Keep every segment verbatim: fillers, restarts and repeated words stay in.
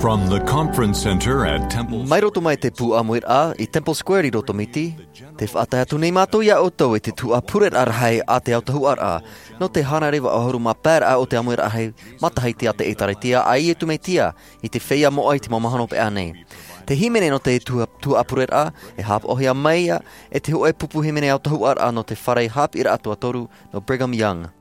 From the conference center at Temple Mai roto mai te pū ʻāmuiraʻa i Temple Square i Rotomiti, tē faʻatae atu nei mātou iā ʻoutou i te tuhaʻa pureraʻa rahi a te autahuʻaraʻa, nō te hānere vaʻu ʻahuru mā pae raʻa o te ʻāmuiraʻa rahi matahiti a te ʻĒtārētia a Iesu Mesia i te feiā moʻa i te mau mahana hopeʻa nei. Te hīmene nō te tuha-, tuhaʻa pureraʻa, e haʻapaʻohia mai ia e te hōʻē pupu hīmene autahuʻaraʻa nō te fare haʻapiʻiraʻa tuatoru nō Brigham Young.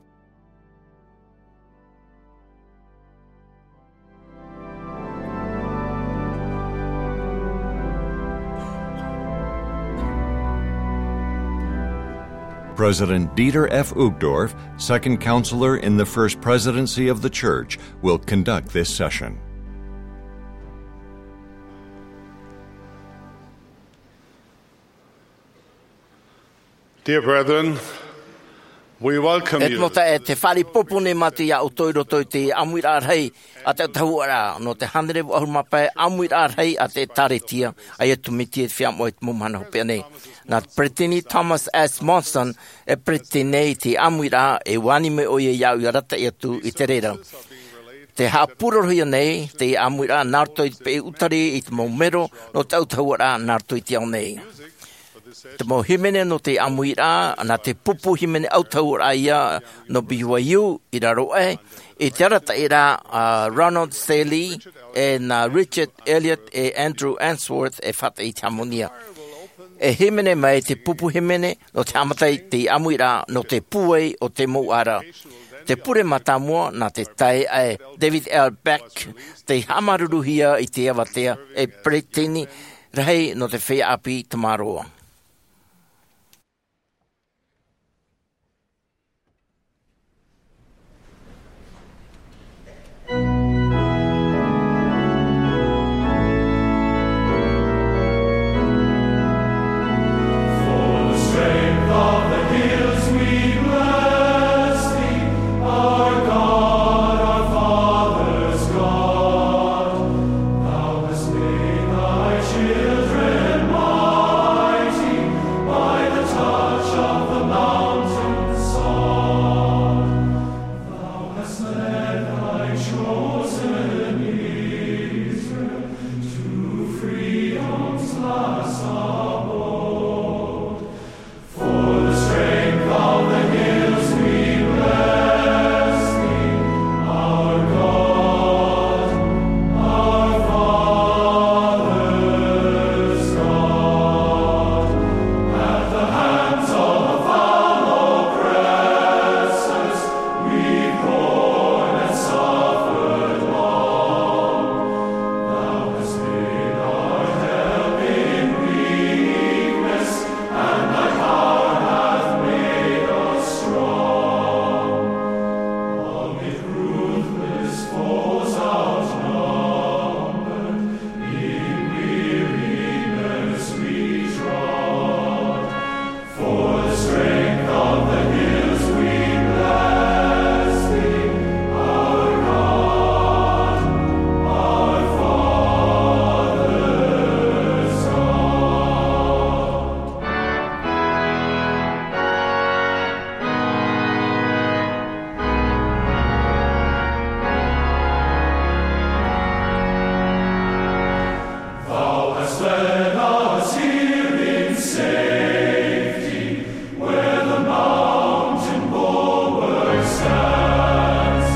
President Dieter F. Uchtdorf, Second Counselor in the First Presidency of the Church, will conduct this session. Dear brethren, we welcome E te mau taeaʻe, tē faʻaroʻo ʻoiʻoi nei mātou iā ʻoutou i roto i te ʻāmuiraʻa rahi a te autahuʻaraʻa nō te hānere vaʻu ʻahuru mā pae ʻāmuiraʻa rahi a te ʻĒtārētia a Iesu Mesia i te feiā moʻa i te mau mahana hopeʻa nei. Nā Peresideni Thomas S. Monson e peresideni i te ʻāmuiraʻa, e ʻua ani mai ʻoia iāʻu ʻia arataʻi atu i te reira. Tē haʻapūrorohia nei te ʻāmuiraʻa nā roto i te peʻe ʻutari i te mau mero nō te autahuʻaraʻa nā roto i te ao nei. Te mau hīmene nō te ʻāmuiraʻa, nā te pupu hīmene autahuʻaraʻa ia nō B Y U i raro aʻe, i te arataʻiraʻa a Ronald Saley, e nā Richard Elliott e Andrew Unsworth e faʻatae i te hāmani. E hīmene mai te pupu hīmene nō te haʻamata i te ʻāmuiraʻa nō te pūai o te mau ara. Te pure mātāmua nā te taeaʻe David L. Beck, tei haʻamāuruuruhia i te avatea e peresideni rahi nō te feiā ʻāpī Tamaroa. Thou hast made thy children mighty by the touch of the mountain sod. Thou hast led thy chosen Israel to freedom's last abode. For the strength of the hills we bless thee, our God, our Father's God. At the hands of the foul oppressors we've borne and suffered long. Thou hast been our help in weakness, and thy power hath made us strong. Amid ruthless foes outnumbered, in weariness we trod. For the strength of the hills we bless thee, our God, our Father's God. Thou hast led us here in safety, where the mountain bulwark stands.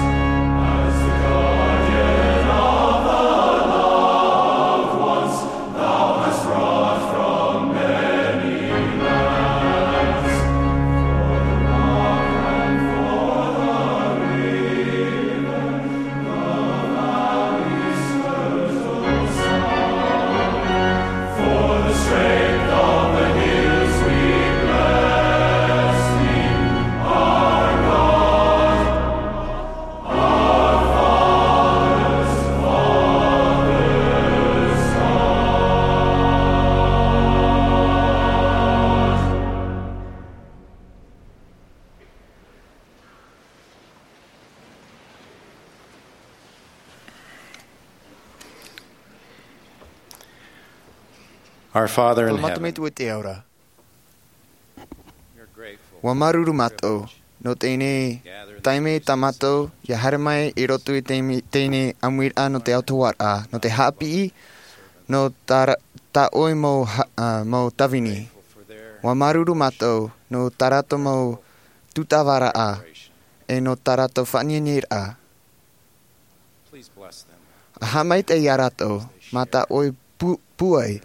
As the guardian of the loved ones, thou hast brought from many lands, for the rock and for the river, the valley's fertile sod. For the strength of the hills we bless thee, our God, our Father's, Father's God. Our Father in heaven, Tō mātou Metua i te ao ra. ʻUa māuruuru mātou nō teie nei Taime tā mātou ia haere mai i roto i teie, teie ʻāmuiraʻa nō te autahuʻaraʻa, nō te haʻapiʻi, nō tā ra-, tā ʻoe mau ha-, ā, mau tāvini. ʻUa māuruuru mātou nō tā rātou mau tūtavaraʻa, e nō tā rātou faʻaineineraʻa. ʻA haʻamaitaʻi ia rātou, mā tā ʻoe pū-, pūai.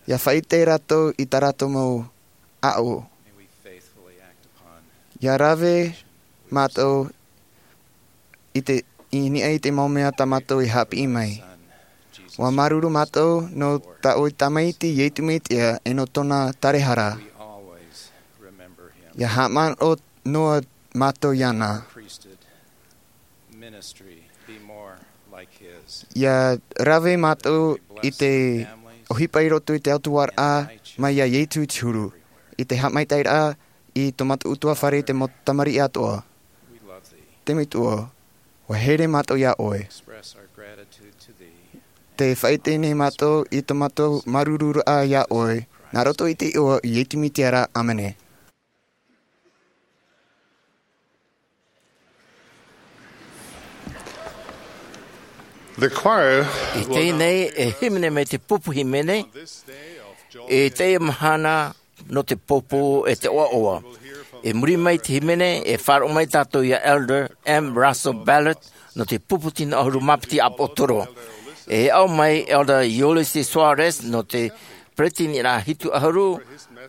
ʻIa faʻaʻite rātou i tā rātou mau ʻaʻo. ʻIa rave mātou i te, i niʻa i te mau mea tā mātou i haʻapiʻi mai. ʻUa māuruuru mātou nō tā ʻoe tamaiti Iesu Mesia e nō tōna tarahara. ʻIa haʻamanaʻo noa mātou iāna. ʻIa rave mātou i te ʻohipa i roto i te autahuʻaraʻa mai iā Iesu i te huru, i te haʻamaitaʻiraʻa i tō mātou ʻutuāfare i te mau tamariʻi atoʻa. Te Metua, ʻua here mātou iā ʻoe. Tē faʻaʻite nei mātou i tō mātou māuruururaʻa iā ʻoe, nā roto i te iʻoa o Iesu Mesia ra, ʻāmene. The choir I will teie now nei e hīmene mai te pupu hīmene, on this day of joy i teie mahana nō te pōpō e te ʻoaʻoa. I muri mai te hīmene, e faʻaroʻo mai tātou iā Elder M. Russell Ballard nō te pupu tino ʻahuru mā piti ʻāpōsetolo. E aʻo mai Elder Ulisses Soares nō te peretiteniraʻa hitu ʻahuru,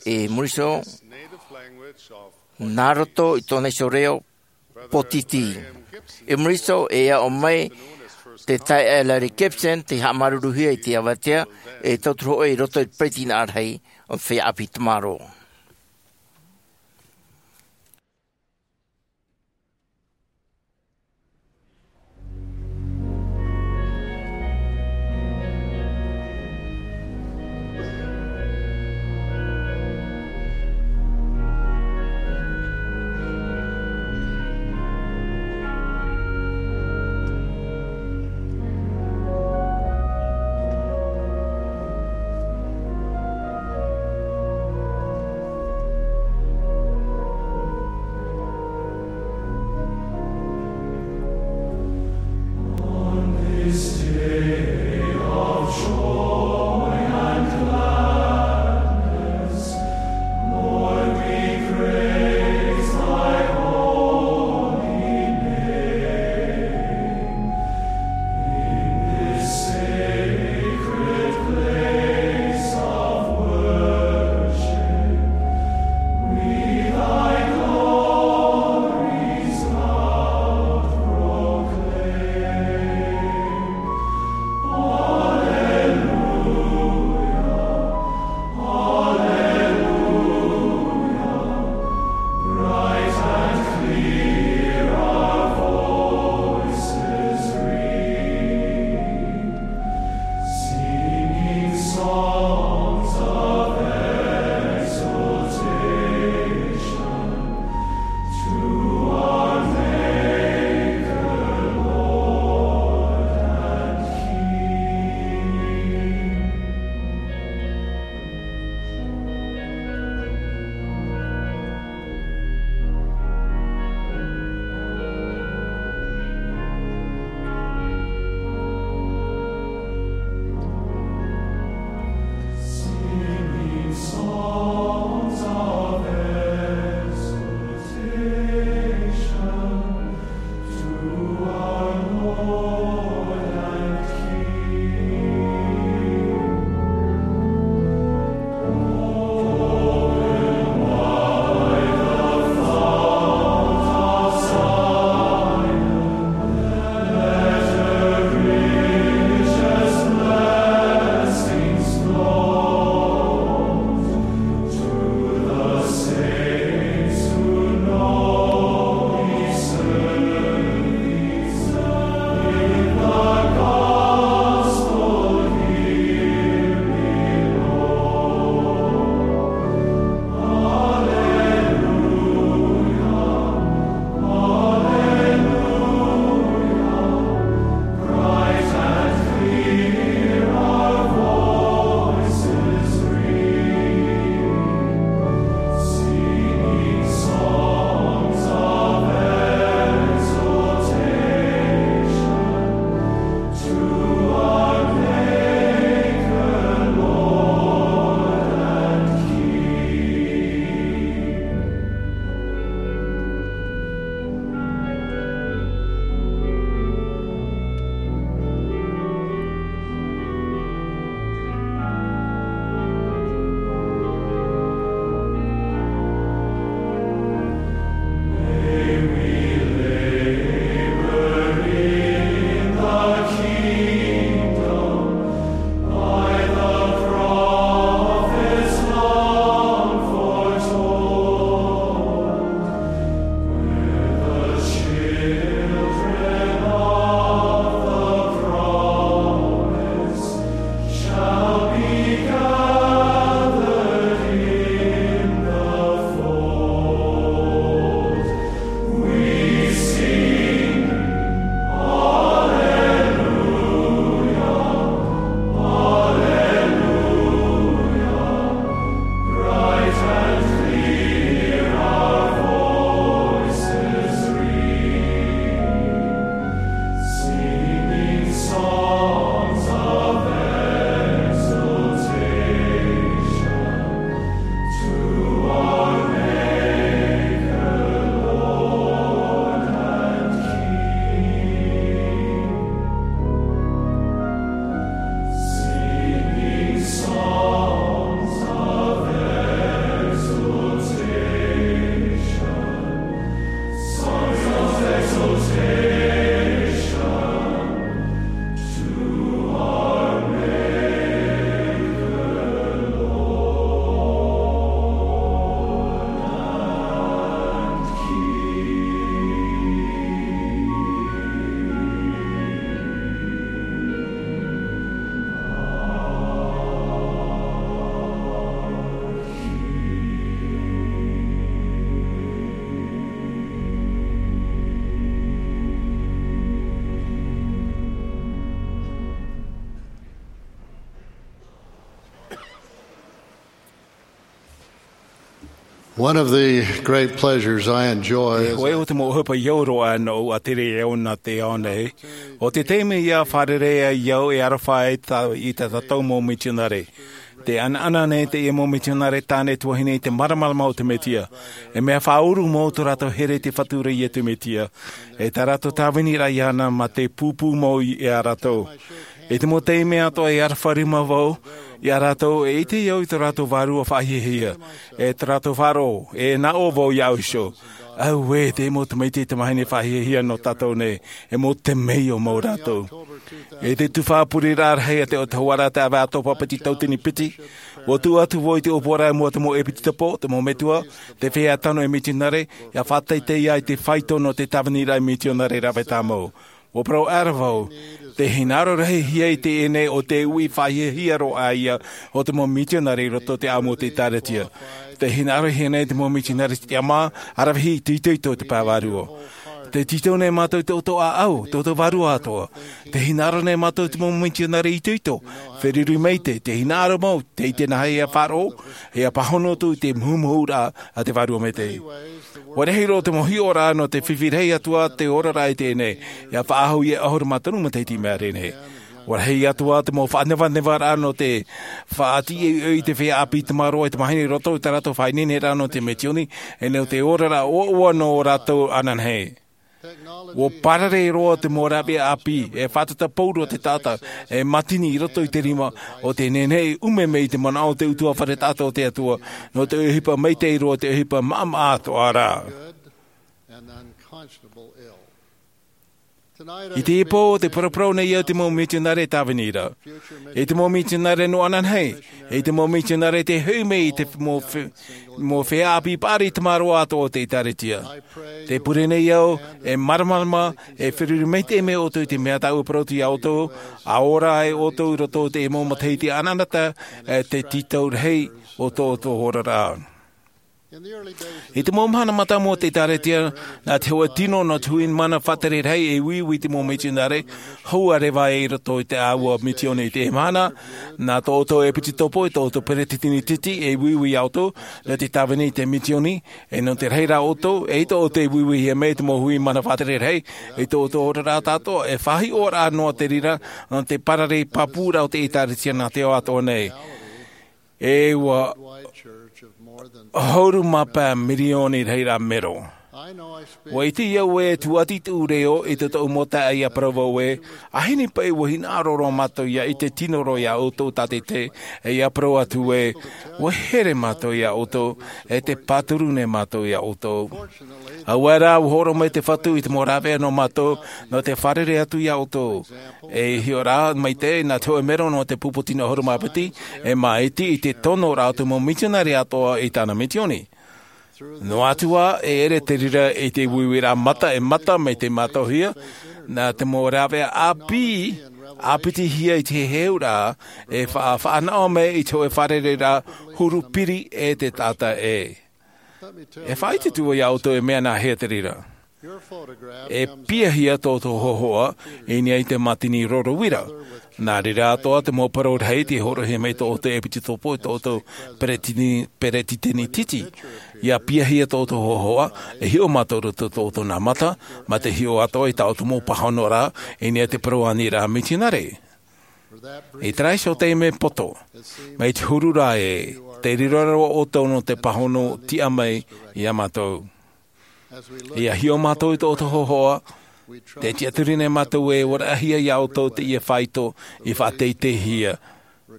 i muri iho, nā roto i tōna iho reo pōtiti. I muri iho e aʻo mai te taeaʻe Larry Gibson, tei haʻamāuruuruhia i te avatea, e tauturu hoʻi i roto i te peretiteniraʻa rahi o te feiā ʻāpī tamaroa. One of the great pleasures I enjoy is hōʻē o te mau ʻohipa i au roa nōʻu a tere e au nā te ao nei, ʻo te taime ia fārerei ai au e aroha ai tā, i tā tātou mau mitionare. Te ʻanaʻana nei teie mau mitionare tāne tuahine i te māramarama o te Mesia. E mea faʻauru mau tō rātou here i te Fatu ra Iesu Mesia. E tā rātou tāviniraʻa iāna mā te pūpū mau i, iā rātou. I te mau taime atoʻa e aroha rima vau iā rātou, e ʻite au i tō rātou vārua faʻahiahia, e tō rātou faʻaroʻo, e nā ʻō vau iāʻu iho. Auē, te mau tamaiti tamahine faʻahiahia nō tātou nei, e mau temeio mau rātou. I te tuhaʻa pureraʻa rahi a te ʻōtahua ra te ʻāvae ʻAtopa piti tauatini piti, ʻua tuʻu atu vau i te ʻōpuaraʻa i mua te mau ʻepitopo, te mau metua, te feiā tano e mitionare, ʻia faʻateitei ai te faito nō te tāviniraʻa mitionare rave tāmau. ʻUa parau ʻaore vau, te hinaʻaro rahi hia i teie nei ʻo te uʻi faʻahiahia roa ïa o te mau mitionare i roto i te ʻāmui o te ʻĒtārētia. Te hinaʻaro hia nei te mau mitionare i te tiʻamā, aravihi i te itoito i te pae vārua. Tē tītau nei mātou i tō ʻoutou ʻāʻau, tō ʻoutou vārua atoʻa. Te hinaʻaro nei mātou i te mau mitionare i itoito, feruri maitaʻi, te hinaʻaro mau, tē ʻite na hea ʻia faʻaroʻo, ʻia pāhono atu i te muhumuhuraʻa a te Vārua Maitaʻi. ʻUa rahi roa te mau hiʻoraʻa nō te fifi rahi atu ā te oraraʻa i teie nei, ʻia faʻaʻahu i te ʻahuru mā toru matahiti i maʻiri nei. ʻUa rahi atu ā te mau faʻanevanevaraʻa nō te faʻatīʻoʻi i te feiā ʻāpī tamaroa e tamahine i roto i tā rātou faʻaineineraʻa nō te misioni, e nō te oraraʻa ʻoaʻoa nō rātou ananahi. ʻUa parare roa te mau rāveʻa ʻāpī, e fātata pauroa te taʻata, e mātini i roto i te rima, ʻo tē nehenehe e ʻume mai i te manaʻo o te ʻutuāfare taʻata o te Atua, nō te ʻohipa maitaʻi roa, te ʻohipa maʻamaʻa atoʻa ra. I teie pō, tē paraparau nei au i te mau mitionare e tāvini ra. I te mau mitionare nō ananahi, i te mau mitionare tē hoʻi mai i te mau fe-, mau feiā ʻāpī paʻari tamaroa atoʻa o te ʻĒtārētia. Tē pure nei au, e māramarama, e feruri maitaʻi mai ʻoutou i te mea tāʻu e parau atu iā ʻoutou, ʻa ora ai ʻoutou i roto i te mau matahiti anaanatae, e te tītau rahi o tō ʻoutou oraraʻa. I te mau mahana mātāmua o te ʻĒtārētia, nā te hōʻē tino nō te hui mana faʻatere rahi e uiui i te mau mitionare, hou ʻārevaʻa i roto i te ʻāua misioni i teie mahana, nā tō ʻoutou ʻepitopo, tō ʻoutou peresideni titi e uiui iā ʻoutou, nō te tāvini i te misioni, e nō te rahiraʻa o ʻoutou, e ʻaita ʻoutou e uiuihia mai i te mau hui mana faʻatere rahi, i tō ʻoutou oraraʻa atoʻa, e faʻahiʻoraʻa noa te reira, nō te parare pāpūraʻa o te ʻĒtārētia nā te ao atoʻa nei. E ʻua ʻahuru mā pae mirioni rahiraʻa mero. ʻUa ʻite au ē tūʻati tōʻu reo i tō tāʻu mau taeaʻe ʻia parau vau ē, ʻa hini paʻi ʻua hinaʻaro roa mātou ʻia ʻite tino roa iā ʻoutou tātaʻitahi, e ʻia parau atu ē, ʻua here mātou iā ʻoutou, e tē pāturu nei mātou iā ʻoutou. Auē rā, ʻua hōroʻa mai te Fatu i te mau rāveʻa nō mātou, nō te fārerei atu iā ʻoutou. E hiʻoraʻa maitaʻi, nā te hōʻē mero nō te pupu tino ʻahuru mā piti, e māʻiti i te tonoraʻa o te mau mitionare atoʻa i tāna misioni. Noa atu ā, e ʻere te reira i te uiuiraʻa mata e mata mai te mātauhia, nā te mau rāveʻa ʻāpī, ʻāpitihia i te heheuraʻa, e fa-, faʻanaho mai i te hōʻē fārereiraʻa huru piri e te taʻata ē. E faʻaʻite atu vau iā ʻoutou e mea nā hea te reira. E piahia tō ʻoutou hōhoʻa, i niʻa i te mātini roro uira. Nā reira atoʻa te mau parau rahi tē hōroʻahia mai tō ʻoutou ʻepitopo, tō ʻoutou peretiteni, peresideni titi. ʻIa piahia tō ʻoutou hōhoʻa, e hiʻo mātou i roto tō ʻoutou nā mata, mā te hiʻo atoʻa i tā ʻoutou mau pāhonoraʻa, i niʻa i te parau aniraʻa mitionare. I terā iho taime poto, mai te huru ra ē, tē riro roa ʻoutou nō te pāhono tiʻa mai iā mātou. ʻIa hiʻo mātou i tō ʻoutou hōhoʻa, tē tiʻaturi nei mātou ē ʻua raʻahia iā ʻoutou teie faito i faʻateiteihia.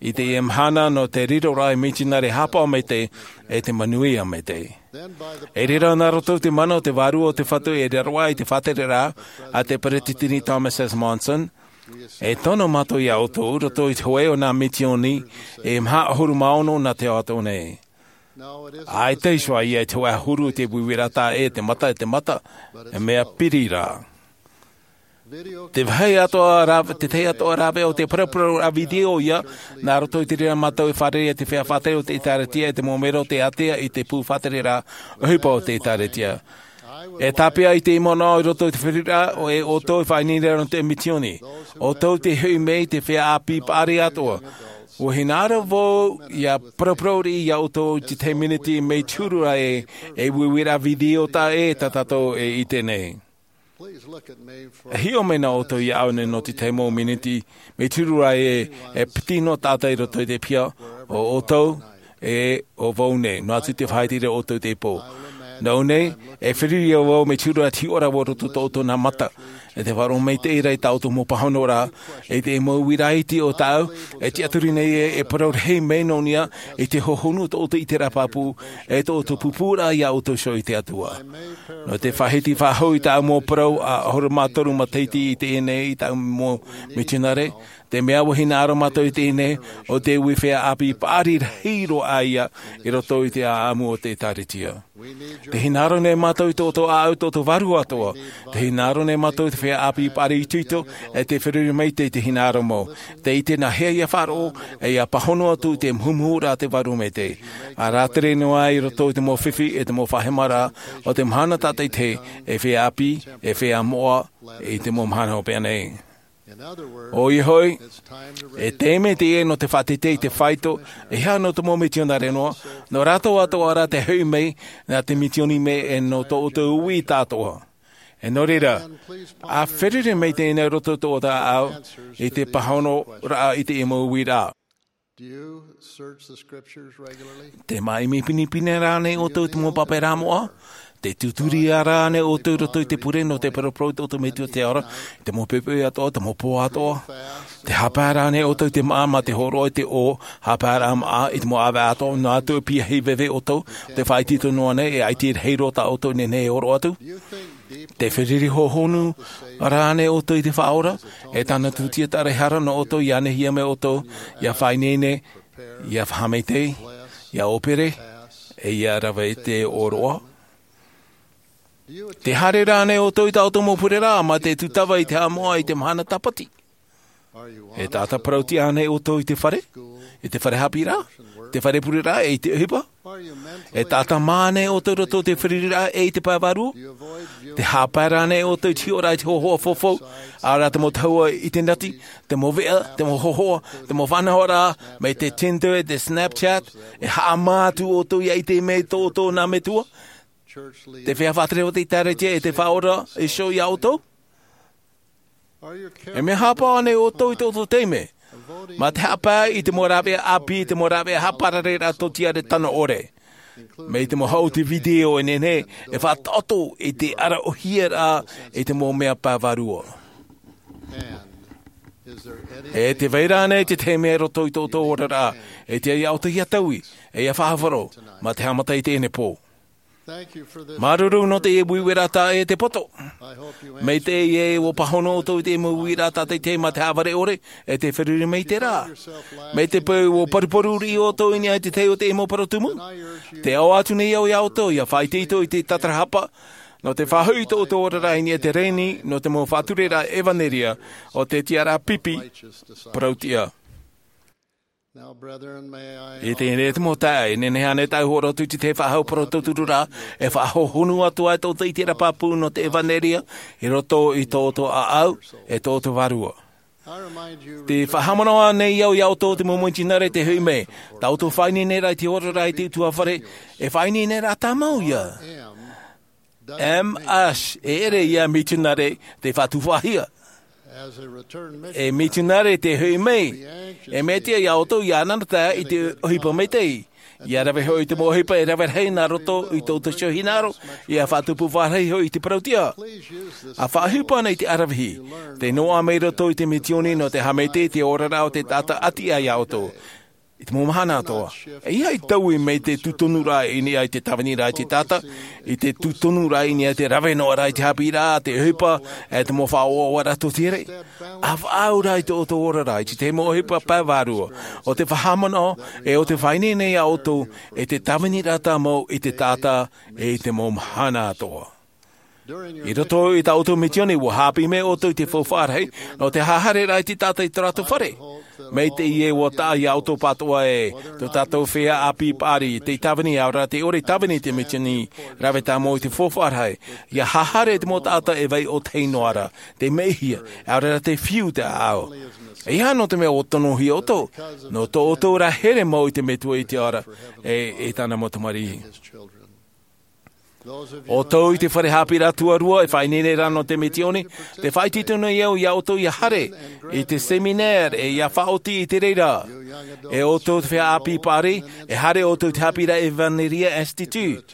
I teie mahana nō te riroraʻa mitionare haʻapaʻo maitaʻi, e te manuia maitaʻi. I reira nā roto i te mana o te Vārua o te Fatu e riro ai te faʻatereraʻa a te Peresideni Thomas S. Monson, e tono mātou iā ʻoutou, i roto i te hōʻē o nā misioni, e maha ʻahuru mā ono nā te ao atoʻa nei. ʻAita iho ā ia i te hōʻē ʻahuru i te uiuiraʻa taʻa ʻē te mata e te mata, e mea piri rā. Te vāhi atoʻa rāve-, te tahi atoʻa rāveʻa o te paraparau video ïa, nā roto i te reira mātou e fārerei i te feiā faʻatere o te ʻĒtārētia e te mau mero tē ātea i te pū faʻatereraʻa ʻohipa o te ʻĒtārētia. E tāpeʻa i te manaʻo i roto i te feruriraʻa, ʻo e ʻoutou e faʻaineine ra nō te misioni. ʻOutou tē hoʻi mai i te feiā ʻāpī paʻari atoʻa. Ua hinaʻaro vau ia paraparau riʻi ia ʻoutou i te tahi miniti mai te huru ra ē, e uiuiraʻa video tā ē tā tātou e ʻite nei. E hiʻo mai na ʻoutou iāʻu nei nō te tahi mau miniti mai te huru ra ē, e piti noa tātou i roto i te piha, ʻo ʻoutou ē, ʻo vau nei, noa atu te faʻaʻite ra ʻoutou i teie pō. Nō ʻō nei, e feruri vau mai te huru ra te hiʻoraʻa i roto i tō ʻoutou nā mata, e te faʻaroʻo maitaʻi ra i tā ʻoutou mau pāhonoraʻa, i te mau uiraʻa iti o tāʻu, e tiʻaturi nei ē, e parau rahi mai nō niʻa i te hohonu o tō ʻoutou ʻiteraʻa pāpū, e tō ʻoutou pūpūraʻa ia ʻoutou iho i te Atua. Nō te faʻahiti faʻahou i tāʻu mau parau ʻahuru mā toru matahiti i teie nei i tāʻu mau mitionare, te mea ua hinaʻaro mātou i teie nei, ʻo te ui feiā ʻāpī paʻari rahi roa ïa i roto i te ʻāʻamu o te ʻĒkālesia. Te hinaʻaro nei mātou i tō ʻoutou ʻāʻau, tō ʻoutou vārua atoʻa. Te hinaʻaro nei mātou i te feiā ʻāpī paʻari itoito, e te feruri maitaʻi i te hinaʻaro mau. Te ʻite nā hea ia faʻaroʻo, e ia pāhono atu i te muhumuhuraʻa a te Vārua Maitaʻi. ʻA rātere noa i roto i te mau fifi, e te mau faʻahemaraʻa, ʻo te mahana tātaʻitahi, e feiā ʻāpī, e feiā moʻa, i te mau mahana hopeʻa nei. ʻOia hoʻi, e taime teie nō te faʻateitei i te faito, e aha nō te mau mitionare noa, nō rātou atoʻa rā te hoʻi mai, nā te mitioni mai e nō tō ʻoutou uiraʻa atoʻa. E nō reira, ʻa feruri maitaʻi nei i roto i tō ʻoutou ʻāʻau, i te pāhonoraʻa i te mau uiraʻa. Do you search the scriptures regularly? Te māʻimi pinepine rānei ʻoutou i te mau pāpaʻiraʻa moʻa? Te tūturi rānei ʻoutou i roto i te pure nō te paraparau i tō ʻoutou Metua te Atua, i te mau poʻipoʻi atoʻa, te mau pō atoʻa? Te haʻapae rānei ʻoutou i te māʻa mā te hōroʻa i te ʻō, haʻapaeraʻa māʻa, i te mau ʻāvaʻe atoʻa, noa atu e piahi veve ʻoutou, te faʻaitoito noa nei, e ʻaita i rahi roa tā ʻoutou e nehenehe e hōroʻa atu? Te feruri hohonu rānei ʻoutou i te Faʻaora, e tāna tūtia tāraʻehara nō ʻoutou, ʻia nehenehe mai ʻoutou, ʻia faʻaineine, ʻia faʻamaitaʻi, ʻia ʻōpere, e ʻia rave i te ʻōroʻa? Te haere rānei ʻoutou i tā ʻoutou mau pureraʻa, mā te tūtava i te haʻamoʻa i te mahana tāpati? E taʻata parau-tiʻa ānei ʻoutou i te fare, i te fare haʻapiʻiraʻa, te fare pureraʻa, e i te ʻohipa? E taʻata mā ānei ʻoutou i roto i te feruriraʻa e i te pae vārua? Te haʻapae rānei ʻoutou i te hiʻoraʻa i te hōhoʻa faufaʻa, ʻaore rā te mau tahua ʻitenati, te mau veʻa, te mau hōhoʻa, te mau faʻanahoraʻa, mai te Tinder, te Snapchat, e haʻamā atu ʻoutou ʻia ʻite mai i tō ʻoutou nā metua? Te feiā faʻatere o te ʻĒkālesia e te Faʻaora e hiʻo iā ʻoutou? E mea haʻapaʻo ānei ʻoutou i tō ʻoutou taime, mā te haʻapae i te mau rāveʻa ʻāpī, i te mau rāveʻa haʻaparareraʻa tōtiare tano ʻore, mai te mau haʻuti video e nehenehe e faʻataʻoto i te ʻaraʻohiaraʻa i te mau mea pae vārua? E tē vai ra ānei te tahi mea i roto i tō ʻoutou oraraʻa, e tiʻa iā ʻoutou ʻia taui, e ʻia faʻahaʻapaʻo, mā te haʻamata i teie nei pō? Māuruuru nō te uiuiraʻa tā ē te poto. Mai teie ē ʻua pāhono ʻoutou i te mau uiraʻa tātaʻitahi mā te haʻavare ʻore, e te feruri maitaʻi ra. Mai te peu ʻua paruparu riʻi ʻoutou i niʻa i te tahi o te mau parau tumu. Tē ʻoaʻoa atu nei au iā ʻoutou, ʻia faʻaitoito i te tātarahapa, nō te faʻahoʻi i tō ʻoutou oraraʻa i niʻa i te rēni, nō te mau faʻatureraʻa ʻevanelia, ʻo te tiʻaraʻa pipi, parau-tiʻa. I teie nei te mau taeaʻe, e nehenehe ānei tāʻu e hōroʻa atu i te faʻahou parau tauturu ra, e faʻahohonu atu ai tō ʻoutou ʻiteraʻa pāpū nō te ʻevanelia, i roto i tō ʻoutou ʻāʻau, e tō ʻoutou vārua? Tē faʻahaʻamanaʻo nei au iā ʻoutou te mau mitionare tē hoʻi mai, tā ʻoutou faʻaineineraʻa i te oraraʻa i te ʻutuāfare, e faʻaineineraʻa tāmau ïa. M H, e ʻere ïa mitionare tei faʻatupuhia. E mitionare tē hoʻi mai, e mea tiʻa iā ʻoutou ʻia anaanatae i te ʻohipa maitaʻi. ʻIa rave hoʻi i te mau ʻohipa e rave rahi nā roto i tō ʻoutou hinaʻaro, ʻia faʻatupu faʻahou hoʻi i te parau-tiʻa. ʻA faʻaʻohipa ānei i te ʻaravihi, tē noaʻa mai roto i te mitioni nō te haʻamaitaʻi i te oraraʻa o te taʻata ʻati aʻe iā ʻoutou. I te mau mahana atoʻa, e ʻeiaha e taui mai te tūtonuraʻa i niʻa i te tāviniraʻa i te taʻata, i te tūtonuraʻa i niʻa i te rave noa ra i te haʻapiʻiraʻa, te ʻohipa, e te mau faʻaʻoaʻoaraʻa tōtiare. ʻA faʻaau ra i tō ʻoutou oraraʻa i te tahi mau ʻohipa pae vārua, ʻo te faʻahaʻamanaʻo, e ʻo te faʻaineine iā ʻoutou, e te tāviniraʻa tāmau i te taʻata, e i te mau mahana atoʻa. I roto i tā ʻoutou misioni, ua haʻapiʻi mai ʻoutou i te faufaʻa rahi nō te haereraʻa i te taʻata i tō rātou fare. Mai te ʻī ē, ua taʻa iā ʻoutou pāʻatoʻa ē, tō tātou feiā ʻāpī paʻari, tei tāvini, ʻaore rā tei ʻore i tāvini i te misioni, rave tāmau i te faufaʻa rahi, ʻia haere te mau taʻata e vai ʻōtahi noa ra, tei maihia, ʻaore rā tei fiu te ʻāʻau. ʻEiaha nō te mea ʻua tonohia ʻoutou, nō tō ʻoutou ra here mau i te Metua i te ao ra, e, e tāna mau tamariʻi. ʻOutou i te fare haʻapiʻiraʻa tuarua e faʻaineine ra nō te misioni, tē faʻaitoito nei au iā ʻoutou ʻia haere i te seminare, e ʻia faʻaoti i te reira. E ʻoutou te feiā ʻāpī paʻari, e haere ʻoutou i te Haʻapiʻiraʻa ʻEvaneria Institute.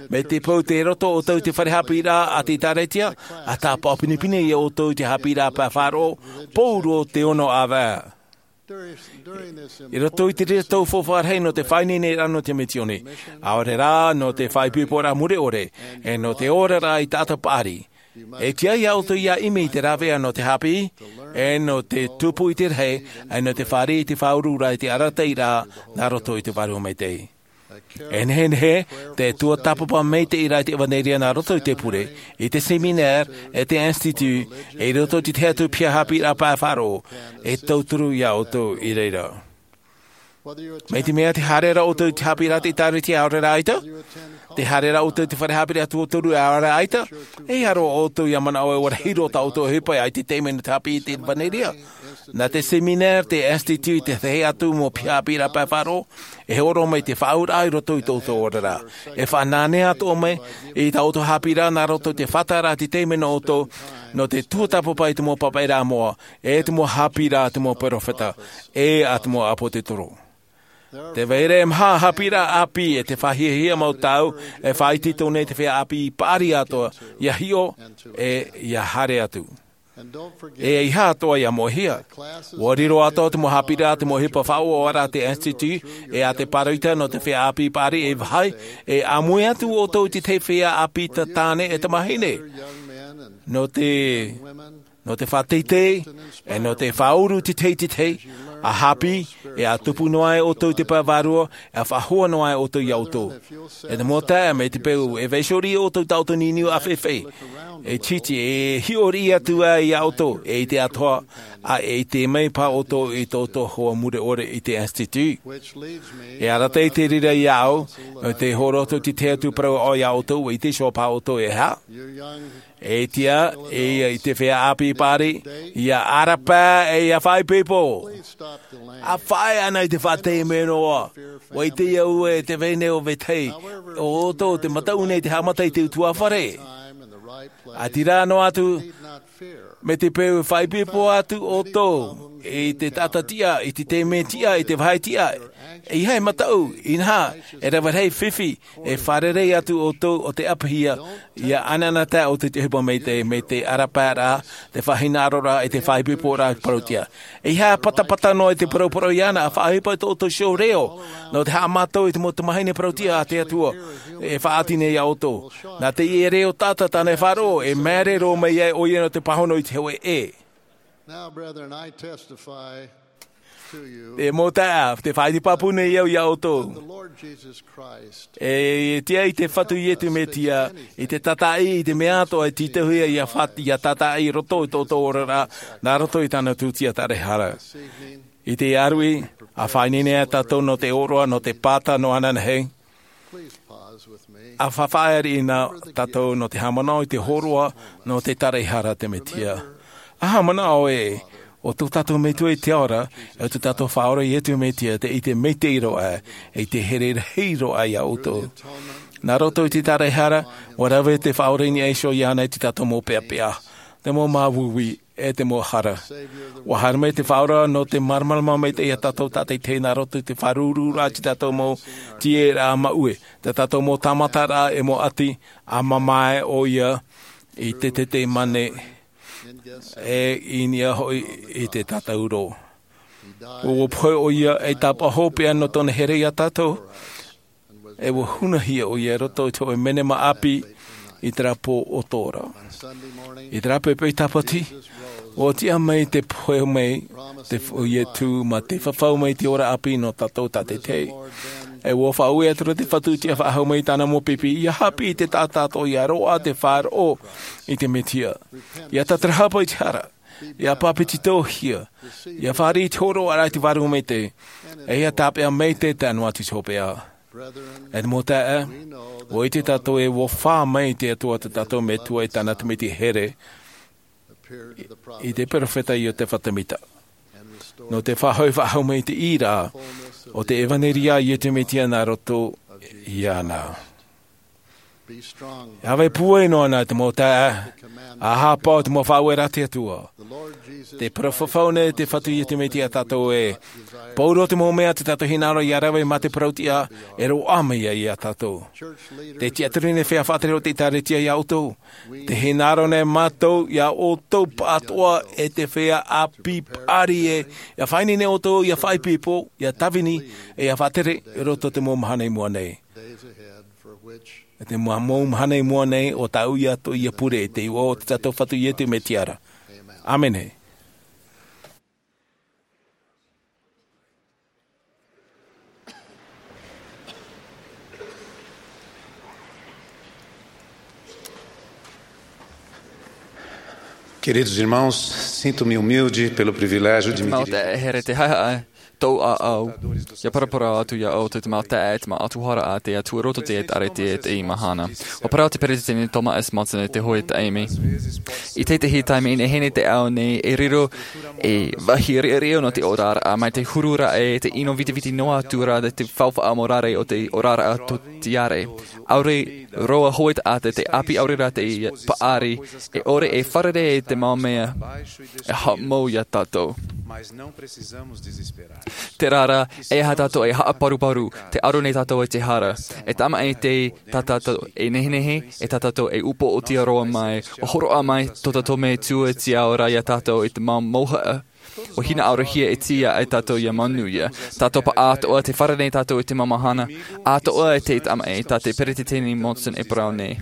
Mai te peu tei roto ʻoutou i te fare haʻapiʻiraʻa a te ʻĒkālesia, ʻa tāpaʻo pinepine iā ʻoutou i te haʻapiʻiraʻa pae faʻaroʻo, pauroa te ono ʻāvaʻe. I roto i te reira tau faufaʻa rahi nō te faʻaineineraʻa nō te misioni, ʻaore rā nō te faʻaipoiporaʻa mure ʻore, e nō te oraraʻa i taʻata paʻari, e tiʻa iā ʻoutou ʻia ʻimi i te rāveʻa nō te haʻapiʻi, e nō te tupu i te rahi, e nō te fāriʻi i te faʻaururaʻa i te arataʻiraʻa nā roto i te Vārua Maitaʻi. E nehenehe te tuatāpapa maitaʻi ra i te ʻEvaneria nā roto i te pure, i te seminare, e te institute, e i roto i te tahi atu piha haʻapiʻiraʻa pae faʻaroʻo, e tauturu iā ʻoutou i reira. Mai te mea tē haere ra ʻoutou i te haʻapiʻiraʻa a te ʻĒkālesia ʻaore rā ʻaita, tē haere ra ʻoutou i te fare haʻapiʻiraʻa tuatoru ʻaore rā ʻaita, e ʻia roaʻa ʻoutou ʻia manaʻo e ʻua rahi roa tā ʻoutou ʻohipa ʻia ʻite i te taime nō te haʻapiʻi i te ʻEvaneria. Nā te seminare, te institute, te tahi atu mau piha haʻapiʻiraʻa pae faʻaroʻo, e hōroʻa mai te faʻaauraʻa i roto i tō ʻoutou oraraʻa. E faʻananea atoʻa mai i tā ʻoutou haʻapiʻiraʻa nā roto i te faʻataʻaraʻa i te taime nō ʻoutou, nō te tuatāpapa i te mau papaʻiraʻa moʻa, e te mau haʻapiʻiraʻa a te mau perofeta, e a te mau ʻāpōsetolo. Tē vai ra e maha haʻapiʻiraʻa ʻāpī e te faʻahiahia mau tau, e faʻaitoito nei te feiā ʻāpī paʻari atoʻa, ʻia hiʻo, e ʻia haere atu. E ʻeiaha atoʻa ʻia moʻehia. ʻUa riro atoʻa te mau haʻapiʻiraʻa, te mau ʻohipa faʻaʻoaʻoaraʻa a te institute, e a te pāroita nō te feiā ʻāpī paʻari e vāhi, e ʻāmui atu ʻoutou i te tahi feiā ʻāpī tāne e tamāhine. Nō te, nō te faʻateitei, e nō te faʻauru i te tahi i te tahi, ʻa haʻapiʻi, e ʻa tupu noa ai ʻoutou i te pae vārua, ʻa faʻahou noa ai ʻoutou iā ʻoutou. E te mau taeaʻe, mai te peu e vaiiho riʻi ʻoutou i tā ʻoutou niuniu ʻāfaʻifaʻi, e tītī, e hiʻo riʻi atu ai iā ʻoutou, e ʻite atoʻa, ʻa e ʻite mai paha ʻoutou i tō ʻoutou hoa mure ʻore i te institute. E arataʻi i te reira iāʻu, e tē hōroʻa atu i te tahi atu parau aʻo iā ʻoutou, e ʻite iho paha ʻoutou e aha. E tiʻa, e ʻia i te feiā ʻāpī paʻari, ʻia ʻarapae, e ʻia faʻaipoipo. ʻA faʻaea anaʻe i te faʻatere mai noa. ʻUa ʻite au ē, te vahine ʻo vetahi, ʻo ʻoutou te mataʻu nei te haʻamata i te utuāfare. ʻA terā noa atu, mai te peu e faʻaipoipo atu ʻoutou i te taʻata tiʻa, i te taime tiʻa, i te vāhi tiʻa, ʻeiaha e mataʻu, inaha, e rave rahi fifi, e fārerei atu ʻoutou ʻo tē ʻapihia, ʻia ʻanaʻanatae ʻoutou i te ʻohipa maitaʻi, mai te ʻarapaeraʻa, te faʻahinaʻaroraʻa, e te faʻaipoiporaʻa parau tiʻa. ʻEiaha e patapata noa i te parauparau iāna, ʻa faʻaʻohipa i tō ʻoutou iho reo, nō te haʻamātau i te mau tamāhine parau tiʻa a te Atua, e faʻaoti nei iā ʻoutou. Nā teie reo taʻata tāna e faʻaroʻo, e māere roa mai ai ʻoia nō te pāhono i te hōʻē ʻē. Now, brethren, I testify to you E mau taeaʻe, tē faʻaʻite pāpū nei au iā ʻoutou. The Lord Jesus Christ E tiʻa i te Fatu Iesu Mesia, i te tātaʻi, i te mea atoʻa e tītauhia ʻia fa-, ʻia tātaʻi i roto i tō ʻoutou oraraʻa, nā roto i tāna tūtia tāraehara. this evening, I te aruʻi, ʻa faʻaineine tātou nō te ʻōroʻa, nō te pāta, nō ananahi. Please pause with me. ʻA faʻaʻite riʻi na tātou nō te haʻamanaʻo i te hōroʻa nō te tāraehara a te Mesia. ʻA haʻamanaʻo ē, ʻo tō tātou Metua i te ao ra, e ʻo tō tātou Faʻaora Iesu Mesia, tē ʻite maitaʻi roa ʻoia, e tē here rahi roa ʻoia iā ʻoutou. Nā roto i te tāraehara, ʻua rave te Faʻaora i niʻa iho iāna i tō tātou mau peʻapeʻa, te mau māuiui, e te mau hara. ʻUa haere mai te Faʻaora nō te māramarama maitaʻi iā tātou tātaʻitahi nā roto i te fāuruururaʻa i tō tātou mau tīaʻiraʻa maʻue, tō tātou mau tāmataraʻa e mau ʻati, ʻa mamae ʻoia i te Ketesemane, e i niʻa hoʻi i te tātauro. ʻUa pohe ʻoia ei tāpaʻo hopeʻa nō tōna here iā tātou, e ʻua hunahia ʻoia i roto i te hōʻē menema ʻāpī i terā pō ʻo Tora. I terā poʻipoʻi Tāpati, ʻua tiʻa mai te pohe mai te f-, ʻo Iesu mā te fafau mai i te ora ʻāpī nō tātou tātaʻitahi. E ua faʻaue atu ra te Fatu i te faʻahou mai i tāna mau pipi, ia haʻapiʻi i te taʻata atoʻa, ia roaʻa te faʻaroʻo i te Mesia. Ia tātarahapa i te hara, ia papetitohia, ia fāriʻi i te hōroʻaraʻa i te Vārua Maitaʻi, e ia tāpeʻa maitaʻi te ʻānoʻa atu i te hopeʻa. E te mau taeaʻe, ʻua ʻite tātou ē ʻua fā mai te Atua tā tātou Metua i tāna tamaiti here, i, i te perofeta Iotefa Temita, nō te faʻahoʻi faʻahou mai i te ʻīraʻa o te ʻevaneria a Iesu Mesia nā roto iāna. E ʻāvae pūai noa anaʻe te mau taeaʻe, ʻa haʻapaʻo i te mau faʻaueraʻa a te Atua. Te parau fafau nei te Fatu Iesu Mesia iā tātou ē, pauroa te mau mea tā tātou hinaʻaro ia rave mā te parautiʻa, e roaʻa mai ia iā tātou. Te tiʻaturi nei feiā faʻatere o te ʻĒkālesia iā ʻoutou. Te hinaʻaro nei mātou iā ʻoutou pāʻatoʻa e te feiā ʻāpī paʻari ē, ia faʻaineine ʻoutou, ia faʻaipoipo, ia tāvini, e ia faʻatere i roto i te mau mahana i mua nei. E te mau, mau mahana i mua nei, ʻo tāʻu ia atoʻa ia pure i te iʻoa o tā tātou Fatu Iesu Mesia ra. ʻĀmene. Queridos irmãos, sinto-me humilde pelo privilégio de me Mau dirigir. Te here te haʻahaʻa tō ʻāʻau. Ia paraparau atu iā ʻoutou te mau taeaʻe, te mau ʻatuhara a te Atua i roto i te ʻĒkālesia i teie mahana. ʻUa parau te peretiteni Thomas S. Monson i te hōʻē taime. I te tahi taime, i nehenehe te ao nei, e riro e vāhi riʻariʻa nō te oraraʻa, mai te huru ra e te ʻino vitiviti noa atu ra te faufaʻa morare o te oraraʻa tōtiare. ʻAore roa hōʻē taʻata te ʻāpī ʻaore rā te paʻari, e ʻore e fārerei i te mau mea e haʻamou iā tātou. Terā rā, ʻeiaha tātou e haʻaparuparu, tē aro nei tātou i te hara. E tāmaʻi te tā tātou e nehenehe, e tā tātou e upoʻotia roa mai, ʻua hōroʻa mai tō tātou Metua i te ao ra iā tātou i te mau mouhaʻa. ʻUa hinaʻarohia e te Atua ia tātou ia manuia. Tātou paʻatoʻa tē fārerei nei tātou i te mau mahana atoʻa e te tāmaʻi, tā te peretiteni Monson e parau nei.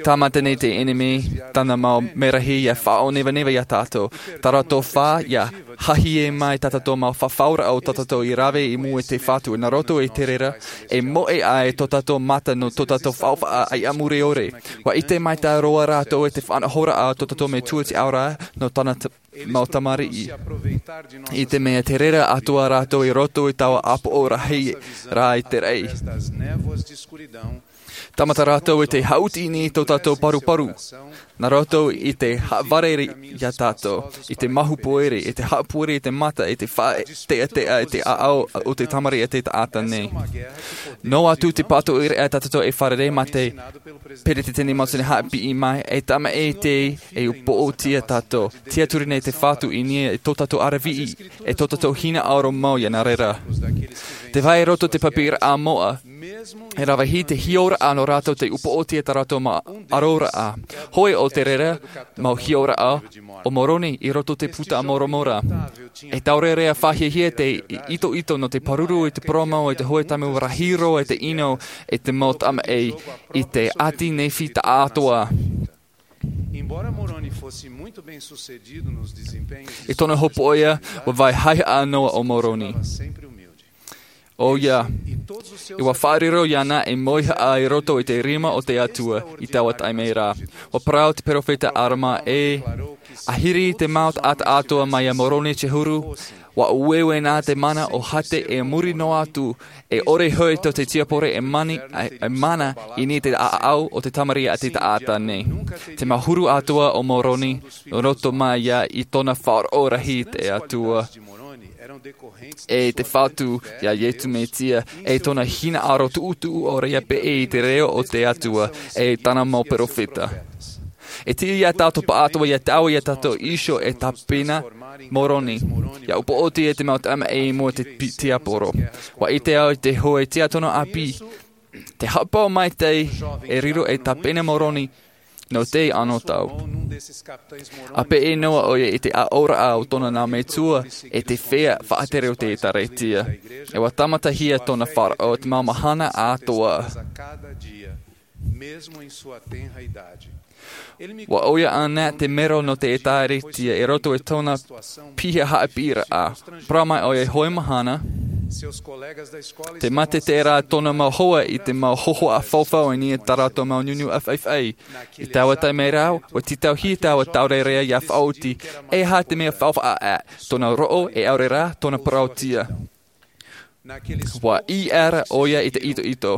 Tāmata nei te ʻenemi, tāna mau mērahi ia faʻaʻōnevaneva iā tātou. Tā rātou fā ia hahie mai tā tātou mau fafauraʻa o tā tātou i rave i mua i te Fatu, nā roto i te reira, e moʻe ai tō tātou mata nō tō tātou faufaʻa ʻaiʻa mure ʻore. ʻUa ʻite maitaʻi roa rātou i te faʻanahoraʻa o tō tātou Metua i te ao ra nō tāna t-, mau tamariʻi. I te mea te reira atoʻa rātou i roto i taua ʻāpoʻo rahi rā i te raʻi. Tāmata rātou i te haʻuti i niʻa i tō tātou paruparu. Nā roto i te haʻavare iā tātou, i te mahu pōiri, i te haʻapōiri i te mata, i te faʻateʻateʻa, i te ʻāʻau o te tamariʻi a te taʻata nei. Noa atu te pātoʻi ra tā tātou e fārerei mā te peretiteni Monson i haʻapiʻi mai, e tāmaʻi te e upoʻotia tātou. Tiʻaturi nei te Fatu i niʻa i tō tātou ʻaraviʻi, e tō tātou hinaʻaro mau ia nā reira. Te vai roto te papi ra a moʻa, e rave hia te hiʻoraʻa nō rātou te upoʻotia tā rātou mau ʻaroraʻa. Hōʻē o te reira mau hiʻoraʻa o Moroni i roto te Puta a Moromona. E tāʻore ra fāhiahia te itoito nō te pāruru i te parau mau i te hōʻē taime ʻua rahi roa i te ʻino e te mau tāmaʻi i te ʻāti Nephi taʻatoʻa. Embora Moroni fosse muito bem-sucedido nos desempenhos de I tōna hopoiʻa, ʻua vai haʻehaʻa noa ʻo Moroni. Sempre humilde. ʻOia, ʻua faʻariro iāna e mauihaʻa i roto i te rima o te Atua i taua taime ra. ʻUa parau te perofeta Arama ē, ʻahiri te mau taʻata atoʻa mai iā Moroni te huru, ʻua ueue nā te mana o Hate e muri noa atu, e ʻore hoʻi tō te tiaporo e mani, e, e mana i niʻa i te ʻāʻau o te tamariʻi a te taʻata nei. Te mau huru atoʻa o Moroni, nō roto mai ia i tōna faʻaroʻo rahi i te Atua, e te Fatu iā Iesu Mesia, e tōna hinaʻaro tuʻutuʻu ʻore ia peʻe i te reo o te Atua, e tāna mau perofeta. E tiʻa ia tātou paʻatoʻa ia taui iā tātou iho e tāpena Moroni, ia upoʻotia te mau tāmaʻi i mua i te pi-, tiaporo. ʻUa ʻite au i te hōʻē tiʻaturi ʻāpī, te haʻapaʻo maitaʻi e riro e tāpena Moroni nō te anotau. ʻA peʻe noa ʻoia i te aʻoraʻa o tōna nā metua e te feiā faʻatere o te ʻĒkālesia. E ʻua tāmatahia tōna faʻaroʻo i te mau mahana atoʻa. ʻUa ʻoia anaʻe te mero nō te ʻĒkālesia i roto i tōna piha haʻapiʻiraʻa. Parau mai ʻoia i te hōʻē mahana, Te mate tērā tōna mau hoa i te mau hohoʻa faufau i niʻa i tā rātou mau nunu ʻāfaʻifaʻi. I taua taime ra, ʻua tītauhia taua taurearea ia faʻaoti, e aha te mea faufaʻa aʻe, tōna roʻo e ʻaore rā tōna parauʻtiʻa. ʻUa ʻī ʻē ra ʻoia i te itoito.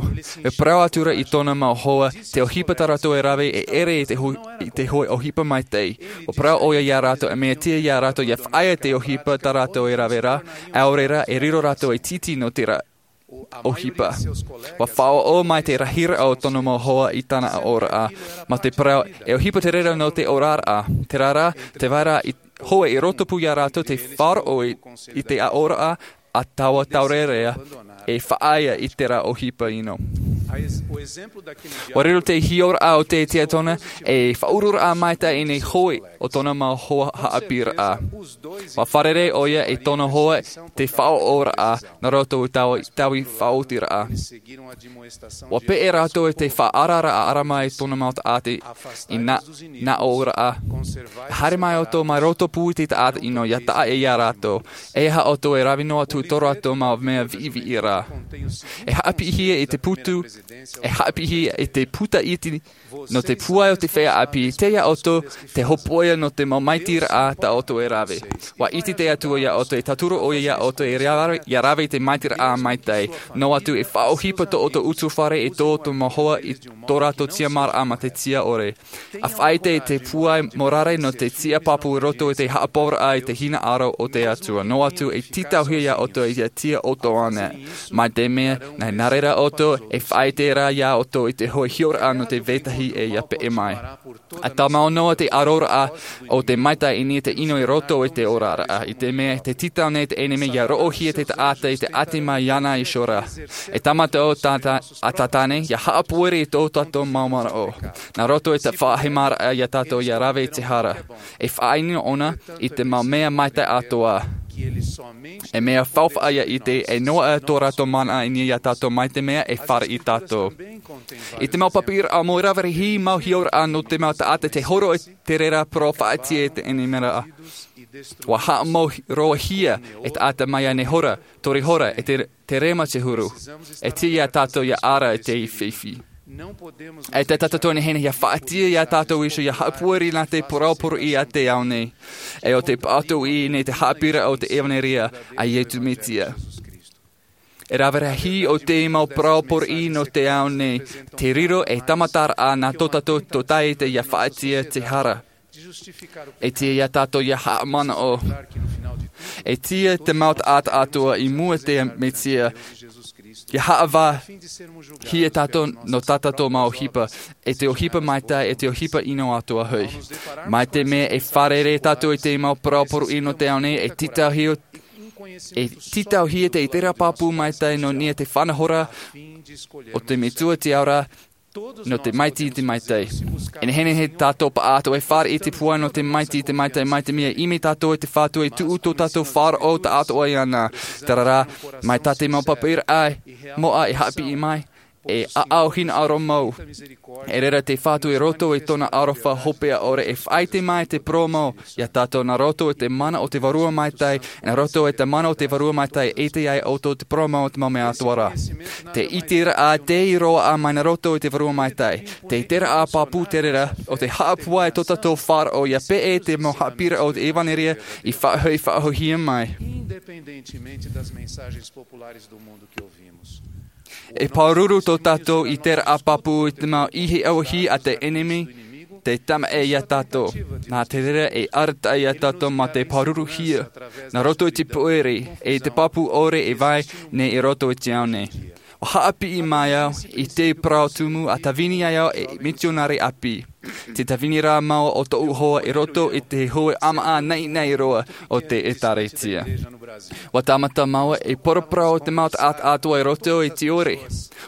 E parau atu ra i tōna mau hoa, te ʻohipa tā rātou e rave e ʻere i te hu-, i te hōʻē ʻohipa maitaʻi. ʻUa parau ʻoia ia rātou, e mea tiʻa ia rātou ia faʻaea te ʻohipa tā rātou e rave ra, ʻaore rā, e riro rātou e tītī nō te ra-, ʻohipa. ʻUa faʻaʻoʻo mai te rahiraʻa o tōna mau hoa i tāna ʻaʻoraʻa. Mā te parau, e ʻohipa te reira nō te oraraʻa. Terā rā, te vai ra i hōʻē i roto pū ia rātou te faʻaroʻo i, i te ʻaʻoraʻa a taua taurearea e faʻaea i terā ʻohipa ʻino. ʻUa riro te hiʻoraʻa o te tiatona e faʻauruaraʻa maitaʻi nei hōʻē o tōna mau hoa haʻapiʻiraʻa. ʻUa fārerei ʻoia e tōna hoa te faʻaʻoʻoraʻa nā roto i taua, taua faʻaotiraʻa. ʻUa peʻe rātou i te faʻaararaʻa ʻarama i tōna mau taʻata i nā, nā ʻōraʻa. Haere mai ʻoutou mai roto pū i te taʻata ʻino ia taʻa ia rātou. E aha ʻoutou e rave noa atu i tō rātou mau mea viʻiviʻi ra. E haʻapiʻihia i te putu, e haʻapiʻihia i te puta iti nō te pūai o te feiā ʻāpī, tei iā ʻoutou te hōpoiʻa nō te mau māitiraʻa tā ʻoutou e rave. ʻUa ʻite te Atua iā ʻoutou, e tauturu ʻoia iā ʻoutou e rave, ia rave i te māitiraʻa maitaʻi. Noa atu e faʻaʻohipa tō ʻoutou utuafare e tō ʻoutou mau hoa i tō rātou tiʻamāraʻa mā te tiʻa ʻore. ʻA faʻaʻite i te pūai mōrare nō te tiʻa pāpū i roto i te haʻapaʻoraʻa i te hinaʻaro o te Atua. Noa atu e tītauhia iā ʻoutou ia tiʻa ʻoutou ānei. Mai te mea, nā, nā reira ʻoutou e faʻaʻite ra iā ʻoutou i te hōʻē hiʻoraʻa nō te vetahi e ia peʻe mai. ʻA tāmau noa te ʻaroraʻa o te maitaʻi i niʻa i te ʻino i roto i te oraraʻa, i te mea, tē tītau nei te ʻenemi ia roʻohia te taʻata i te ʻati mai iāna iho ra. E tāmata ʻo tātā, ʻa tātā nei, ia haʻapōiri i tō tātou mau manaʻo. Nā roto i te faʻahemaraʻa iā tātou ia rave i te hara. E faʻaʻino ʻōna i te mau mea maitaʻi atoʻa. E mea faufaʻa ia ʻite, e noaʻa tō rātou mana i niʻa iā tātou mai te mea e fāriʻi tātou. I te mau papaʻiraʻa mau e rave rahi, mau hiʻoraʻa nō te mau taʻata tē horo i te reira parau faʻaʻite e te ʻenemi ra. ʻUa haʻamau roa hia e taʻata mai iāna hora, tori hora, e te, te rema te huru. E tiʻa iā tātou ia ara i te fifi. E te taʻata tō nei hena ia faʻaʻite iā tātou iho ia haʻapōiri nā te parau poroʻi a te ao nei. E ʻo te pāʻatoʻi nei te haʻapiʻiraʻa o te ʻevanelia a Iesu Mesia. E rave rahi ʻo te mau parau poroʻi nō te ao nei, te riro e tāmataraʻa nā tō tātou tōtaiete ia faʻaʻite te hara. E tiʻa iā tātou ia haʻamanaʻo. E tiʻa te mau taʻata atoʻa i mua te Mesia. Ia haʻavāhia tātou nō tā tātou mau ʻohipa. E te ʻohipa maitaʻi, e te ʻohipa ʻino atoʻa hoʻi. Mai te mea e fārerei tātou i te mau parau poroʻi nō te ao nei, e tītauhia, e tītauhia te, i terā pāpū maitaʻi nō niʻa te faʻanahoraʻa o te Metua te Ao ra, nō te maitaʻi i te maitaʻi. E nehenehe tātou pāʻatoʻa e fāriʻi i te pūai nō te maitaʻi i te maitaʻi, mai te mea e ʻimi tātou e te Fatu e tuʻu tō tātou faʻaroʻo taʻatoʻa iāna. Terā rā, mai tā te mau papaʻiraʻa moʻa e haʻapiʻi mai, e ʻaʻau hinaʻaro mau. E reira te Fatu i roto i tōna aroha hopeʻa ʻore e faʻaʻite mai te parau mau iā tātou nā roto i te mana o te Vārua Maitaʻi, nā roto i te mana o te Vārua Maitaʻi e ʻite ai ʻoutou te parau mau o te mau mea atoʻa ra. Te ʻiteraʻa tei roaʻa mai nā roto i te Vārua Maitaʻi. Te ʻiteraʻa pāpū te reira, ʻo te haʻapūai tō tātou faʻaroʻo ia peʻe te mau haʻapiʻiraʻa o te ʻevanelia i faʻahoʻi, faʻahoʻihia mai. Independentemente das mensagens populares do mundo que ouvimos. E pāruru tō tātou ʻiteraʻa pāpū i te mau ʻihiʻauahi a te ʻenemi, tē tamaʻi iā tātou. Nā te reira e arataʻi iā tātou mā te pāruruhia, nā roto i te pōiri, e te pāpū ʻore e vai nei i roto i te ao nei. ʻUa haʻapiʻi mai au i te parau tumu ʻa tāvini ai au e mitionare ʻāpī. Te tāvini rā māua o tōʻu hoa i roto i te hōʻē ʻāmaʻa naʻinaʻi roa o te ʻĒtārētia. ʻUa tāmata māua e paraparau te mau taʻata atoʻa i roto i te ʻore.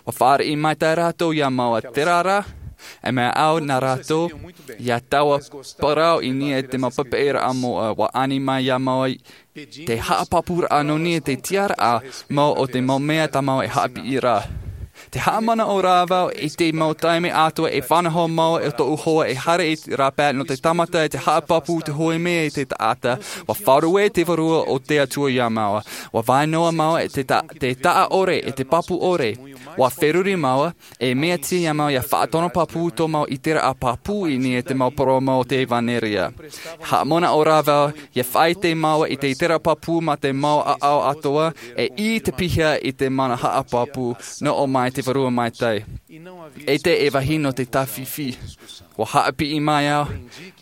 ʻUa fāriʻi maitaʻi rātou iā māua, terā rā, e mea au nā rātou, ia taua parau i niʻa i te mau papaʻiraʻa moʻa, ʻua ani mai iā māua te haʻapāpūraʻa nō niʻa i te tiʻaraʻa mau o te mau mea tā māua e haʻapiʻi ra. Te haʻamanaʻo rā vau i te mau taime atoʻa e faʻanaho mau e tōʻu hoa e haere i te rāpae nō te tāmata i te haʻapāpū te hoʻi mea i te taʻata, ʻua faʻaruʻe te vārua o te Atua iā māua. ʻUa vai noa māua i te ta-, te taʻa ʻore, i te pāpū ʻore. ʻUa feruri māua, e mea tiʻa iā māua ʻia faʻatonopāpū tō māua ʻiteraʻa pāpū i niʻa i te mau parau mau o te ʻevanelia. Haʻamanaʻo rā vau, ʻia faʻaʻite māua i te ʻiteraʻa pāpū mā te mau ʻāʻau atoʻa, e i te piha i te mana haʻapāpū, nō ʻō mai te Vārua Maitaʻi. ʻEita e vāhi nō te tāfifi. ʻUa haʻapiʻi mai au,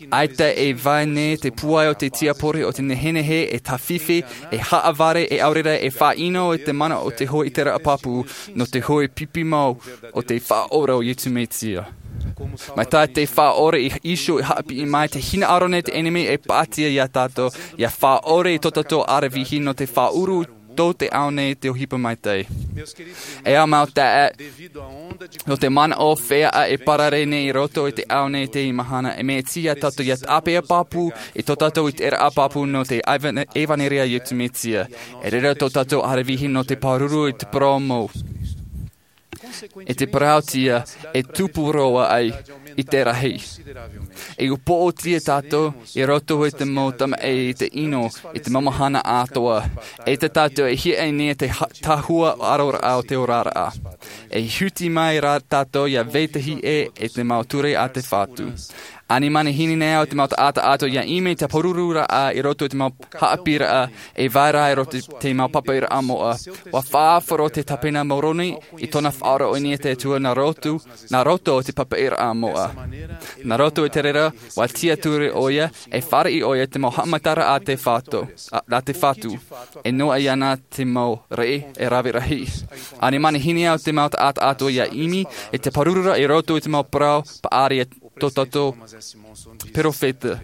ʻaita e vai nei te pūai o te tiapori o te nehenehe e tāfifi, e haʻavare, e ʻaore rā e faʻaʻino i te mana o te hoʻi ʻiteraʻa pāpū, nō te hoʻi pipi mau o te Faʻaora o Iesu Mesia. Mai tā te Faʻaora i Iesū i haʻapiʻi mai te hinaʻaro nei te ʻenemi e pātia iā tātou, ʻia faʻaʻore i tō tātou aravihi nō te faʻaʻuru tō te ao nei te ʻohipa maitaʻi. E ā mau taeaʻe, nō te manaʻo feiā e parare nei i roto i te ao nei te mahana, e mea tiʻa iā tātou ʻia tāpeʻa pāpū i tō tātou ʻiteraʻa pāpū nō te ʻevane-, ʻevanelia a Iesu Mesia. E reira tō tātou aravihi nō te pāruru i te parau mau. E te parauʻtiʻa e tupu roa ai i te rahi. E upoʻotia tātou i roto i te mau tamaʻi, i te ʻino, i te mau mahana atoʻa. E tā tātou e hiaʻai nei te ha-, tahua ʻaroraʻa o te oraraʻa. E huti mai rā tātou ʻia vetahi ʻē i te mau ture a te Fatu. Ani manihini nei au te mau taʻata atoʻa ʻia ʻimi i te pāruruʻraʻa i roto i te mau haʻapiʻiraʻa, e vai ra i roto i te mau papaʻiraʻa moʻa. ʻUa faʻahoro te tāpena Moroni i tōna faʻaora i niʻa i te Atua nā roto, nā roto i te papaʻiraʻa moʻa. Nā roto i te reira, ʻua tiaturi ʻoia, e fāriʻi ʻoia te mau haʻamataraʻa a te Fatu, a, a te Fatu. E noaʻa iāna te mau reʻi e rave rahi. Ani manihini au te mau taʻata atoʻa ʻia ʻimi i te pāruruʻraʻa i roto i te mau parau paʻari a tō tātou perofeta.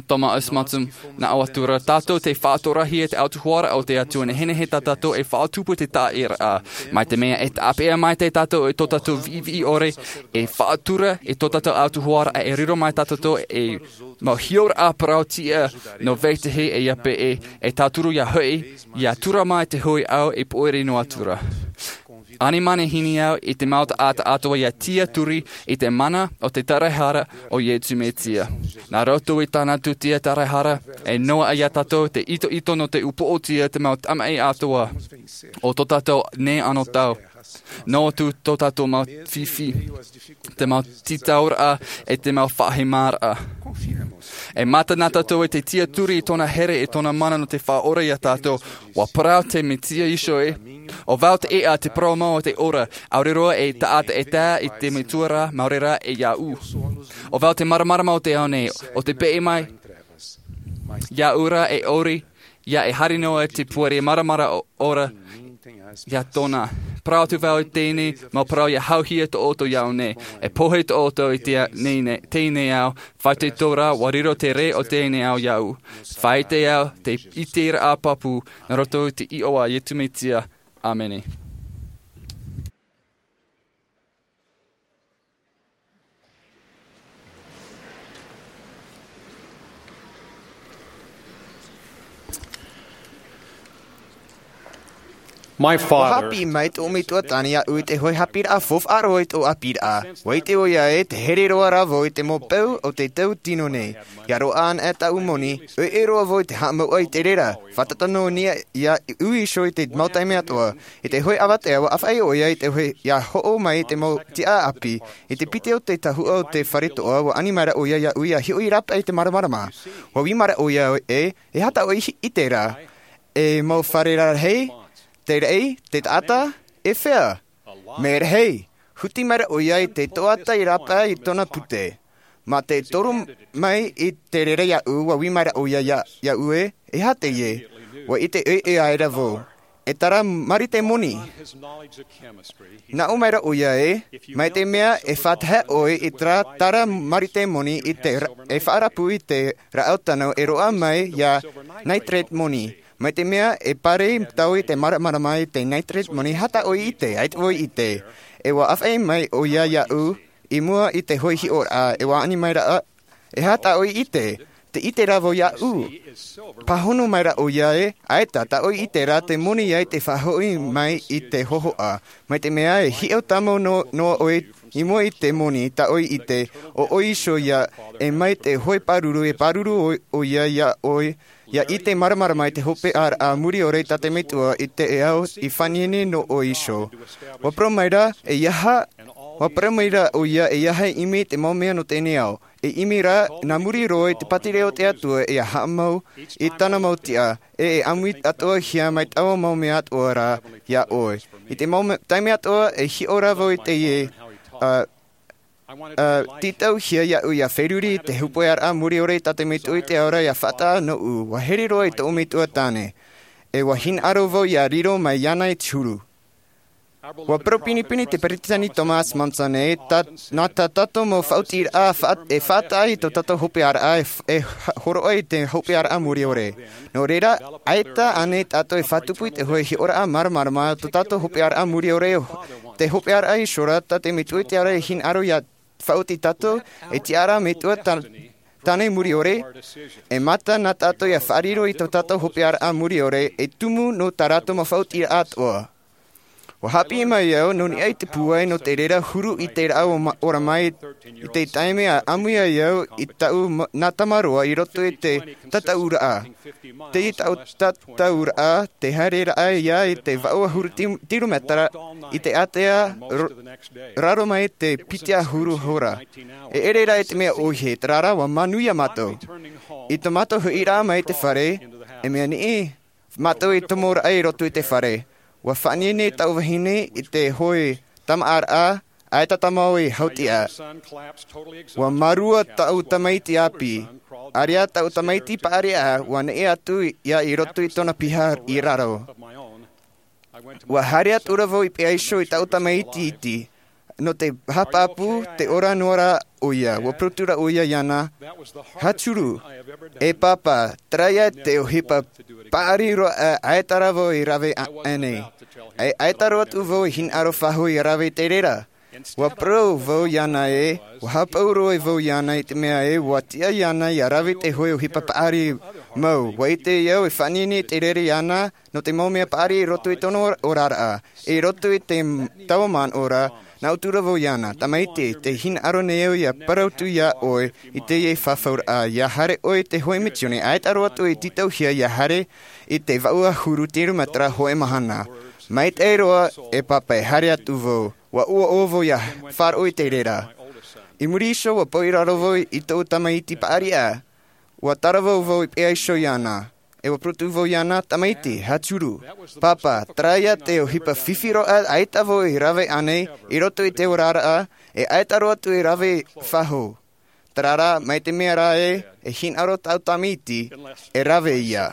Thomas S. Monson, nā ʻō atu ra, tātou tē faʻatorahia te autahuʻaraʻa o te Atua nehenehe tā tātou e faʻatupu i te taʻiraʻa. Mai te mea e tāpeʻa maitaʻi tātou i tō tātou viʻiviʻi ʻore, e faʻatura i tō tātou autahuʻaraʻa e riro mai tā tātou e mau hioraʻa parauʻtiʻa nō vetahi e ʻia peʻe, e tauturu ʻia hoʻi, ʻia tura mai te hoʻi ao e pōiri noa atu ra. Ani manihini au i te mau taʻata atoʻa ʻia tiaturi i te mana o te taraehara o Iesu Mesia. Nā roto i tāna tūtia taraehara, e noaʻa iā tātou te itoito nō te upoʻotia te mau tamaʻi atoʻa o tō tātou nei anotau. Noa atu tō tātou mau fifi, te mau tītauraʻa, e te mau faʻahemaraʻa. E mata na tātou i te tiaturi i tōna here, i tōna mana nō te faʻaora iā tātou. ʻUa parau te Mesia Iēsū ē, ʻo vau te ʻēʻa, te parau mau, te ora, ʻaore roa e taʻata e tae i te Metua ra, maori rā e iāʻu. ʻO vau te māramarama o te ao nei, ʻo tē peʻe mai iāʻu ra e ʻori, ʻia e haere noa te pūai māramarama ora iā tōna. Parau atu vau i teie nei mau parau ʻia hauhia tō ʻoutou i ʻō nei. E pohe tō ʻoutou i te nei, nei, teie nei ao, faʻaitoito rā, ʻua riro te rē o teie nei ao iāʻu. Faʻaʻite au te ʻiteraʻa pāpū, nā roto i te iʻoa a Iesu Mesia. ʻĀmene. My ʻUa father haʻapiʻi mai tōʻu metua tāne iāʻu i te hoʻi haʻapiʻiraʻa faufaʻa roa i tōʻu ʻāpīraʻa. ʻUa ʻite ʻoia ē, tē here roa ra vau i te mau peu o te tau tino nei. ʻIa roaʻa ana e tāʻu moni, ʻoiʻoi roa vau i te haʻamāuʻa i te reira. Fātata noa nei iāʻu iho i te mau taime atoʻa. I te hoʻi avatea, ʻua ʻāfaʻi ʻoia i te hoʻi, ʻia hoʻo mai i te mau tiʻa ʻāpī. I te piti o te tahuʻa o te fare toʻa, ʻua ani mai ra ʻoia iāʻu ʻia hiʻo i rāpae i te māramarama. ʻUa ui mai ra ʻoia ē, e aha tā ʻoe i ʻite ra? E mau fare rarahi, te raʻi, te taʻata, e fea? Mea rahi, huti mai ra ʻoia i te toʻata i rāpae i tōna pute. Mā te toru mai i te reira iāʻu, ʻua ui mai ra ʻoia iā, iāʻu ē, e aha teie? ʻUa ʻite ʻoiʻoi aʻera vau. E tara marite moni. Nā ʻō mai ra ʻoia ē, mai te mea e faʻatahaʻa ʻoe i terā tara marite moni i te ra-, e faʻarapu i te rāʻau tano e roaʻa mai iā nitrate moni. Mai te mea e pārahi tau i te māramarama i te nitrate moni, e aha tā ʻoe i ʻite, ʻaita vau i ʻite. E ʻua ʻāfaʻi mai ʻoia iāʻu, i mua i te hoʻi hiʻoraʻa, e ʻua ani mai ra, e aha tā ʻoe i ʻite, Te ʻite rā vau iāʻu. Pāhono mai rā ʻoia ē, ʻaita, tā ʻoe i ʻite ra te moni ia i te faʻahoʻi mai i te hōhoʻa. Mai te mea e hiʻo tāmau noa ʻoe i mua i te moni, tā ʻoe i ʻite, ʻo ʻoe iho ia, e mai te hoe pāruru, e pāruru ʻoia iā ʻoe, ia ʻite māramarama i te hopeʻaraʻa mure ʻore tā te Metua i te ao i faʻaineinei nō ʻoe iho. ʻUa parau mai ra, e aha, ʻua parau mai ra ʻoia, e aha e ʻimi i te mau mea nō teie nei ao. E ʻimi rā, nā muri roa i te pātireia o te Atua, e haʻamau i tāna mau tiʻa, e, e ʻāmui atoʻa hia mai taua mau mea atoʻa rā iā ʻoe. I te mau me-, taime atoʻa, e hiʻo rā vau i teie, ā, ā, tītauhia iāʻu ia feruri i te hopeʻaraʻa mure ʻore tā te Metua i te ao ra ia faʻataʻa nōʻu, ʻua here roa i tōʻu metua tāne. E ʻua hinaʻaro vau ia riro mai iāna i te huru. ʻUa parau pinepine te Peresideni Thomas Monson ē, tā, nā tā tātou mau faʻaotiraʻa, faʻa-, e faʻataʻa i tō tātou hopeʻaraʻa, e f-, e h-, hōroʻa i te hopeʻaraʻa mure ʻore. Nō reira, ʻaita ānei tātou e faʻatupu i te hoe hiʻoraʻa māramarama o tō tātou hopeʻaraʻa mure ʻore, te hopeʻaraʻa iho ra tā te Metua i te ao ra e hinaʻaro ia faʻaoti tātou, e tiʻa ra Metua tā-, tāne mure ʻore, e mata nā tātou ia faʻariro i tō tātou hopeʻaraʻa mure ʻore, e tumu nō tā rātou mau faʻaotiraʻa atoʻa. ʻUa haʻapiʻi mai au, nō niʻa i te pūai nō te reira huru i te rā ʻo ma-, ora mai i te taime a ʻāmui ai au i tāʻu ma-, nā tamaroa i roto i te tataʻuraʻa. Te tāʻu tataʻuraʻa, te haereraʻa ia i te vaʻu ʻahuru ti-, tirometera i te ātea ro-, raro mai te piti ʻahuru hora. E ʻere rā i te mea ʻohie, terā rā ʻua manuia mātou. I tō mātou hoʻiraʻa mai i te fare, e mea niʻi, mātou i tomo raʻa i roto i te fare. ʻUa faʻaineinei tāʻu vahine i te hoe tamaʻaraʻa, ʻaita tāmau i hautiʻa. ʻUa mārua tāʻu tamaiti ʻāpī. ʻAreʻa tāʻu tamaiti paʻari ā, ʻua neʻe atu ia i roto i tōna piha i raro. ʻUa haere atu ra vau i peʻa iho i tāʻu tamaiti iti. Nō te haʻapāpū, tē ora noa ra ʻoia, ʻua parau atu ra ʻoia iāna, Hachuru, e pāpā, terā ia te ʻohipa paʻari roa ā, ʻaita rā vau i rave a-, ānei. ʻAi-, ʻaita roa atu vau i hinaʻaro faʻahou ia rave i te reira. ʻUa parau vau iāna ē, ʻua haʻapaʻo roa vau iāna i te mea ē, ʻua tiʻa iāna ia rave te hoe ʻohipa paʻari mau. ʻUa ʻite au e faʻaineinei te reira iāna, nō te mau mea paʻari i roto i tōna oraraʻa, i roto i te m-, taua manaʻo ra, nā ʻō atu ra vau iāna, tamaiti, tē hinaʻaro nei au ia parau atu iā ʻoe i teie fafauraʻa, ia haere ʻoe i te hoe misiōni, ʻaita roa atu e tītauhia ia haere i te vaʻu ʻahuru tirometera hōʻē mahana. Maitaʻi roa, e pāpā, e haere atu vau, ʻua ʻoaʻoa vau ia faʻaroʻo i te reira. I muri iho ʻua pau i raro vau i tōʻu tamaiti paʻari ā, ʻua taravau vau i peʻa iho iāna. E ʻua parau atu vau iāna, tamaiti, Hachuru, pāpā, terā ia te ʻohipa fifi roa ā, ʻaita vau i rave ānei, i roto i te oraraʻa, e ʻaita roa atu e rave faʻahou. Terā rā, mai te mea rā ē, e hinaʻaro tāʻu tamaiti, e rave ia.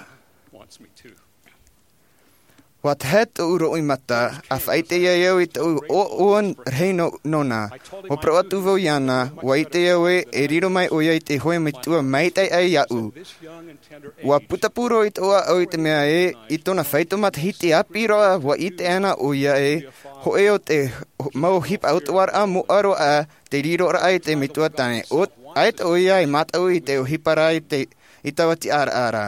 ʻUa tahe tōʻu roimata, ʻa faʻaʻite ai au i tōʻu ʻoaʻoa rahi nō, nōna. ʻUa parau atu vau iāna, ʻua ʻite au ē, e riro mai ʻoia i te hoe metua maitaʻi aʻe iāʻu. ʻUa putapū roa i tōʻu ʻāʻau i te mea ē, i tōna faito matahiti ʻāpī roa, ʻua ʻite ana ʻoia ē, hōʻē o te mau ʻohipa ʻautahuʻaraʻa moʻa roa ā, te riroraʻa i te metua tāne. ʻO, ʻaita ʻoia e mātau i te ʻohipa ra i te, i taua tiʻaraʻa ra.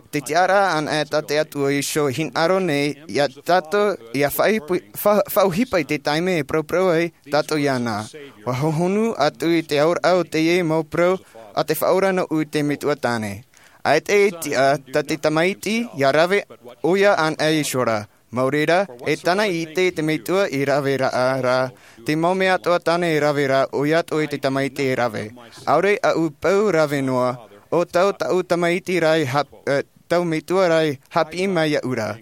Te tiʻaraʻa anaʻe tā te Atua iho e hinaʻaro nei, ia tātou, ia faʻaʻohipa, fa-, faʻaʻohipa i te taime e paraparau ai tātou iāna. ʻUa hohonu atu i te auraʻa o teie mau parau a te Faʻaora nōʻu i te metua tāne. ʻAita e tiʻa tā te tamaiti, ia rave ʻoia anaʻe iho ra. Mau reira, e tāna i ʻite te metua i rave ra, ra, te mau mea atoʻa tāna e rave ra, ʻoia atoʻa i te tamaiti e rave. ʻAore aʻu pau rave noa, ʻo tāʻu, tāʻu tamaiti ra i hap-, ē, tāʻu metua ra i haʻapiʻi mai iāʻu ra.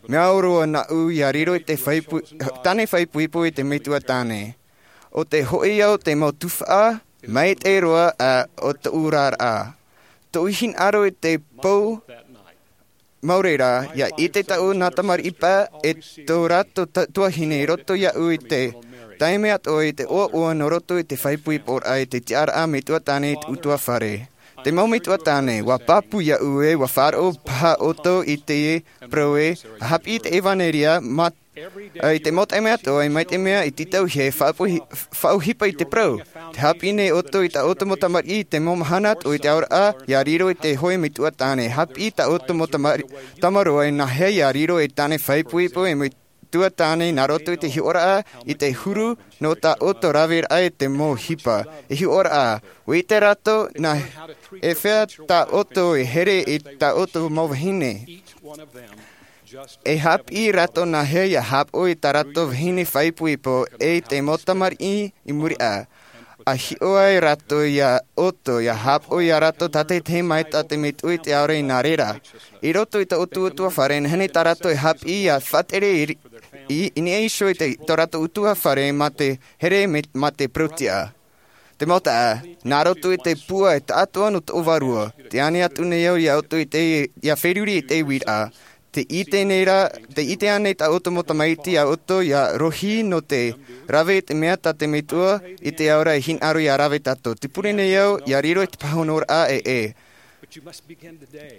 Mea au roa nāʻu ia riro i te faʻaipoipo, tāne faʻaipoipo i te metua tāne. ʻO te hoʻi au te mau tuhaʻa, maitaʻi roa ā o tōʻu oraraʻa. Tōʻu hinaʻaro i te pō, mau reira, ia ʻite tāʻu nā tamariʻi paʻi e tō rātou ta-, tuahine i roto iāʻu i te taime atoʻa i te ʻoaʻoa nō roto i te faʻaipoiporaʻa i te tiʻaraʻa metua tāne i te ʻutuāfare. Te mau metua tāne, ʻua pāpū iāʻu ē, ʻua faʻaroʻo paha ʻoutou i te parau ē, ʻa haʻapiʻi i te ʻevanelia, mā-, ā, i te mau taime atoʻa, mai te mea i tītauhia e faʻapohi-, faʻaʻohipa i te parau. Te haʻapiʻi nei ʻoutou i tā ʻoutou mau tamariʻi i te mau mahana atoʻa i te aoraʻa, ʻia riro i te hōʻē metua tāne. Haʻapiʻi tā ʻoutou mau tamari-, tamaroa e nāhea ʻia riro ei tāne faʻaipoipo e metua tāne nā roto i te hiʻoraʻa i te huru nō tā ʻoutou raveraʻa i te mau ʻohipa. E hiʻoraʻa, ʻua ʻite rātou nā hea tā ʻoutou e here i tā ʻoutou mau vahine. E haʻapiʻi rātou nāhea ʻia haʻapaʻo i tā rātou vahine faʻaipoipo e i te mau tamariʻi i muri aʻe. ʻA hiʻo ai rātou iā ʻoutou, ʻia haʻapaʻo iā rātou tātaʻitahi mai tā te metua i te ao ra i nā reira. I roto i tō ʻoutou ʻutuāfare, e nehenehe tā rātou e haʻapiʻi ʻia faʻatere i, i, i niʻa iho i te, tō rātou ʻutuāfare mā te here me, mā te parau-tiʻa. Te mau taeaʻe, nā roto i te pūai taʻatoʻa nō tō vārua, tē ani atu nei au iā ʻoutou i te, ʻia feruri i te uiraʻa. Tē ʻite nei rā, tē ʻite ānei tā ʻoutou mau tamaiti iā ʻoutou ʻia rohi nō te rave i te mea tā te metua i te ao ra e hinaʻaro ʻia rave tātou? Tē pure nei au ʻia riro i te pāhonoraʻa ʻē.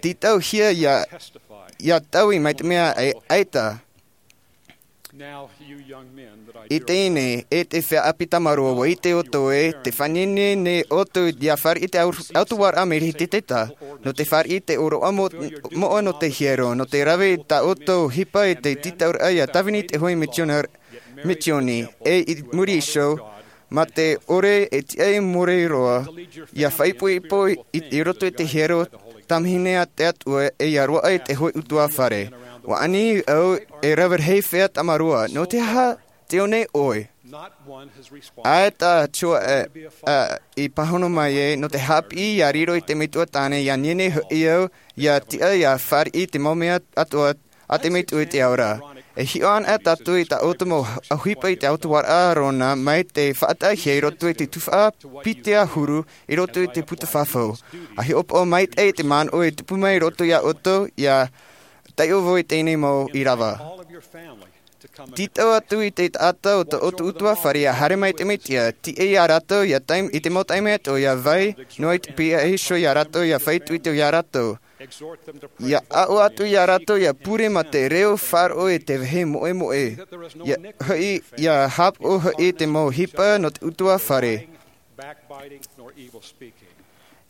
Tītauhia ʻia, ʻia taui mai te mea ē, ʻaita. I teie nei, e te feiā ʻāpī tamaroa, ʻua ʻite ʻoutou ē, tē faʻaineinehia nei ʻoutou ʻia fāriʻi te au-, autahuʻaraʻa mai te Taʻata, nō te fāriʻi te ʻōroʻa mo-, moʻa nō te hiero, nō te rave i tā ʻoutou ʻohipa i te tītauraʻa ʻia tāvini te hōʻē misiona-, misioni, e i muri iho, mā te ʻore e tiʻa e more roa, ʻia faʻaipoipo i, i roto i te hiero tamāhine a te Atua e ʻia roaʻa i te hōʻē ʻutuāfare. ʻUa ani au e rave rahi feiā tamaroa, nō te aha tē ʻō nei ʻoe? ʻAita te tuaʻana, ā, i pāhono mai ē, nō te haʻapiʻi ʻia riro i te metua tāne, ʻia nehenehe hoʻi au ʻia tiʻa ʻia fāriʻi te mau mea atoʻa a te metua i te ao ra. E hiʻo ana tātou i tā ʻoutou mau ʻohipa i te autahuʻaraʻa Arona mai te faʻataʻahia i roto i te tuhaʻa piti ʻahuru i roto i te puta fafau. ʻA hiʻopoʻa maitaʻi i te manaʻo e tupu mai i roto iā ʻoutou, ʻia taiʻo vau i teie nei mau ʻīrava. Tītau atu i te taʻata o tō ʻoutou ʻutuāfare ʻia haere mai te Mesia, tiʻa iā rātou ʻia tae-, i te mau taime atoʻa ʻia vai noa i te pihaʻi iho iā rātou ʻia fāito iā rātou. ʻIa aʻo atu iā rātou ʻia pure mā te reo faʻaroʻo i te vāhi moʻemoʻe. ʻIa hoʻi, ʻia haʻapaʻo hoʻi te mau ʻohipa nō te ʻutuāfare.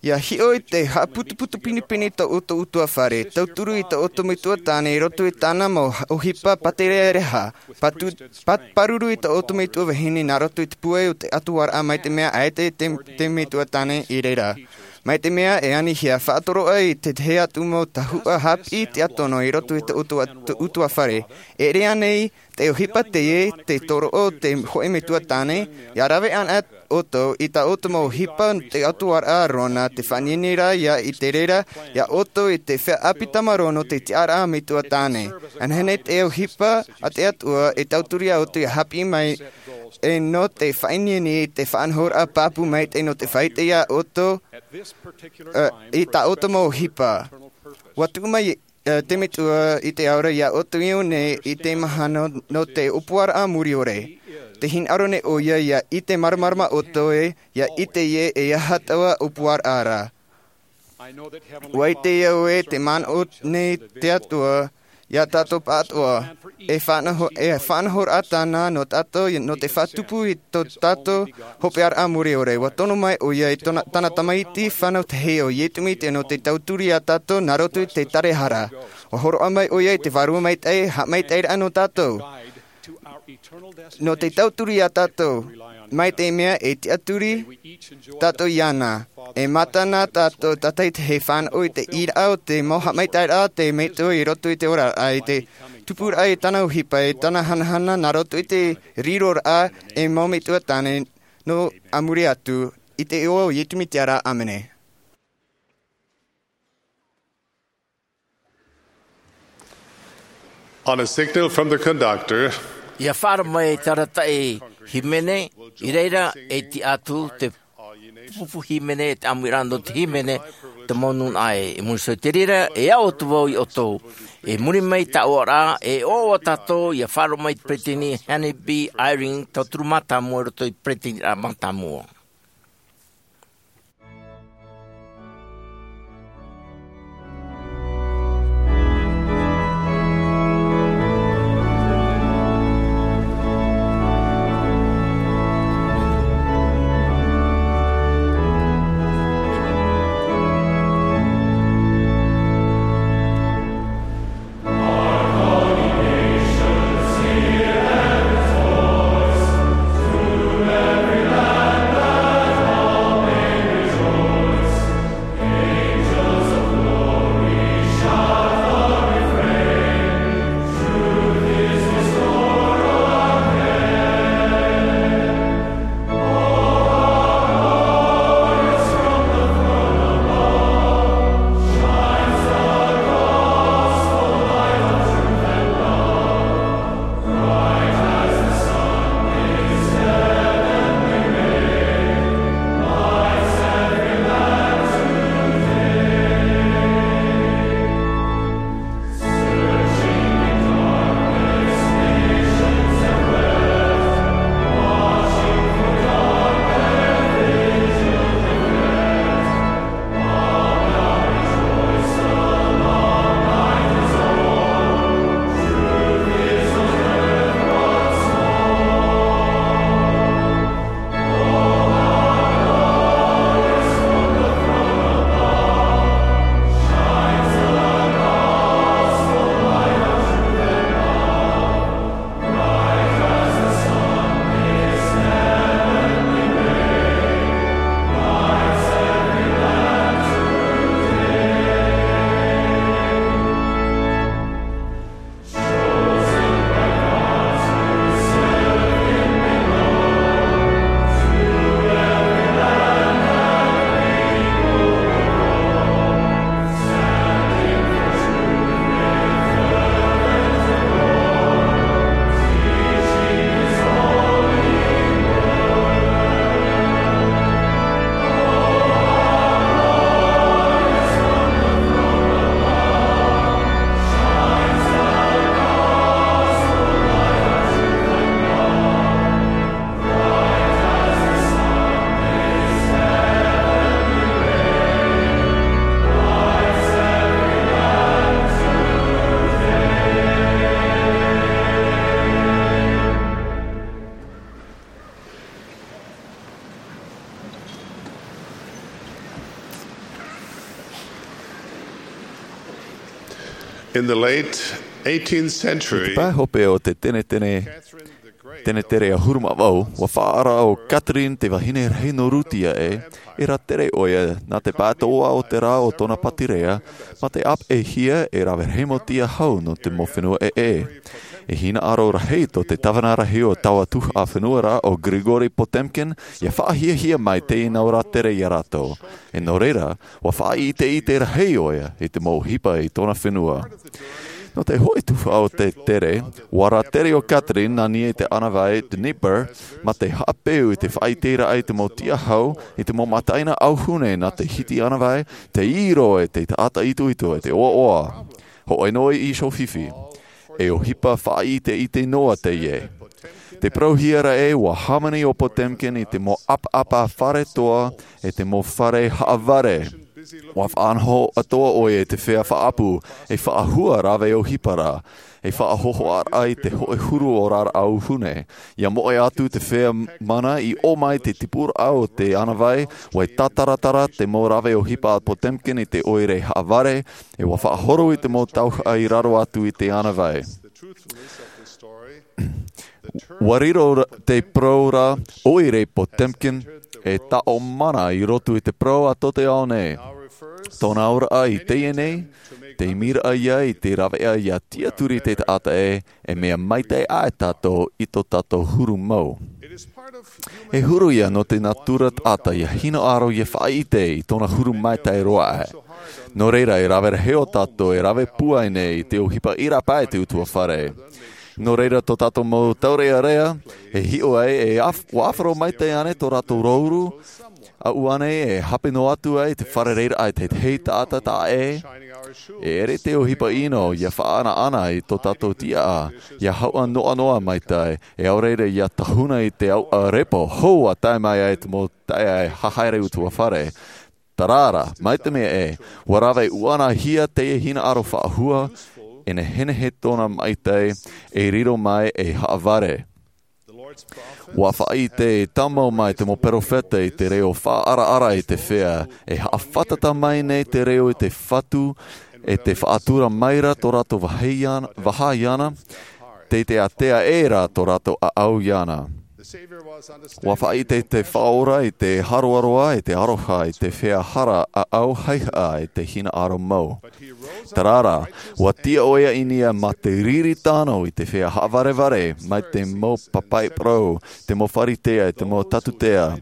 ʻIa hiʻo i te haʻaputuputu pinepine tō ʻoutou ʻutuāfare, tauturu i tō ʻoutou metua tāne i roto i tāna mau ʻohipa pātereareha, patu-, pa-, pāruru i tō ʻoutou metua vahine nā roto i te pūai o te autahuʻaraʻa mai te mea ʻaita te, te metua tāne i reira. Mai te mea e anihia faʻatoroʻa i te tahi atu mau tahuʻa haʻapiʻi tiʻatono i roto i tō ʻoutou atu-, ʻutuāfare. E ʻere ānei te ʻohipa teie, te toroʻa o te hōʻē metua tāne, ʻia rave ana ʻoutou i tā ʻoutou mau ʻohipa nō te autahuʻaraʻa Arona, te faʻaineineraʻa i te reira iā ʻoutou i te feiā ʻāpī tamaroa nō te tiʻaraʻa metua tāne. Anaʻe nei te ʻohipa a te Atua e tauturu iā ʻoutou ʻia haʻapiʻi mai, e nō te faʻaineine i te faʻanahoraʻa pāpū maitaʻi nō te faʻaʻite iā ʻoutou, ā, i tā ʻoutou mau ʻohipa. ʻUa tuʻu mai, ā, te Metua i te ao ra iā ʻoutou i ʻō nei i te mahana nō te ʻōpuaraʻa mure ʻore. Tē hinaʻaro nei ʻoia ʻia ʻite māramarama ʻoutou ē, ʻia ʻite ē e aha taua ʻōpuaraʻa ra. ʻUa ʻite au ē te manaʻo nei te Atua iā tātou pāʻatoʻa, e faʻanaho-, e faʻanahoraʻa tāna nō tātou, nō te faʻatupu i tō tātou hopeʻaraʻa mure ʻore. ʻUa tono mai ʻoia i tōna, tāna Tamaiti fānau tahi, ʻo Iesu Mesia, nō te tauturu iā tātou nā roto i te tarahara. ʻUa hōroʻa mai ʻoia i te Vārua Maitaʻi, haʻamaitaʻiraʻa nō tātou. Nō te tauturu iā tātou, mai te mea e tiʻaturi tātou iāna, e mātana tātou tātaʻitahi e fānaʻo i te ʻīraʻa o te mau haʻamaitaʻiraʻa a te Metua i roto i te oraraʻa, i te tupuraʻa i tāna ʻohipa, i tāna hanahana nā roto i te riroraʻa e mau metua tāne nō a muri atu, i te iʻoa o Iesu Mesia ra, ʻāmene. On a signal from the conductor, ʻIa faʻaara mai te arataʻi hīmene, i reira e tiʻa atu te pupu hīmene, te ʻāmuiraʻa nō te hīmene, te mau nūnaʻa ē. I muri iho i te reira, e aʻo atu vau iā ʻoutou. I muri mai i tā ʻoe ra, e ʻoaʻoa tātou, ʻia faʻaroʻo mai i te peresideni Henry B. Eyring, tauturu mātāmua i roto i te peresideniraʻa mātāmua. In the late eighteenth century, te pae hope o te tenetene tenetere ahuru mā vau, ua faʻaara ʻo Catherine, te vahine rahi nō Rutia ē, e rātere ʻoia nā te pae toa o te rā o tōna pātireia, mā te ʻāpeʻehia e rave rahi mau tiahau nō te mau fenua ʻē. E hinaʻaro rahi tō te tāvana rahi o taua tuhaʻa fenua ra, ʻo Grigory Potemkin, ia faʻahiahia mai teie nau rātere iā rātou. E nō reira, ua faʻaʻiteʻite rahi ʻoia i te mau ʻohipa i tōna fenua. Nō te hoʻi tuhaʻa o te tere, ua rātere ʻo Catherine nā niʻa i te ʻānāvai Dnieper, mā te haʻapeu i te faʻaʻiteraʻa i te mau tiahau, i te mau mataʻina ʻauhune nā te hiti ʻānāvai, te ʻiro e te taʻata itoito e te ʻoaʻoa. Hōʻē noa i iho fifi. E ʻohipa faʻaʻiteʻite noa teie. Te parauhia ra ē, ua hāmani ʻo Potemkin i te mau ʻapaʻapa fare toa, e te mau fare haʻavare. Ua faʻanaho atoʻa ʻoia i te feiā faʻaʻapu, e faʻahua rave ʻohipa ra, e faʻahohoʻaraʻa i te hoʻē huru o rāraʻa ʻauhune. Ia moʻe atu te feiā mana i ʻō mai te tipuraʻa o te ʻānāvai, ua tātaratara te mau rave ʻohipa a Potemkin i te ʻoire haʻavare, e ua faʻahoro i te mau tauhaʻa i raro atu i te ʻānāvai. Ua riro ra-, te parau ra ʻoire Potemkin e taʻo mana i roto i te parau a tō te ao nei. Tōna auraʻa i teie nei, te imiraʻa ia i te rāveʻa ia tiʻaturi te taʻata ē, e mea maitaʻi aʻe tātou i tō tātou huru mau. E huru ia nō te natura taʻata ia hinaʻaro ia faʻaʻite i tōna huru maitaʻi roa aʻe. Nō reira, e rave rahi ʻo tātou e rave pūai nei i te ʻohipa ʻīrapa e te ʻutuāfare. Nō reira, tō tātou mau taurearea, e hiʻo ai, e af-, ua ʻāfaro maitaʻi ānei tō rātou rōuru, ʻaʻu ānei e hape noa atu ai te fārereiraʻa i te tahi taʻata taʻa ʻē. E ʻere te ʻohipa ʻino ia faʻaʻanaʻana i tō tātou tiʻaʻa, ia hauʻa noʻanoʻa maitaʻi, e ʻaore rā ia tahuna i te ʻauʻa repo hou a tae mai ai te mau taeaʻe haere ʻutuāfare. Terā rā, mai te mea ē, ua rave ʻuʻanahia teie hinaʻaro faʻahua, e nehenehe tōna maitaʻi, e riro mai e haʻavare. Ua faʻaʻite e tāmau mai te mau perofeta i te reo faʻaʻaraʻara i te feiā, e haʻafātata mai nei te reo i te Fatu, e te faʻatura mai ra tō rātou vāhi iāna, vāhi iāna, tei te ātea ʻē rā tō rātou ʻāʻau iāna. Ua faʻaʻite te Faʻaora i te haroaroa, i te aroha, i te feiā hara ʻāʻau haʻehaʻa, i te hinaʻaro mau. Terā rā, ua tiʻa ʻoia i niʻa mā te riri tano i te feiā haʻavarevare, mai te mau papaʻi parau, te mau Pharisea, te mau Tatutea.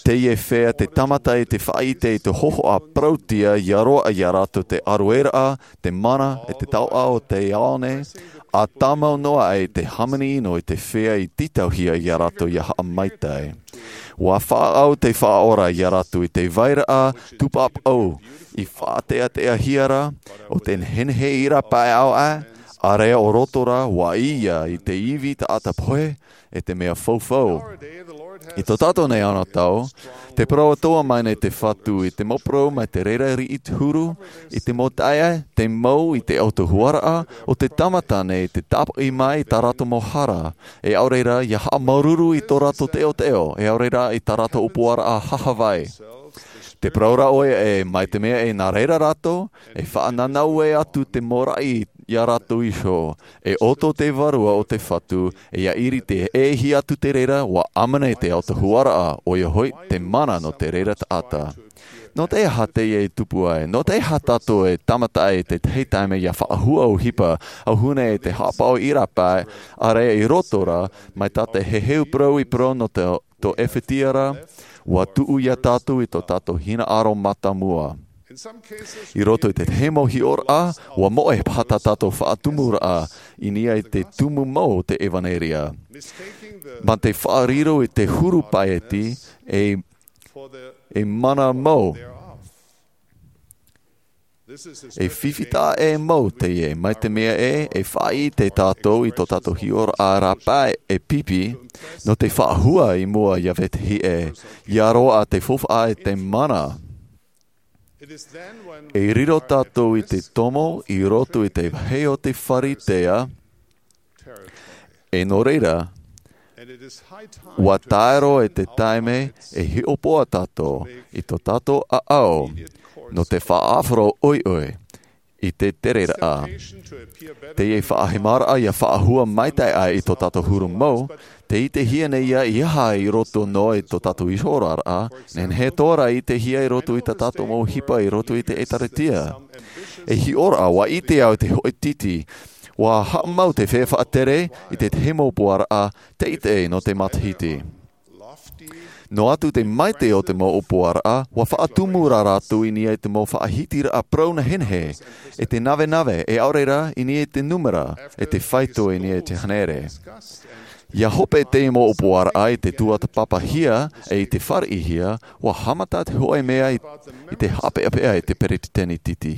Teie feiā te tāmata i te faʻaʻite i te hōhoʻa parauʻtiʻa, ia roaʻa iā rātou te ʻārueraʻa, te mana, e te taoʻa o te ao nei, ʻa tāmau noa ai te hāmani ʻino i te feiā i tītauhia iā rātou ia haʻamaitaʻi. Ua faʻaau te Faʻaora iā rātou i te vairaʻa tūpāpaʻu, i faʻateateahia ra, ʻo te nehenehe ʻīrapa ʻāʻau aʻe, ʻāreʻa ʻo roto rā, ua ʻī ia i te ivi taʻata pohe, e te mea faufau. I tō tātou nei anotau, tē parau atoʻa mai nei te Fatu i te mau parau mai te reira riʻi te huru, i te mau taeaʻe, te mau i te autahuʻaraʻa, ʻo te tāmata nei te tāpaʻi mai i tā rātou mau hara, e ʻaore rā ia haʻamāuruuru i tō rātou teʻoteʻo, e ʻaore rā i tā rātou ʻōpuaraʻa hahavai. Tē parau ra ʻoia ē, mai te mea ē nā reira rātou, e faʻanānaue atu te mau raʻi iā rātou iho, e ʻoto te Vārua o te Fatu, e ia ʻiriti ʻē hia atu te reira, ʻua ʻāmene te autahuʻaraʻa, ʻoia hoʻi, te mana nō te reira taʻata. Nō te aha teie e tupu ai? Nō te aha tātou e tāmata ai i te tahi taime ia faʻahua ʻohipa, ʻauhune i te haʻapaʻo ʻīrapa, ʻāreʻa i roto rā, mai tā te heheu parau i parau nō te, tō Ephesia ra, ua tuʻu iā tātou i tō tātou hinaʻaro mātāmua. I roto i te tahi mau hiʻoraʻa, ua moʻe paha tā tātou faʻatumuraʻa, i niʻa i te tumu mau o te ʻevanelia. Mā te faʻariro i te huru paeti, e, e mana mau. E fifi taʻa ʻē mau teie, mai te mea ē, e faʻaʻite tātou i tō tātou hiʻoraʻa rāpae e pipi, nō te faʻahua i mua ia vetahi ʻē, ia roaʻa te faufaʻa e te mana. E riro tātou i te tomo i roto i te vāhi o te Pharisea, e nō reira, ua tae roa i te taime e hiʻopoʻa tātou i tō tātou ʻāʻau, nō te faʻaʻāfaro ʻoiʻoi, i te tereraʻa. Teie faʻahemaraʻa ia faʻahua maitaʻi aʻe i tō tātou huru mau, tē ʻitehia nei ia i aha i roto noa i tō tātou iho oraraʻa, nehenehe atoʻa rā e ʻitehia i roto i tā tātou mau ʻohipa i roto i te ʻĒtārētia. E hiʻoraʻa, ʻua ʻite au te hōʻē titi, ʻua haʻamau te feiā faʻatere i te tahi mau ʻōpuaraʻa teitei nō te matahiti. Noa atu te maitaʻi o te mau ʻōpuaraʻa, ʻua faʻatumu rā rātou i niʻa i te mau faʻahitiraʻa parau nehenehe, e te navenave, e ʻaore rā i niʻa i te nūmera, e te faito i niʻa i te hānere. ʻIa hope teie mau ʻōpuaraʻa i te tuatāpapahia, e i te fāriʻihia, ʻua haʻamata te hōʻē mea i, i te haʻapeʻapeʻa i te peretiteni titi.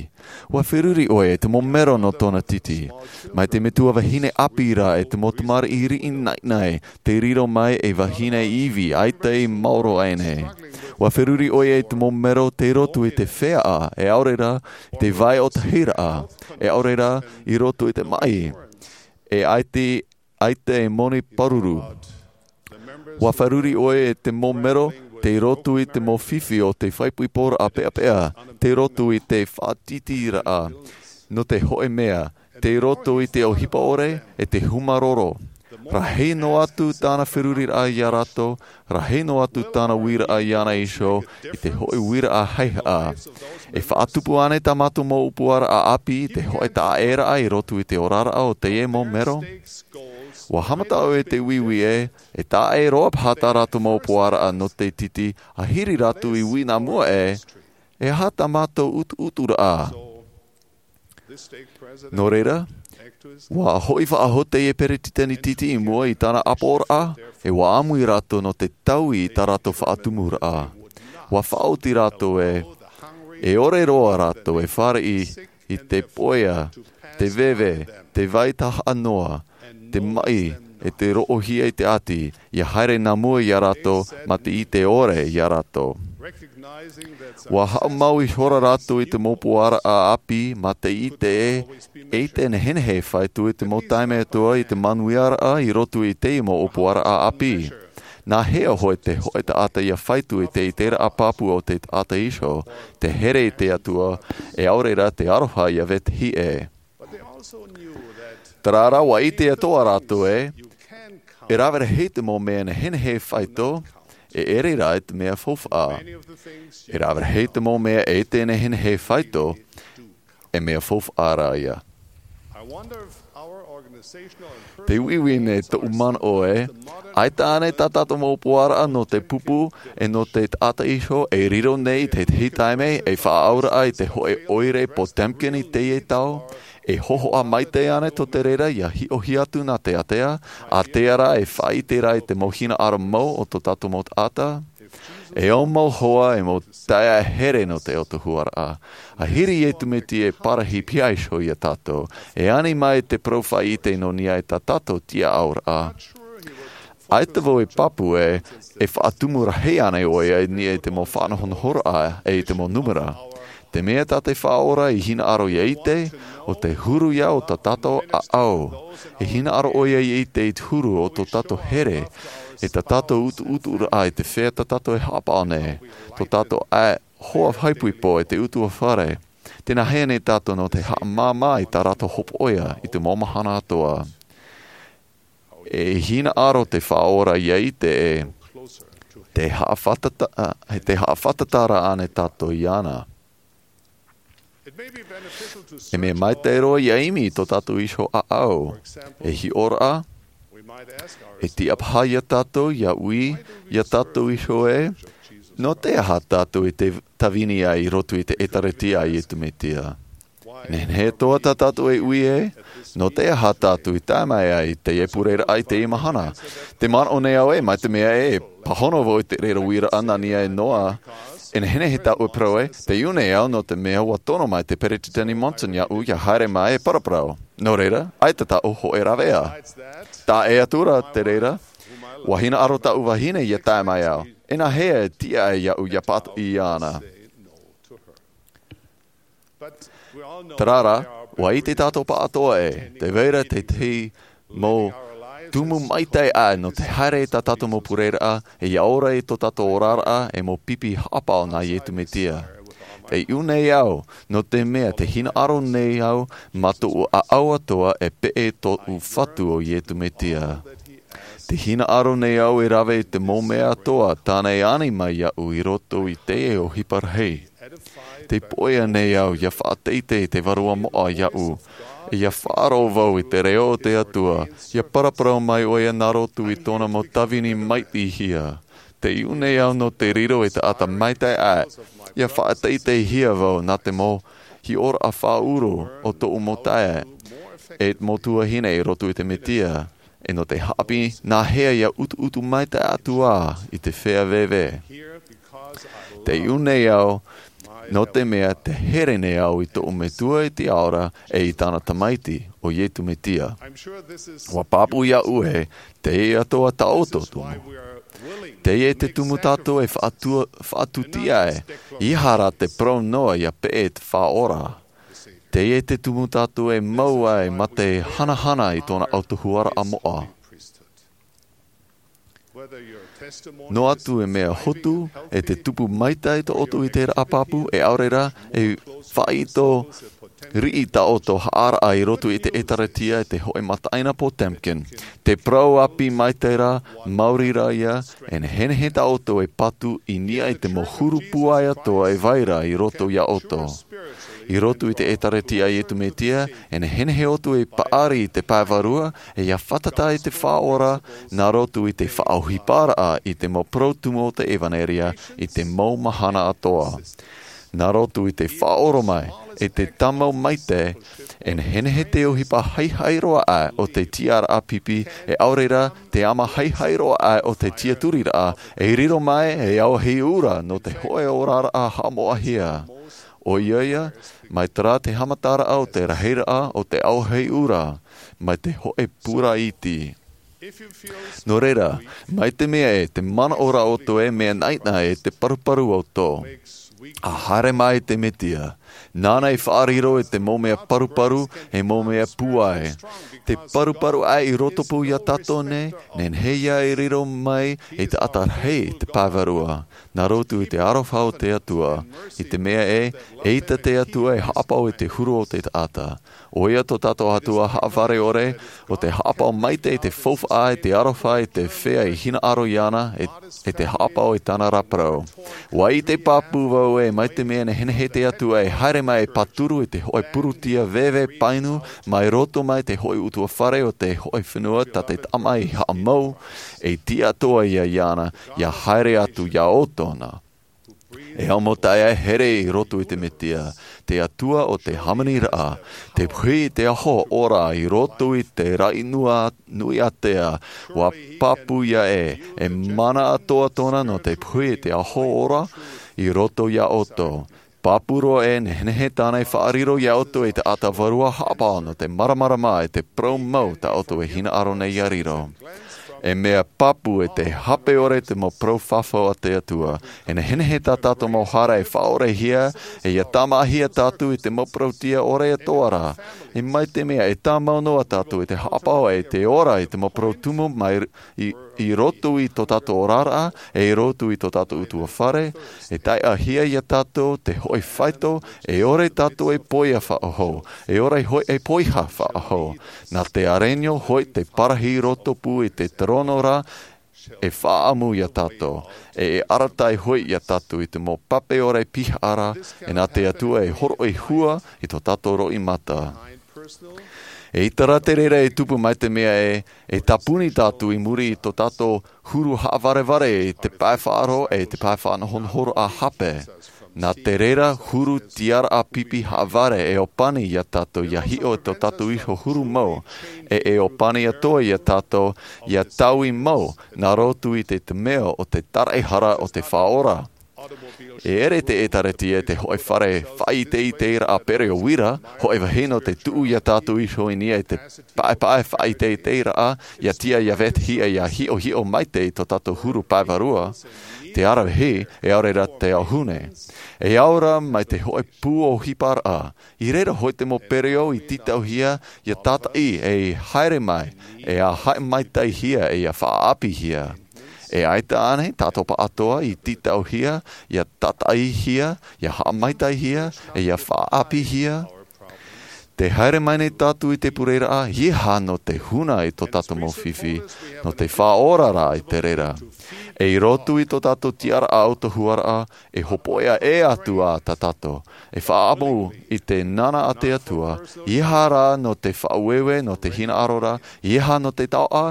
ʻUa feruri ʻoia i te mau mero nō tōna titi. Mai te metua vahine ʻāpī rā e te mau tamariʻi riʻi naʻinaʻi, tei riro mai ei vahine ivi ʻaita i maoro aʻe nei. ʻUa feruri ʻoia i te mau mero tei roto i te feiā, e ʻaore rā, i te vai ʻōtahiraʻa, e ʻaore rā, i roto i te maʻi. E ʻaita, ʻaita e moni pāruru. ʻUa feruri ʻoia i te mau mero tei roto i te mau fifi o te faʻaipoiporaʻa peʻapeʻa, tei roto i te faʻatītīraʻa, nō te hōʻē mea, tei roto i te ʻohipa ʻore, e te hūmārōrō. Rahi noa atu tāna feruriraʻa ia rātou, rahi noa atu tāna uiraʻa iāna iho, i te hōʻē uiraʻa haʻehaʻa. E faʻatupu ānei tā mātou mau ʻōpuaraʻa ʻāpī i te hōʻē taʻaʻēraʻa i roto i te oraraʻa o teie mau mero? ʻUa haʻamata ʻoe i te uiui ē, e taʻa ʻē roa paha tā rātou mau ʻōpuaraʻa nō te titi, ʻahiri rātou i ui nā mua ē, e aha tā mātou ʻutuʻuturaʻa? Nō reira, ʻua hoʻi faʻahou teie peretiteni titi i mua i tāna ʻāpoʻoraʻa, e ʻua ʻāmui rātou nō te taui i tā rātou faʻatumuraʻa. ʻUa faʻaoti rātou ē, e ʻore roa rātou e fāriʻi i te poia, te veve, te vai tahaʻa noa, te maʻi, e te roʻohia i te ʻati, ʻia haere nā mua ia rātou, mā te ʻite ʻore ia rātou. ʻUa haʻamau ihora rātou i te mau ʻōpuaraʻa ʻāpī, mā te ʻite ē, e ʻite nehenehe e faito i te mau taime atoʻa i te manuiaraʻa i roto i teie mau ʻōpuaraʻa ʻāpī. Nā hea hoʻi te hōʻē taʻata ʻia faito i te ʻiteraʻa pāpū o te taʻata iho, te here i te Atua, e ʻaore rā te aroha ʻia vetahi ʻē. Terā rā ʻua ʻite atoʻa rātou ē, e rave rahi te mau mea nehenehe e faito, e ʻere rā i te mea faufaʻa. E rave rahi te mau mea e ʻite nehenehe e faito, e mea faufaʻa rā ia. Te uiui nei tōʻu manaʻo ē, ʻaita ānei tā tātou mau ʻōpuaraʻa nō te pupu, e nō te taʻata iho, e riro nei i te tahi taime, e faʻaauraʻa i te hōʻē ʻoire Potemkin i teie tau, e hōhoʻa maitaʻi ānei tō te reira ʻia hiʻohia atu nā te ātea, ātea rā e faʻaʻite rā i te mau hinaʻaro mau o tō tātou mau taʻata? E au mau hoa e mau taeaʻe here nō te autahuʻaraʻa. ʻAhiri Iesu Mesia e parahi piha iho ia tātou, e ani mai te parau faʻaʻite nō niʻa i tā tātou tiʻaʻauraʻa. ʻAita vau e pāpū ē, e faʻatumu rahi ānei ʻoia i niʻa i te mau faʻanahonahoraʻa, e i te mau nūmera. Te mea tā te Faʻaora i hinaʻaro ʻia ʻite, ʻo te huru ia o tā tātou ʻāʻau. E hinaʻaro ʻoia ʻia ʻite i te huru o tō tātou here, e tā tātou ʻutuʻuturaʻa i te feiā tā tātou e haʻapaʻo nei, tō tātou ʻae hoa faʻaipoipo e te ʻutuāfare. Tē nā hea nei tātou nō te haʻamāmā i tā rātou hopoiʻa i te mau mahana atoʻa? E hinaʻaro te Faʻaora ʻia ʻite ē, tē haʻafātata-, tē haʻafātataraʻa ānei tātou iāna. E mea maitaʻi roa ʻia ʻimi i tō tātou iho ʻāʻau. E hiʻoraʻa, e tiʻa paha ia tātou ʻia ui ia tātou iho ē, nō te aha tātou i te tāvini ai i roto i te ʻĒtārētia a Iesu Mesia? Nehenehe atoʻa tā tātou e ui ē, nō te aha tātou i tae mai ai i teie pureraʻa i teie mahana? Tē manaʻo nei au ē, mai te mea ē, e pāhono vau i te reira uiraʻa nā niʻa iho ā, e nehenehe tāʻu e parau ē, tē ui nei au nō te mea ʻua tono mai te Peretiteni Monson iāʻu ʻia haere mai e paraparau. Nō reira, ʻaita tāʻu hōʻē rāveʻa. Taʻa ʻē atu ra te reira, ʻua hinaʻaro tāʻu vahine ʻia tae mai au. E nā hea e tiʻa ai iāʻu ʻia pātoʻi iāna? Terā rā, ʻua ʻite tātou pāʻatoʻa ē, tē vai ra te tahi mau tumu maitaʻi aʻe nō te haere i tā tātou mau pureraʻa, e ʻia ora i tō tātou oraraʻa, e mau pipi haʻapaʻo nā Iesu Mesia. E iʻu nei au, nō te mea te hinaʻaro nei au mā tōʻu ʻāʻau atoa e peʻe tōʻu Fatu ʻo Iesu Mesia. Te hinaʻaro nei au e rave i te mau mea atoa tāna e ani mai iāʻu i roto i teie ʻohipa rahi. Te poʻia nei au ʻia faʻateitei te Vārua Moʻa iāʻu, e ʻia faʻaroʻo vau i te reo o te Atua, ʻia paraparau mai ʻoia nā roto i tōna mau tāvini maitihia. Te iʻu nei au nō te riro e taʻata maitaʻi aʻe, ʻia faʻateiteihia vau nā te mau hiʻoraʻa faʻaʻuru o tōʻu mau taeaʻe, e mau tuahine i roto i te Mesia, e nō te haʻapiʻi nā hea ʻia utuutu maitaʻi atu ā i te feiā veve. Te iʻu nei au, nō te mea te here nei au i tōʻu Metua i te Ao ra e i tāna Tamaiti, ʻo Iesu Mesia. ʻUa pāpū iāʻu ē, teie atoa tā ʻoutou tumu. Teie te tumu tātou e faʻatua-, faʻatūtia ai, ʻeiaha rā te parau noa ʻia peʻe te Faʻaora. Teie te tumu tātou e mau ai mā te hanahana i tōna autahuʻaraʻa moʻa. Noa atu e mea hotu, e te tupu maitaʻi tō ʻoutou i te raʻa pāpū, e ʻaore rā, e faʻaitoito riʻi tā ʻoutou haʻaraʻa i roto i te ʻĒtārētia e te hōʻē mataʻeinapo Potemkin. Te parau ʻāpī maitaʻi rā, maori rā ia, e nehenehe tā ʻoutou e patu i niʻa i te mau huru pūai atoa e vai ra i roto iā ʻoutou. I roto i te ʻĒtārētia a Iesu Mesia, e nehenehe ʻoutou e paʻari i te pae vārua, e ʻia fātata i te Faʻaora, nā roto i te faʻaʻohiparaʻa i te mau parau tumu o te ʻEvaneria i te mau mahana atoa. Nā roto i te faʻaʻoro mai, e te tāmau maitaʻi, e nehenehe te ʻohipa haihai roa aʻe o te tiʻaraʻa pipi, e ʻaore rā, te ʻama haihai roa aʻe o te tiʻaturiraʻa, e riro mai, e auahi ʻura nō te hōʻē oraraʻa haʻamoʻahia. ʻOia ia, mai terā te haʻamataraʻa o te rahiraʻa o te auahi ʻura, mai te hōʻē pura iti. Nō reira, mai te mea e te manaʻo ra ʻoutou e mea naʻinaʻi e te paruparu ʻoutou. ʻA haere mai te Mesia, nāna i faʻariro i te mau mea paruparu, e mau mea pūai. Te paruparu aʻe i roto pū iā tātou nei, nehenehe ia e riro mai i te taʻata rahi i te pae vārua. Nā roto i te aroha o te Atua, i te mea ē, eʻita te Atua e haʻapaʻo i te huru o te taʻata. ʻOia tō tātou Atua haʻavare ʻore, ʻo te haʻapaʻo maitaʻi i te faufaʻa, i te aroha, i te feiā i hinaʻaro iāna, e, e te haʻapaʻo i tāna ra parau. ʻUa ʻite pāpū vau ē, mai te mea nehenehe te Atua e haere mai e pāturu i te hōʻē purutia veve painu, mai roto mai te hōʻē ʻutuāfare o te hōʻē fenua tā te tamaʻi haʻamau, e tiʻa atoʻa ia iāna, ʻia haere atu iā ʻoutou na. E au mau taeaʻe here i roto i te Mesia, te Atua o te hāmaniraʻa, te puhi i te aho ora i roto i te raʻi nui ātea, ʻua pāpū ia ē, e mana atoʻa tōna nō te puhi i te aho ora i roto iā ʻoutou. Pāpū roa ē, nehenehe tāna e faʻariro iā ʻoutou ei taʻata vārua haʻapaʻo nō te māramarama e te parau mau tā ʻoutou e hinaʻaro nei ʻia riro. E mea pāpū e te hape ʻore te mau parau fafau a te Atua. E nehenehe tā tātou mau hara e faʻaʻorehia, e ʻia tāmāhia tātou i te mau parautia ʻore atoʻa ra. E mai te mea e tāmau noa tātou i te haʻapaʻo e te ora i te mau parau tumu mai i, i roto i tō tātou oraraʻa, e i roto i tō tātou ʻutuāfare, e taiʻahia iā tātou te hōʻē faito, e ʻore tātou e poiā faʻahou, e ʻore hoʻi e poiā faʻahou. Nā te arenio hoʻi te parahi i roto pū i te terono ra, e faʻaʻamu iā tātou, e, e arataʻi hoʻi iā tātou i te mau pape ʻore pihaʻa ra, e nā te Atua e hōroʻa hua i tō tātou roimata. ʻEita rā te reira e tupu mai te mea ē, e tāpuni tātou i muri i tō tātou huru haʻavarevare i te pae faʻaroʻo e te pae faʻanohonohoraʻa hape. Nā te reira huru tiʻaraʻa pipi haʻavare e ʻōpani iā tātou ʻia hiʻo i tō tātou iho huru mau, e, e ʻōpani atoʻa iā tātou ʻia taui mau, nā roto i te, te mea o te taraehara o te Faʻaora. E ʻere te ʻĒtārētia i te hōʻē fare faʻaʻiteʻiteraʻa pereʻoʻo uira, hōʻē vahine te tuʻu iā tātou iho i niʻa i te paʻepaʻe faʻaʻiteʻiteraʻa, ʻia tiʻa ʻia vetehia ʻia hiʻohiʻo maitaʻi i tō tātou huru pae vārua, te aravihi, e ʻaore rā te ʻauhune. E au ra mai te hōʻē pū ʻohiparaʻa, i reira hoʻi te mau pereʻoʻo i tītauhia, ʻia tātaʻi, e haere mai, e ʻia haʻamaitaʻihia, e ʻia faʻaʻāpīhia. E ʻaita ānei tātou pāʻatoʻa i tītauhia, ia tātaʻihia, ia haʻamaitaʻihia, e ia faʻaʻāpīhia? Te haere mai nei tātou i te pureraʻa, ʻeiaha nō te huna i tō tātou mau fifi, nō te faʻaoraraʻa i te reira. E i roto i tō tātou tiʻaraʻa ʻautahuaraʻa, e hopoiʻa ʻē atu ā tā tātou. E faʻaʻamu i te nana a te Atua, ʻeiaha rā nō te faʻaueue, nō te hinaʻaro ra, ʻeiaha nō te taoʻa,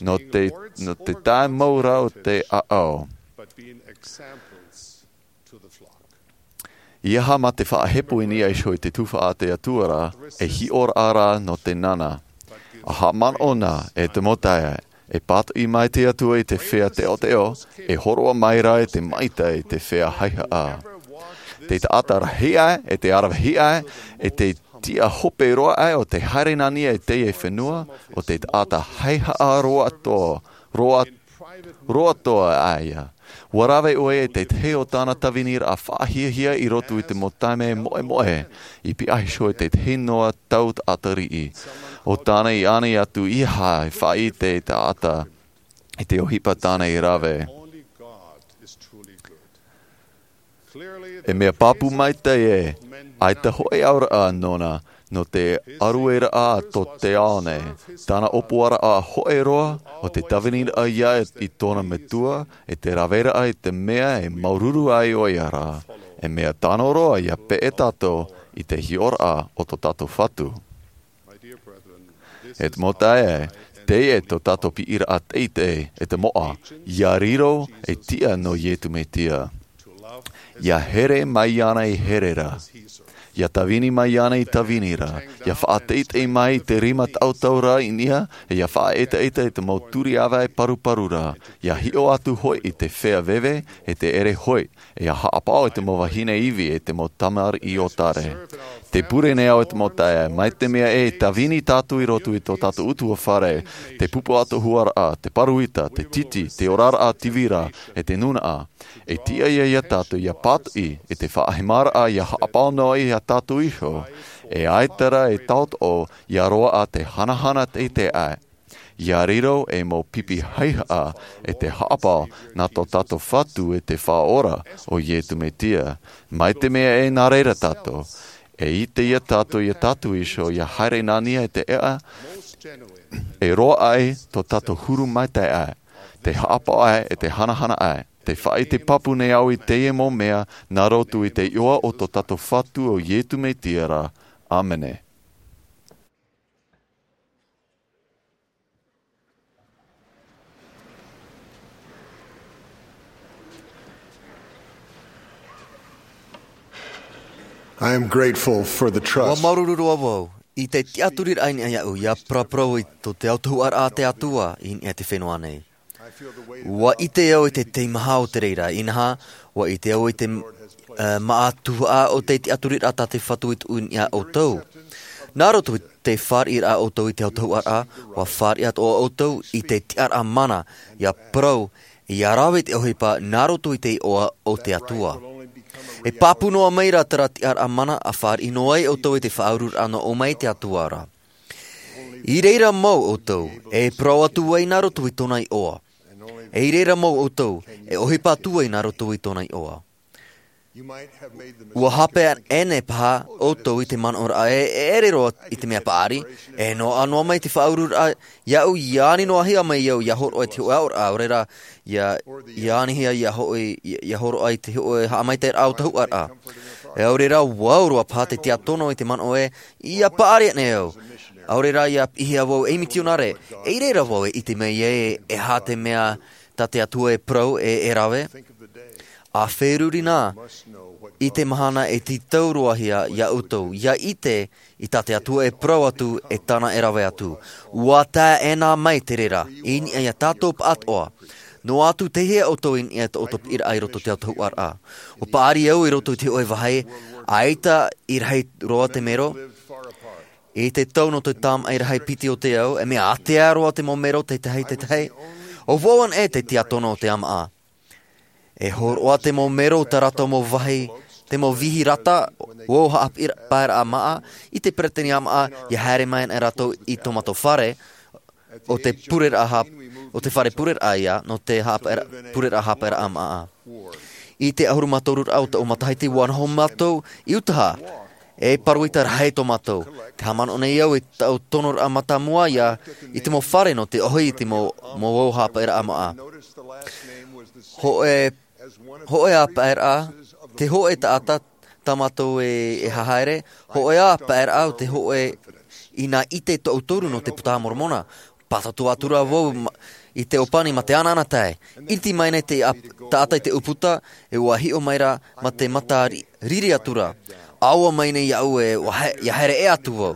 nō te, nō te tae mau ra o te ʻaʻau. ʻEiaha mā te faʻahepo i niʻa iho i te tuhaʻa a te Atua ra, e hiʻoraʻa rā nō te nana. ʻA haʻamanaʻo na, e te mau taeaʻe, e pātoʻi mai te Atua i te feiā teʻoteʻo, e hōroʻa mai rā i te maʻitaʻi i te feiā haihaʻa. Te taʻata rahi aʻe, e te ʻaravihi aʻe, e te tiʻa hope roa aʻe o te haere nā niʻa i teie fenua, ʻo te taʻata haihaʻa roa atoʻa, roa, roa atoʻa aʻe ia. ʻUa rave ʻoe i te tahi o tāna tāviniraʻa faʻahiahia i roto i te mau taime moʻemoʻe, i pihaʻi iho i te tahi noa tau taʻata riʻi. ʻO tāna i ani atu ʻeiaha e faʻaʻite i te taʻata, i te ʻohipa tāna i rave. E mea pāpū maitaʻi ē, ʻaita hōʻē auraʻa nōna, nō te ʻarueraʻa a tō te ao nei. Tāna ʻōpuaraʻa hōʻē roa, ʻo te tāviniraʻa ia i tōna metua, e te raveraʻa i te mea e māuruuru ai ʻoia ra. E mea tano roa ia peʻe tātou i te hiʻoraʻa o tō tātou Fatu. E te mau taeaʻe, teie tō tātou piʻiraʻa teitei, e te moʻa, ia riro ei tiʻa nō Iesu Mesia. Ia here mai iāna i here ra. Ia tāvini mai iāna i tāvini ra. Ia faʻateitei mai i te rima tautau ra i niʻa, e ia faʻaʻetaʻeta i te mau turi ʻāvae paruparu ra. Ia hiʻo atu hoʻi i te feiā veve, e te ʻere hoʻi, e ia haʻapaʻo i te mau vahine ivi, e te mau tamariʻi ʻōtare. Tē pure nei au e te mau taeaʻe, mai te mea e tāvini tātou i roto i tō tātou ʻutuāfare, te pupu ʻautahuaraʻa, te paruita, te titi, te oraraʻa tīvira, e te nūnaʻa. E tiʻa ia ia tātou ia pātoʻi i te faʻahemaraʻa ia haʻapaʻo noa ia tātou iho, e ʻaita rā e tauturu ia roaʻa te hanahana teitei aʻe. Ia riro ei mau pipi haihaʻa e te haʻapaʻo nā tō tātou Fatu e te Faʻaora ʻo Iesu Mesia. Mai te mea e nā reira tātou, e ʻite ia tātou ia tātou iho ia haere nā niʻa i te ʻēʻa, e roaʻa ai tō tātou huru maitaʻi aʻe, te haʻapaʻo aʻe e te hanahana aʻe. Tē faʻaʻite pāpū nei au i teie mau mea nā roto i te iʻoa o tō tātou Fatu ʻo Iesu Mesia ra. ʻĀmene. I am grateful for the trust. Ua māuruuru roa vau i te tiʻaturiraʻa i niʻa iāʻu, ia paraparau i tō te autahuʻaraʻa a te Atua i niʻa i te fenua nei. Ua ʻite au i te teimaha o te reira, inaha, ua ʻite au i te, eh, māʻa tuhaʻa o te tiʻaturiraʻa tā te Fatu i tuʻu i niʻa iā ʻoutou. Nā roto i te fāriʻiraʻa ʻoutou i te autahuʻaraʻa, ua fāriʻi atoʻa ʻoutou i te tiʻaraʻa mana, ia parau, ia rave i te ʻohipa nā roto i te iʻoa o te Atua. E pāpū noa mai rā terā tiʻaraʻa mana ʻa fāriʻi noa ai ʻoutou i te faʻaururaʻa nō ʻō mai i te Atua ra. I reira mau ʻoutou e parau atu ai nā roto i tōna iʻoa. E i reira mau ʻoutou e ʻohipa atu ai nā roto i tōna iʻoa. Ua hape ʻē nei paha ʻoutou i te manaʻoraʻa e, e ʻere roa i te mea paʻari, e noaʻa noa mai te faʻaururaʻa iāʻu, ia ani noa hia mai au ia hōroʻa i te hōʻē aʻoraʻa, ʻaore rā, ia, ia ani hia ia hoʻi, ia, ia hōroʻa i te hōʻē haʻamaitaʻiraʻa autahuʻaraʻa. E ʻaore rā, ua au roa paha te tiʻa tono i te manaʻo ē, ia paʻari aʻe nei au. ʻAore rā, ia piʻihia vau ei mitionare, e i reira vau e ʻite mai ai e, e aha te mea tā te Atua e parau e, e rave. ʻA feruri na i te mahana e tītau roa hia iā ʻoutou, ia ʻite i tā te Atua e parau atu, e tāna e rave atu. Ua tae ʻē na mai te reira, i niʻa iā tātou pāʻatoʻa. Noa atu te hea ʻoutou i niʻa i tō ʻoutou piʻiraʻa i roto i te autahuʻaraʻa. ʻUa paʻari au i roto i te hōʻē vāhi, ʻaita i rahi roa te mero. I te tau nō te tāmaʻi rahi piti o te ao, e mea ātea roa te mau mero tētahi, tētahi. ʻO vau anaʻe te tiʻa tono o te ʻāmaʻa. E hōroʻa te mau mero tā rātou mau vāhi, te mau vīhi rata, ʻo haʻapiʻiraʻa māʻa, i te peretiteni ʻāmaʻa, ia haere mai ana rātou i tō mātou fare, o te pureraʻa hāp-, o te fare pureraʻa ia, nō te hāpaʻera-, pureraʻa hāpaʻeraʻa māʻa. I te ʻahuru mā toru raʻa o taʻu matahiti, ua noho mātou i Utaha. E paruita rahi tō mātou. Te haʻamanaʻo nei au i taʻu tonoraʻa mātāmua ia, i te mau fare nō te ʻohi i te mau, mau hāpaʻeraʻa māʻa. Hōʻē, hōʻē ā paʻeraʻa, te hōʻē taʻata, tā mātou e, e hahaere, hōʻē ā paʻeraʻa o te hōʻē i nā ʻite toʻu toru nō te Pūtaha Moromona. Pātotoa atura vau ma-, i te ʻōpani mā te anaanatae. ʻIti mai nei te ap-, taʻata i te ʻūputa, e ua hiʻo mai ra mā te mata ri-, riri atura. ʻAua mai nei iaʻu e ua he-, ʻia haere ʻē atu vau.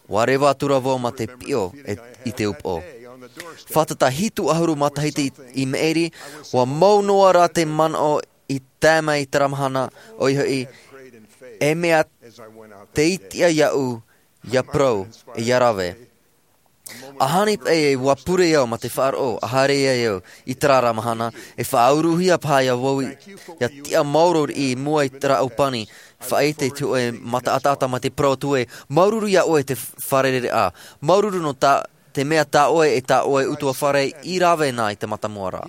Ua reva atura vau mā te piʻo e, i te upoʻo. Fātata hitu ʻahuru matahiti i, i maʻiri, ua mau noa ra te manaʻo i tae mai i terā mahana, ʻoia hoʻi, e mea tei tiʻa iaʻu ʻia parau, e ʻia rave. ʻAhani paʻi e ua pure au mā te faʻaroʻo, ʻa haere ai au i terā ra mahana, e faʻauruhia paha ia vau i, ʻia tiʻa maoro i mua i terā ʻōpani, faʻaʻite i te hōʻē mataʻataʻata mā te parau atu ē, māuruuru ia ʻoe te fārereiraʻa, māuruuru nō tā, te mea tā ʻoe e tā ʻoe ʻutuāfare i rave na i te mātāmua ra.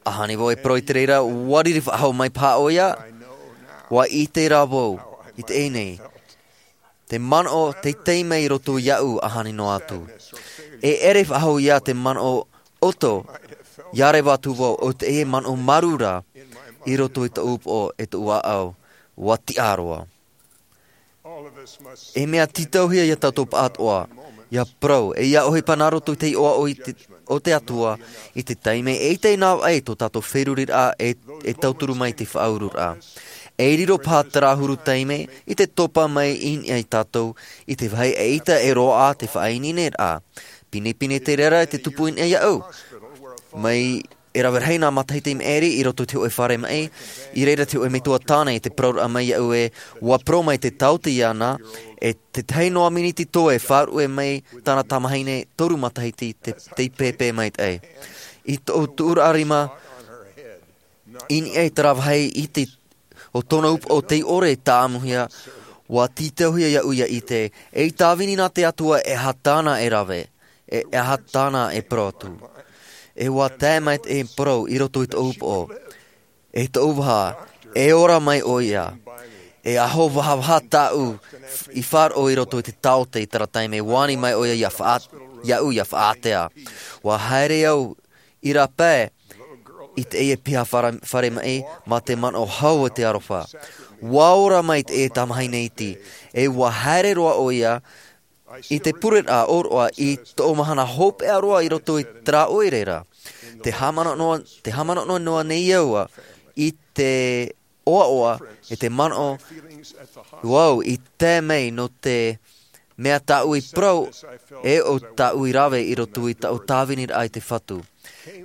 ʻAhani vau e parau i te reira, ua riri faʻahou mai paha ʻoia, ua ʻite rā vau, i teie nei. Te manaʻo teitei mai i roto iaʻu ʻahani noa atu. E ʻere faʻahou ia te manaʻo ʻoto, ʻia reva atu vau, ʻo teie manaʻo māuruuru ra, i roto i tōʻu upoʻo e tōʻu ʻāʻau, ua tiʻa roa. E mea tītauhia ia tātou pāʻatoʻa, ʻia parau, e ʻia ʻohipa nā roto i te iʻoa o i te, o te Atua, i te taime e ʻite nā vaʻe tō tātou feruriraʻa e, e tauturu mai te faʻauruuraʻa. E riro paha terā huru taime, i te topa mai i niʻa ia tātou, i te vāhi e ʻaita e roaʻa te faʻaineineraʻa. Pinepine te reira i te tupu i niʻa iaʻu. Mai e rave rahi nā matahiti i maʻiri i roto i te hōʻē fare maʻi, i reira te hōʻē metua tāne i te parauraʻa mai iaʻu ē, ua parau mai te taote iāna, e tētahi noa miniti toe faʻaruʻe mai tāna tamahine toru matahiti te, tei pēpē maitaʻi. I tōʻu tuʻuraʻa rima, i niʻa i terā vāhi i te, o tōna upoʻo tei ʻore e tāʻamuhia, ua tītauhia iaʻu ʻia ʻite, ei tāvini nā te Atua e aha tāna e rave, e, e aha tāna e parau atu. E ua tae mai te parau i roto i tōʻu upoʻo. E tōʻu vaha, e ora mai ʻoia. E aho vahavaha tāʻu i faʻaroʻo i roto i te taote i terā taime, ua ani mai ʻoia ʻia faʻa-, iaʻu ʻia faʻaātea. Ua haere au i rāpae i teie piha fare-, fare maʻi mā te manaʻo hau o te aroha. Ua ora mai teie tamahine iti, e ua haere roa ʻoia i te pureraʻa ʻōroʻa i tōʻu mahana hopeʻa roa i roto i terā ʻoire ra. Te haʻamanaʻo noa, te haʻamanaʻo noa nei au i te ʻoaʻoa, e te manaʻo, ʻo au i tae mai nō te mea tāʻu i parau, e ʻo tāʻu i rave i roto i tāʻu tāviniraʻa i te Fatu.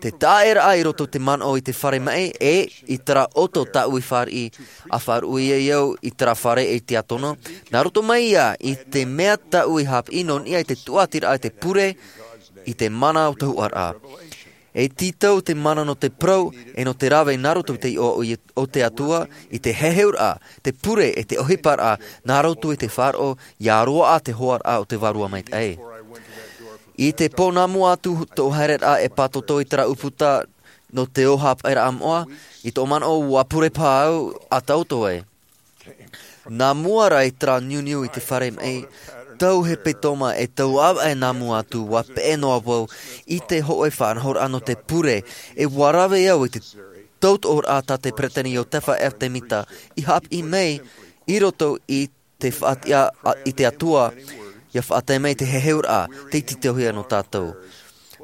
Te taʻeraʻa i roto i te manaʻo i te fare maʻi, e i terā ʻoto tāʻu i fāriʻi, ʻa faʻaruʻe ai au i terā fare e tiʻa tonu, nā roto mai ia i te mea tāʻu i haʻapiʻi nō niʻa i te tuatiraʻa i te pure, i te mana o te hōhoʻaraʻa. E tītau te mana nō te parau, e nō te rave nā roto i te iʻoa o, o te Atua, i te heheuraʻa, te pure, e te ʻohiparaʻa, nā roto i te faʻaroʻo, ʻia roaʻa te hōhoʻaraʻa o te Vārua Maitaʻi. I te pō nā mua atu tōʻu haereraʻa e pātoto i terā ʻūputa nō te ō hāpaʻeraʻa moʻa, i tōʻu manaʻo ua pure paha au a tāʻu ē. Nā mua ra i terā niuniu i te fare maʻi, tau hepetoma e tau ʻāvaʻe nā mua atu, ua peʻe noa vau i te hōʻē faʻanahoraʻa nō te pure, e ua rave au i te tautoʻoraʻa tā te peresideni Iosepha F. Smith i haʻapiʻi mai i roto i te faʻatiʻa a, i te Atua, ʻia faʻatae mai te heheuraʻa, tei tītauhia nō tātou.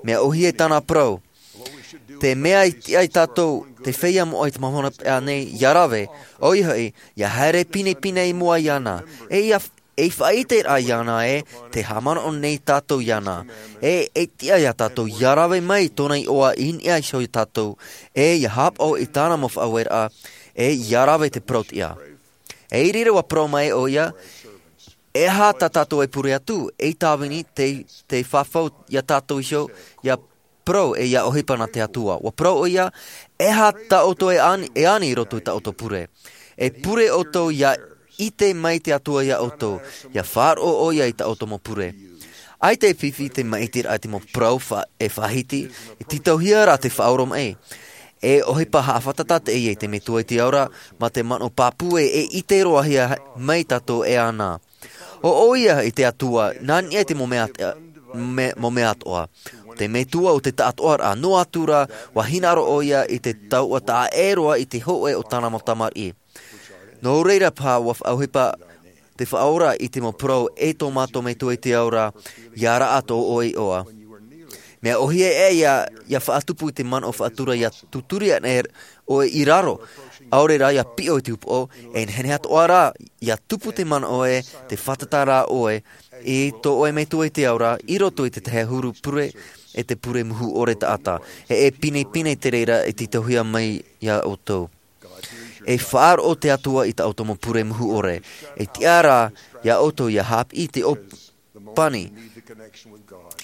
Mea ʻōhie tāna parau, te mea i tiʻa ia tātou, te feiā moʻa i te mahana paʻi nei, ʻia rave, ʻoia hoʻi, ʻia haere pinepine i mua iāna, e ʻia, ei faʻaʻiteraʻa iāna ē, tē haʻamanaʻo nei tātou iāna, e, e tiʻa ia tātou, ʻia rave mai tōna iʻoa i niʻa iho ia tātou, e ʻia haʻapaʻo i tāna mau faʻaueraʻa, e ʻia rave te parau-tiʻa. E i reira ua parau mai ʻoia, e aha tā tātou e pure atu, ei tāvini, tei, tei fafau ia tātou iho, ʻia parau e ʻia ʻohipa nā te Atua. Ua parau ʻoia, e aha tā ʻoutou e ani, e ani i roto i tā ʻoutou pure. E pure ʻoutou ʻia ʻite mai te Atua ia ʻoutou, ʻia faʻaroʻo ʻoia i tā ʻoutou mau pure. ʻAita e fifi te maʻitiraʻa i te mau parau fa-, e faʻahiti, e tītauhia rā te faʻaoromaʻi. E ʻohipa haʻafātata teie i te Metua i te Ao ra, mā te manaʻo pāpū ē, e ʻite roa hia mai tātou e ana. ʻO ʻoia i te Atua, nā niʻa i te mau mea, me-, mau mea atoʻa. Te Metua o te taʻatoʻaraʻa, noa atu rā, ʻua hinaʻaro ʻoia i te tauʻa taʻa ʻē roa i te hōʻē o tāna mau tamariʻi. Nō reira paha ʻua faʻaʻohipa te Faʻaora i te mau parau e tō mātou Metua i te Ao ra, ʻia raʻa tō ʻoe iʻoa. Mea ʻōhie ē ʻia, ʻia faʻatupu i te manaʻo faʻatura ʻia tūturi ana ʻoe i raro, ʻaore rā ʻia piʻo i te upoʻo, e nehenehe atoʻa rā, ʻia tupu te manaʻo ē, tē fātata ra ʻoe, i tō ʻoe Metua i te Ao ra, i roto i te tahi ʻahuru pure, e te pure muhu ʻore taʻata. E, e pinepine te reira e tītauhia mai ia ʻoutou. E faʻaroʻo te Atua i tā ʻoutou mau pure muhu ʻore. E tiʻa rā ia ʻoutou ʻia haʻapiʻi i te ʻōpani.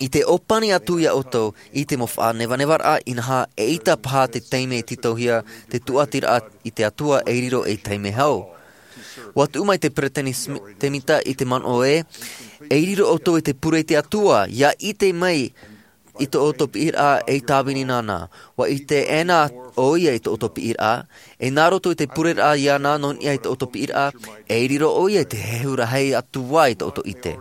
I te ʻōpani atu ia ʻoutou i te mau faʻanevanevaraʻa inaha eʻita paha te taime e tītauhia te tūʻatiraʻa i te Atua e riro ei taime hau. ʻUa tuʻu mai te Peresideni Smi-, Temita i te manaʻo ē, e riro ʻoutou i te pure i te Atua, ʻia ʻite mai i tō ʻoutou piʻiraʻa ei tāvini nāna. ʻUa ʻite ʻē na ʻoia i tō ʻoutou piʻiraʻa, e nā roto i te pureraʻa iāna nō niʻa i tō ʻoutou piʻiraʻa, e riro ʻoia i te hehu rahi atu ā i tō ʻoutou ʻite.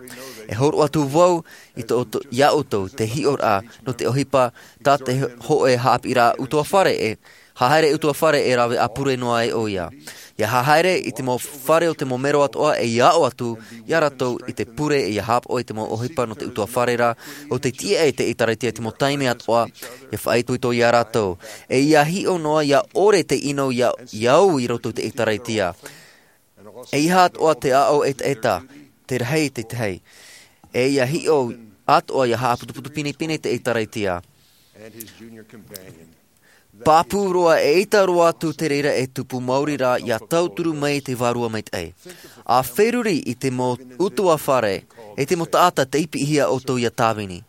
E hōroʻa atu vau i tō ʻoutou, ia ʻoutou, te hiʻoraʻa, nō te ʻohipa, tā te hōʻē haʻapiʻiraʻa ʻutuāfare e, haere ʻutuāfare e rave ʻāpure noa ai ʻoia. ʻIa haere i te mau fare o te mau mero atoʻa e ʻia aʻo atu ia rātou i te pure e ʻia haʻapaʻo i te mau ʻohipa nō te ʻutuāfare ra, ʻo tei tiʻa i te ʻĒtārētia i te mau taime atoʻa, ʻia faʻaitoito ia rātou. E ʻia hiʻo noa ʻia ʻore te ʻino ʻia, ʻia au i roto i te ʻĒtārētia. E ʻeiaha atoʻa te aʻo ʻetaʻeta, te rahi te tahi. E ʻia hiʻo atoʻa ʻia haʻaputuputu pinepine te ʻĒtārētia. Pāpū roa eʻita roa atu te reira e tupu maori rā ʻia tauturu mai te Vārua Maitaʻi. ʻA feruri i te mau ʻutuāfare, e te mau taʻata tei piʻihia ʻoutou ʻia tāvini.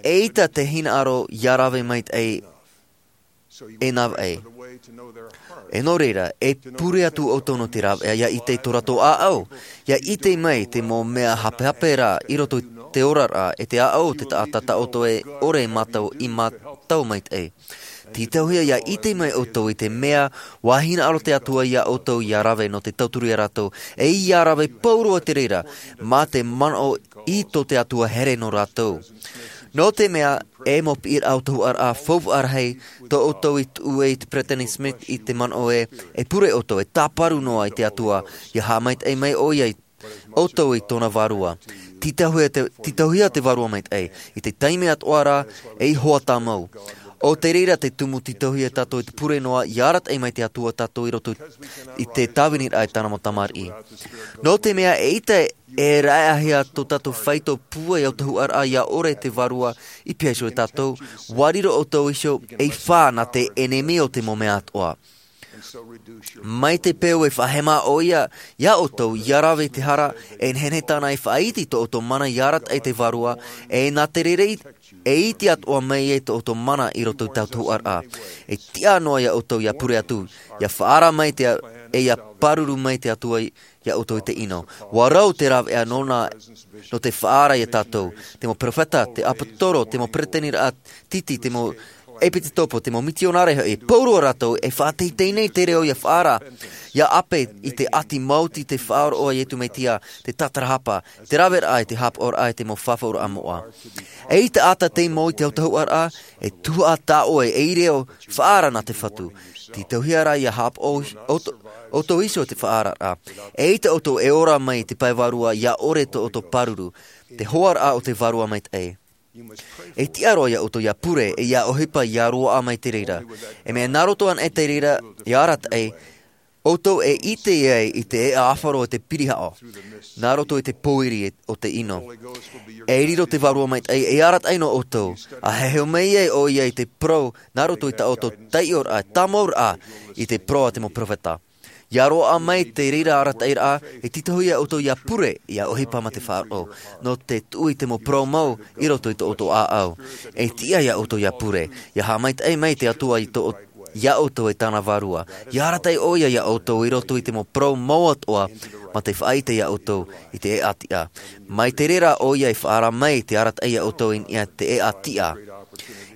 ʻEita te hinaʻaro ʻia rave maitaʻi e nā vaʻe. E nō reira, e pure atu ʻoutou nō te rāveʻa ʻia ʻite i tō rātou ʻāʻau, ʻia ʻite mai te mau mea hapehape rā i roto i te oraraʻa e te ʻāʻau o te taʻata tā ʻoutou e ʻore e mātau i mātau maitaʻi. Tītauhia ʻia ʻite mai ʻoutou i te mea ʻua hinaʻaro te Atua ia ʻoutou ʻia rave nō te tauturu ia rātou, e ʻia rave pauroa te reira, mā te manaʻo i tō te Atua here nō rātou. Nō te mea, e mau piʻiraʻa ʻautahuʻaraʻa faufaʻa rahi, tō ʻoutou i tuʻu ai i te Peresideni Smith i te manaʻo ē, e pure ʻoutou, e tāparu noa i te Atua, ʻia haʻamaitaʻi mai ʻoia ia ʻoutou i tōna Vārua. Tītauhia te, tītauhia te Vārua Maitaʻi, i te taime atoʻa rā, ei hoʻi tāmau. ʻO te reira te tumu tītauhia tātou i te pure noa, ʻia arataʻi mai te Atua tātou i roto i te tāviniraʻa e tāna mau tamariʻi. Nō te mea eʻita e raʻehia tō tātou faito pūai ʻautahuʻaraʻa ʻia ʻore te Vārua i piha iho ia tātou, ʻua riro ʻoutou iho ei fā nā te ʻenemi o te mau mea atoʻa. Mai te peu e faʻahema ʻoia ia ʻoutou ʻia rave i te hara, e nehenehe tāna e faʻaiti tō ʻoutou mana ʻia arataʻi i te Vārua, e nā te reira e iti atoʻa mai ai tō ʻoutou mana i roto i te ʻautahuʻaraʻa. E tiʻa noa ia ʻoutou ʻia pure atu, ʻia faʻaara mai te, e ʻia pāruru mai te Atua ia ʻoutou i te ʻino. ʻUa rau te rāveʻa nōna, nō te faʻaara ia tātou, te mau perofeta, te ʻāpōsetolo, te mau peresideniraʻa titi, te mau ʻepitekopo, te mau mitionare hoʻi, pauroa rātou e faʻateitei nei te reo ʻia faʻaara, ʻia ʻape i te ʻati maoti te faʻaroʻo a Iesu Mesia, te tātarahapa, te raveraʻa i te haʻapaʻoraʻa i te mau fafauraʻa moʻa. E ʻita ata te mau i te ʻautahuʻaraʻa, e tuhaʻa tā ʻoe ei reo faʻaara nā te Fatu. Tītauhia rā ʻia haʻapaʻo ʻoutou, ʻoutou iho i te faʻaararaʻa. E ʻita ʻoutou e ora mai i te pae vārua ʻia ʻore tō ʻoutou pāruru, te hoaraʻa o te Vārua Maitaʻi. E tiʻa roa ia ʻoutou ʻia pure, e ʻia ʻohipa ʻia roaʻa mai te reira. E mea nā roto anaʻe te reira, ʻia arataʻi, ʻoutou e ʻite ai i te ʻēʻa ʻāfaro e te pirihaʻo, nā roto i te pōiri o te ʻino. E riro te Vārua Maitaʻi, e arataʻi nō ʻoutou, ʻa heheu mai ai ʻoia i te parau, nā roto i tā ʻoutou taiʻoraʻa, tāmauraʻa, i te parau a te mau perofeta. ʻIa roaʻa mai te reira arataʻiraʻa, e tītauhia ʻoutou ʻia pure, ʻia ʻohipa mā te faʻaroʻo, nō te tuʻu i te mau parau mau, i roto i tō ʻoutou ʻāʻau. E tiʻa ia ʻoutou ʻia pure, ʻia haʻamaitaʻi mai te Atua i tō, ia ʻoutou e tāna vārua. ʻIa arataʻi ʻoia ia ʻoutou i roto i te mau parau mau atoʻa, mā te faʻaʻite iā ʻoutou i te ʻēʻa tiʻa. Mai te reira ʻoia e faʻaara mai te arataʻi iā ʻoutou i niʻa i te ʻēʻa tiʻa.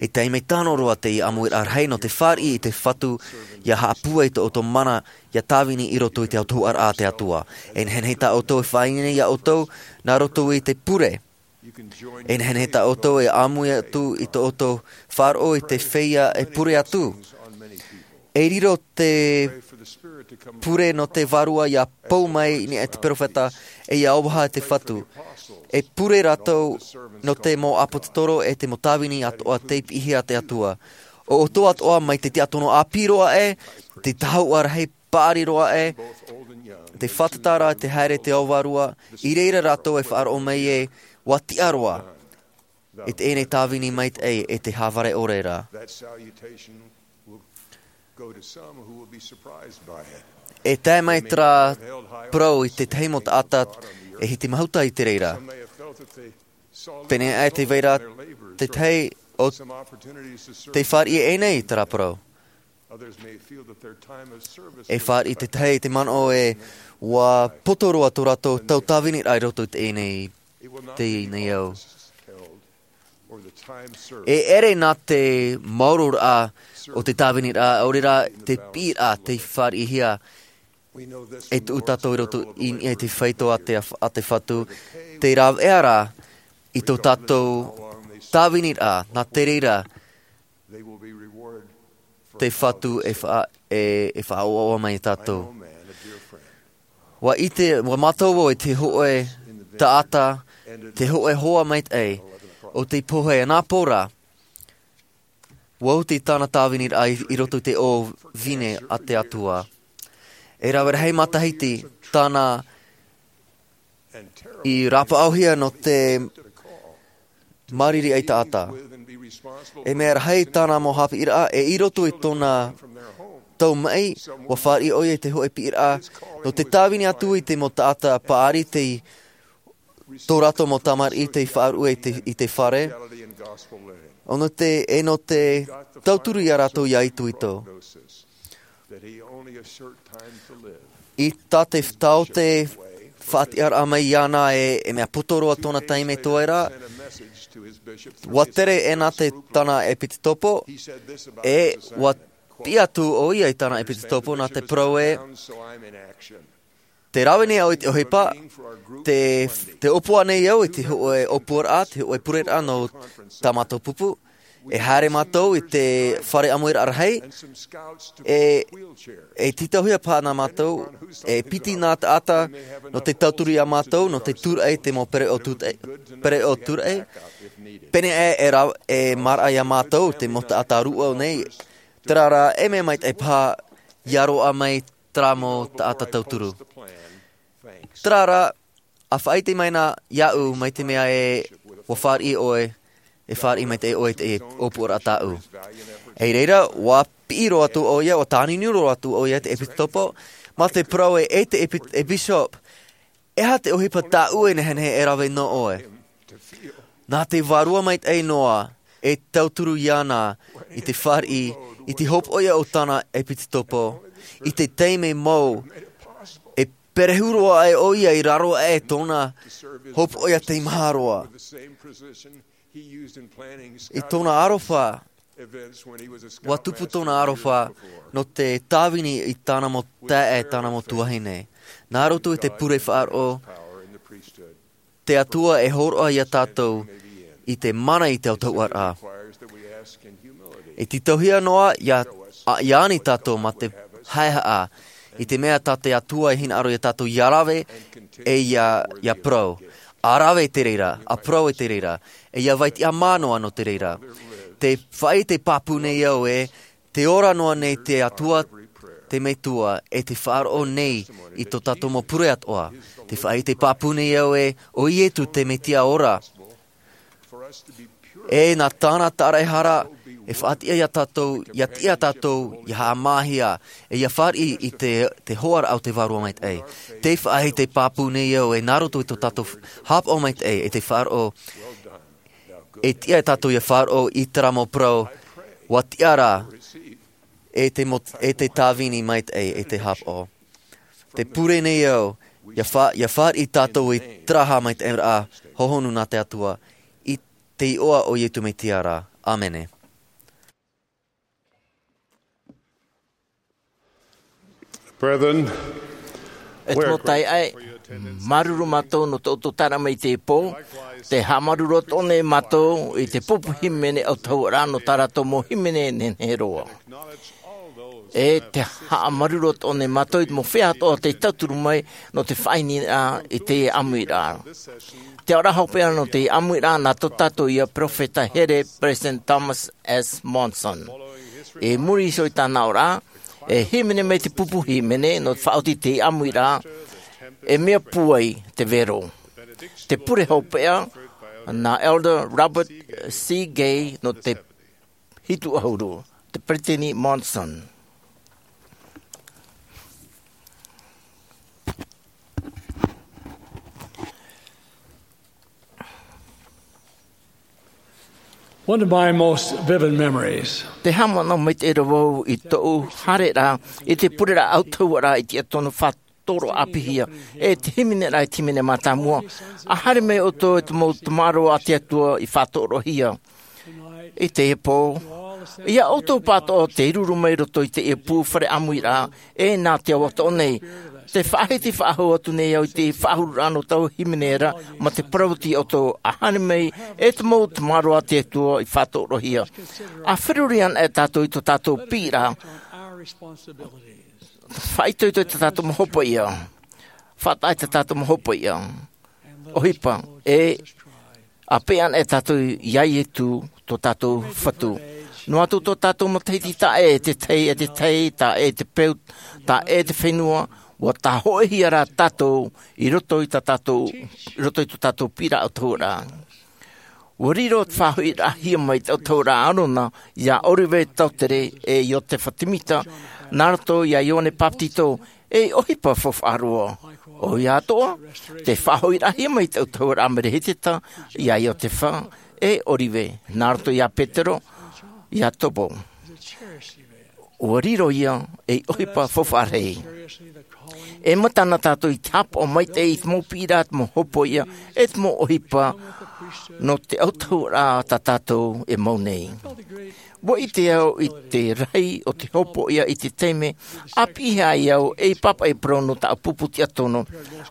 E taime tano roa teie ʻāmuiraʻa rahi nō te fāriʻi i te Fatu ʻia haʻapūai tō ʻoutou mana ʻia tāvini i roto i te autahuʻaraʻa a te Atua. E nehenehe tā ʻoutou e faʻaineine iā ʻoutou nā roto i te pure. E nehenehe tā ʻoutou e ʻāmui atu i tō ʻoutou faʻaroʻo i te feiā e pure atu. E riro te pure nō te Vārua ʻia pou mai i niʻa i te peropheta, e ʻia ʻōvaha i te Fatu. E pure rātou nō te mau ʻāpōsetolo e te mau tāvini atoʻa tei piʻihia e te Atua. ʻO ʻoutou atoʻa mai te tiatono ʻāpī roa ē, te tahuʻa rahi paʻari roa ē, te fātata ra te haere i te ao vārua, i reira rātou e faʻaroʻo mai ē, ʻua tiʻa roa. I teie nei tāvini maitaʻi e te hāvare ʻore ra. That salutation will go to some who will be surprised by it. E tae mai terā parau i te tahi mau taʻata e hiti mahuta i te reira. Some may have felt that they saw Pēnei aʻe te vai ra te tahi o te fāriʻi e nei i terā parau. Others may feel that their time of service E fāriʻi te tahi i te manaʻo ē ʻua poto roa tō rātou tau tāviniraʻa i roto i teie nei, teie nei ao. E ʻere nā te maororaʻa o te tāviniraʻa, ʻaore rā te piʻiraʻa tei fāriʻihia e tuʻu tātou i roto i niʻa i te faito a te, a te Fatu, te rāveʻa ra i tō tātou tāviniraʻa, nā te reira te Fatu e faʻa-, e, e faʻaʻoaʻoa mai iā tātou. ʻUa ʻite, ʻua mātau vau i te hōʻē taʻata, te hōʻē hoa maitaʻi, o tei pohe anapō ra, ʻua oti tāna tāviniraʻa i, i roto i te ʻōvine a te Atua. E rave rahi matahiti tāna i rāpaʻohia nō te māriri ai taʻata. E mea rahi tāna mau haʻapiʻiraʻa, e i roto i tōna tau maʻi, ʻua fāriʻi ʻoia i te hōʻē piʻiraʻa, nō te tāvini atu i te mau taʻata paʻari tei tō rātou mau tamariʻi tei faʻaruʻe i te, i te fare. ʻO nō te, e nō te tauturu iā rātou ʻia itoito. I tā te taote faʻatiʻaraʻa mai iāna e, e mea poto roa tōna taime toe ra, ʻua tere ʻēna te tāna ʻepitokopo, e ʻua piʻi atu ʻoia i tāna ʻepitokopo nā te parau ē, tē rave nei au i te ʻohipa, tē, tē ʻōpua nei au i te hōʻē ʻōpuaraʻa, te hōʻē pureraʻa nō tā mātou pupu. E haere mātou i te fare ʻāmuiraʻa rahi, e, e tītauhia paha nā mātou, e piti nā taʻata nō te tauturu iā mātou, nō te tūraʻi i te mau pereʻoʻo tūraʻi, pereʻoʻo tūraʻi. Pēnei aʻe e ra-, e māraʻa iā mātou, te mau taʻata rūʻau nei, terā rā, e mea maitaʻi paha ʻia roaʻa mai terā mau taʻata tauturu. Terā rā, ʻa faʻaʻite mai na iāʻu mai te mea ē ʻua fāriʻi ʻoe, e fāriʻi maitaʻi ʻoe i te ʻōpuaraʻa tāʻu. I reira, ʻua piʻi roa atu ʻoia, ʻua tānunu roa atu ʻoia i te ʻepitokopo, mā te parau ē, e te ʻepi-, e bishop, e aha te ʻohipa tāʻu e nehenehe e rave nō ʻoe? Nā te Vārua Maitaʻi noa, e tauturu iāna i te fāriʻi, i te hopoiʻa o tāna ʻepitokopo, i te taime mau, e perehu roa aʻe ʻoia i raro aʻe tōna hopoiʻa teimaha roa. I tōna aroha, ʻua tupu tōna aroha nō te tāvini i tāna mau taeaʻe, tāna mau tuahine. Nā roto i te pure faʻaroʻo, te Atua e hōroʻa iā tātou i te mana i te autahuʻaraʻa. E tītauhia noa iā, ʻa, iāna tātou mā te haʻehaʻa, i te mea tā te Atua e hinaʻaro iā tātou ʻia rave, e ʻia, ʻia parau. ʻA rave i te reira, ʻa parau i te reira, e ʻia vai tiʻamā noa nō te reira. Tē faʻaʻite pāpū nei au ē, tē ora noa nei te Atua, te Metua, e tē faʻaroʻo nei i tō tātou mau pure atoʻa. Tē faʻaʻite pāpū nei au ē, ʻo Ietu te Metia ora. E nā tāna tāraʻehara, e faʻatiʻa iā tātou, ʻia tiʻa tātou, ʻia haʻamāhia, e ʻia fāriʻi i te, te hoaraʻa o te Vārua Maitaʻi. Tē faʻaʻite pāpū nei au ē, nā roto i tō tātou haʻapaʻo maitaʻi, e tē faʻaroʻo, e tiʻa tātou ʻia faʻaroʻo i terā mau parau, ʻua tiʻa ra, e te mo-, e te tāvini maitaʻi, e te haʻapaʻo. Tē pure nei au, Ia fa ia fāriʻi tātou i te taʻata mai te ʻāmuiraʻa hohonu nā te Atua, i te iʻoa o Iesu Mesia rā. ʻĀmene. Brethren, e te mau taeaʻe, māuruuru mātou nō tō ʻoutou taeraʻa mai i teie pō. Te haʻamāuruuru atoʻa nei mātou i te pupu hīmene autahuʻaraʻa nō tā rātou mau hīmene nehenehe roa. E te haʻamāuruuru atoʻa nei mātou i te mau feiā atoʻa tei tauturu mai nō te faʻaineineraʻa i teie ʻāmuiraʻa. Te aʻoraʻa hopeʻa nō teie ʻāmuiraʻa nā tō tātou ia peropheta here, President Thomas S. Monson. I muri iho i tāna aʻoraʻa, e hīmene mai te pupu hīmene nō te faʻaoti i teie ʻāmuiraʻa, e mea pūai te vero. Te pure hopeʻa nā Elder Robert C. Gay nō te hitu ʻahuru, te Peresideni Monson. One of my most vivid memories. Te haʻamanaʻo maitaʻi roa vau i tōʻu haereraʻa i te pureraʻa autahuʻaraʻa i te tiʻatonu faʻatoro ʻāpīhia, e te hīmeneraʻa i te hīmene mātāmua. A haere mai ʻoutou e te mau tamaroa a te Atua i faʻatorohia. I teie pō, ia ʻoutou pāʻatoʻa tei ruru mai roto i teie pū fare ʻāmuiraʻa, e nā te ao atoʻa nei. Te faʻahiti faʻahou atu nei au i te faʻahururaʻa nō tāʻu hīmene ra, mā te parau atu iā ʻoutou, a haere mai e te mau tamaroa a te Atua i faʻatorohia. A feruri anaʻe tātou i tō tātou piʻiraʻa. Faʻaitoito i tā tātou mau hopoiʻa. Faʻataʻa i tā tātou mau hopoiʻa. ʻOhipa, e a peʻe anaʻe tātou iā Iesu tō tātou Fatu. Noa atu tō tātou matahiti taʻa ʻē e te tahi, e te tahi, taʻa ʻē e te peu, taʻa ʻē e te fenua, ʻua tāhoʻihia rā tātou i roto i tā tātou, i roto i tō tātou piʻiraʻa autahuʻaraʻa. ʻUa riro te faʻahoʻiraʻahia mai te autahuʻaraʻa a ʻĀrona iā ʻŌrive, Teutere, e Iosepha Semita, nā roto iā Ioane Bapetizo, ei ʻohipa faufaʻa roa. ʻOia atoʻa, te faʻahoʻiraʻahia mai te autahuʻaraʻa a Merehiteta iā Iosepha, e ʻŌrive, nā roto iā Petero, Iakobo. ʻUa riro ia ei ʻohipa faufaʻa rahi. E mata na tātou i te haʻapaʻo maitaʻi i te mau piʻiraʻa, te mau hopoiʻa, e te mau ʻohipa nō te autahuʻaraʻa tā tātou e mau nei. ʻUa ʻite au i te rahi o te hopoiʻa i te taime a piʻihia ai au ei pāpaʻi parau nō tāʻu pupu tiʻatonu.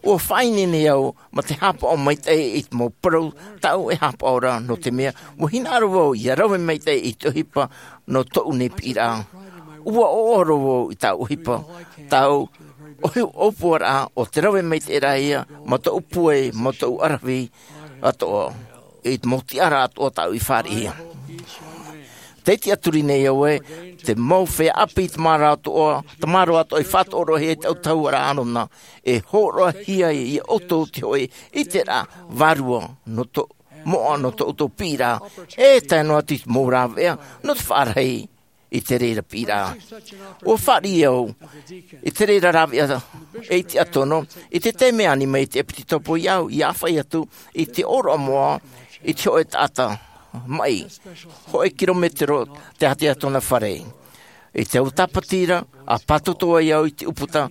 ʻUa faʻaineine au mā te haʻapaʻo maitaʻi i te mau parau tāʻu e haʻapaʻo ra, nō te mea ʻua hinaʻaro vau ʻia rave maitaʻi i te ʻohipa nō tōʻu nei piʻiraʻa. ʻUa ʻoaʻoa roa vau i tāʻu ʻohipa, tāʻu ʻohipa ʻōpuaraʻa o te rave maitaʻi ra ia mā tōʻu pūai, mā tōʻu ʻaravihi atoʻa, i te mau tiʻaraʻa atoʻa tāʻu i fāriʻihia. Tē tiʻaturi nei au ē, te mau feiā ʻāpī tamaroa atoʻa, tamaroa atoʻa i faʻatorohia e te autahuʻaraʻa a ʻĀrona, e hōroʻahia iā ʻoutou te hōʻē ʻiteraʻa vārua nō tō, moʻa nō tō ʻoutou piʻiraʻa, e tae noa atu i te mau rāveʻa nō te faʻarahi i te reira piʻiraʻa. ʻUa fāriʻi au i te reira rāveʻa ei tiʻatonu, i te taime ani mai te ʻEpitopo iā ʻu, ʻia ʻāfaʻi atu i te ʻōroʻa moʻa i te hōʻē taʻata maʻi, hōʻē kirometero te ātea tōna fare. I te au tāpati ra, a pātoto ai au i te ʻūputa,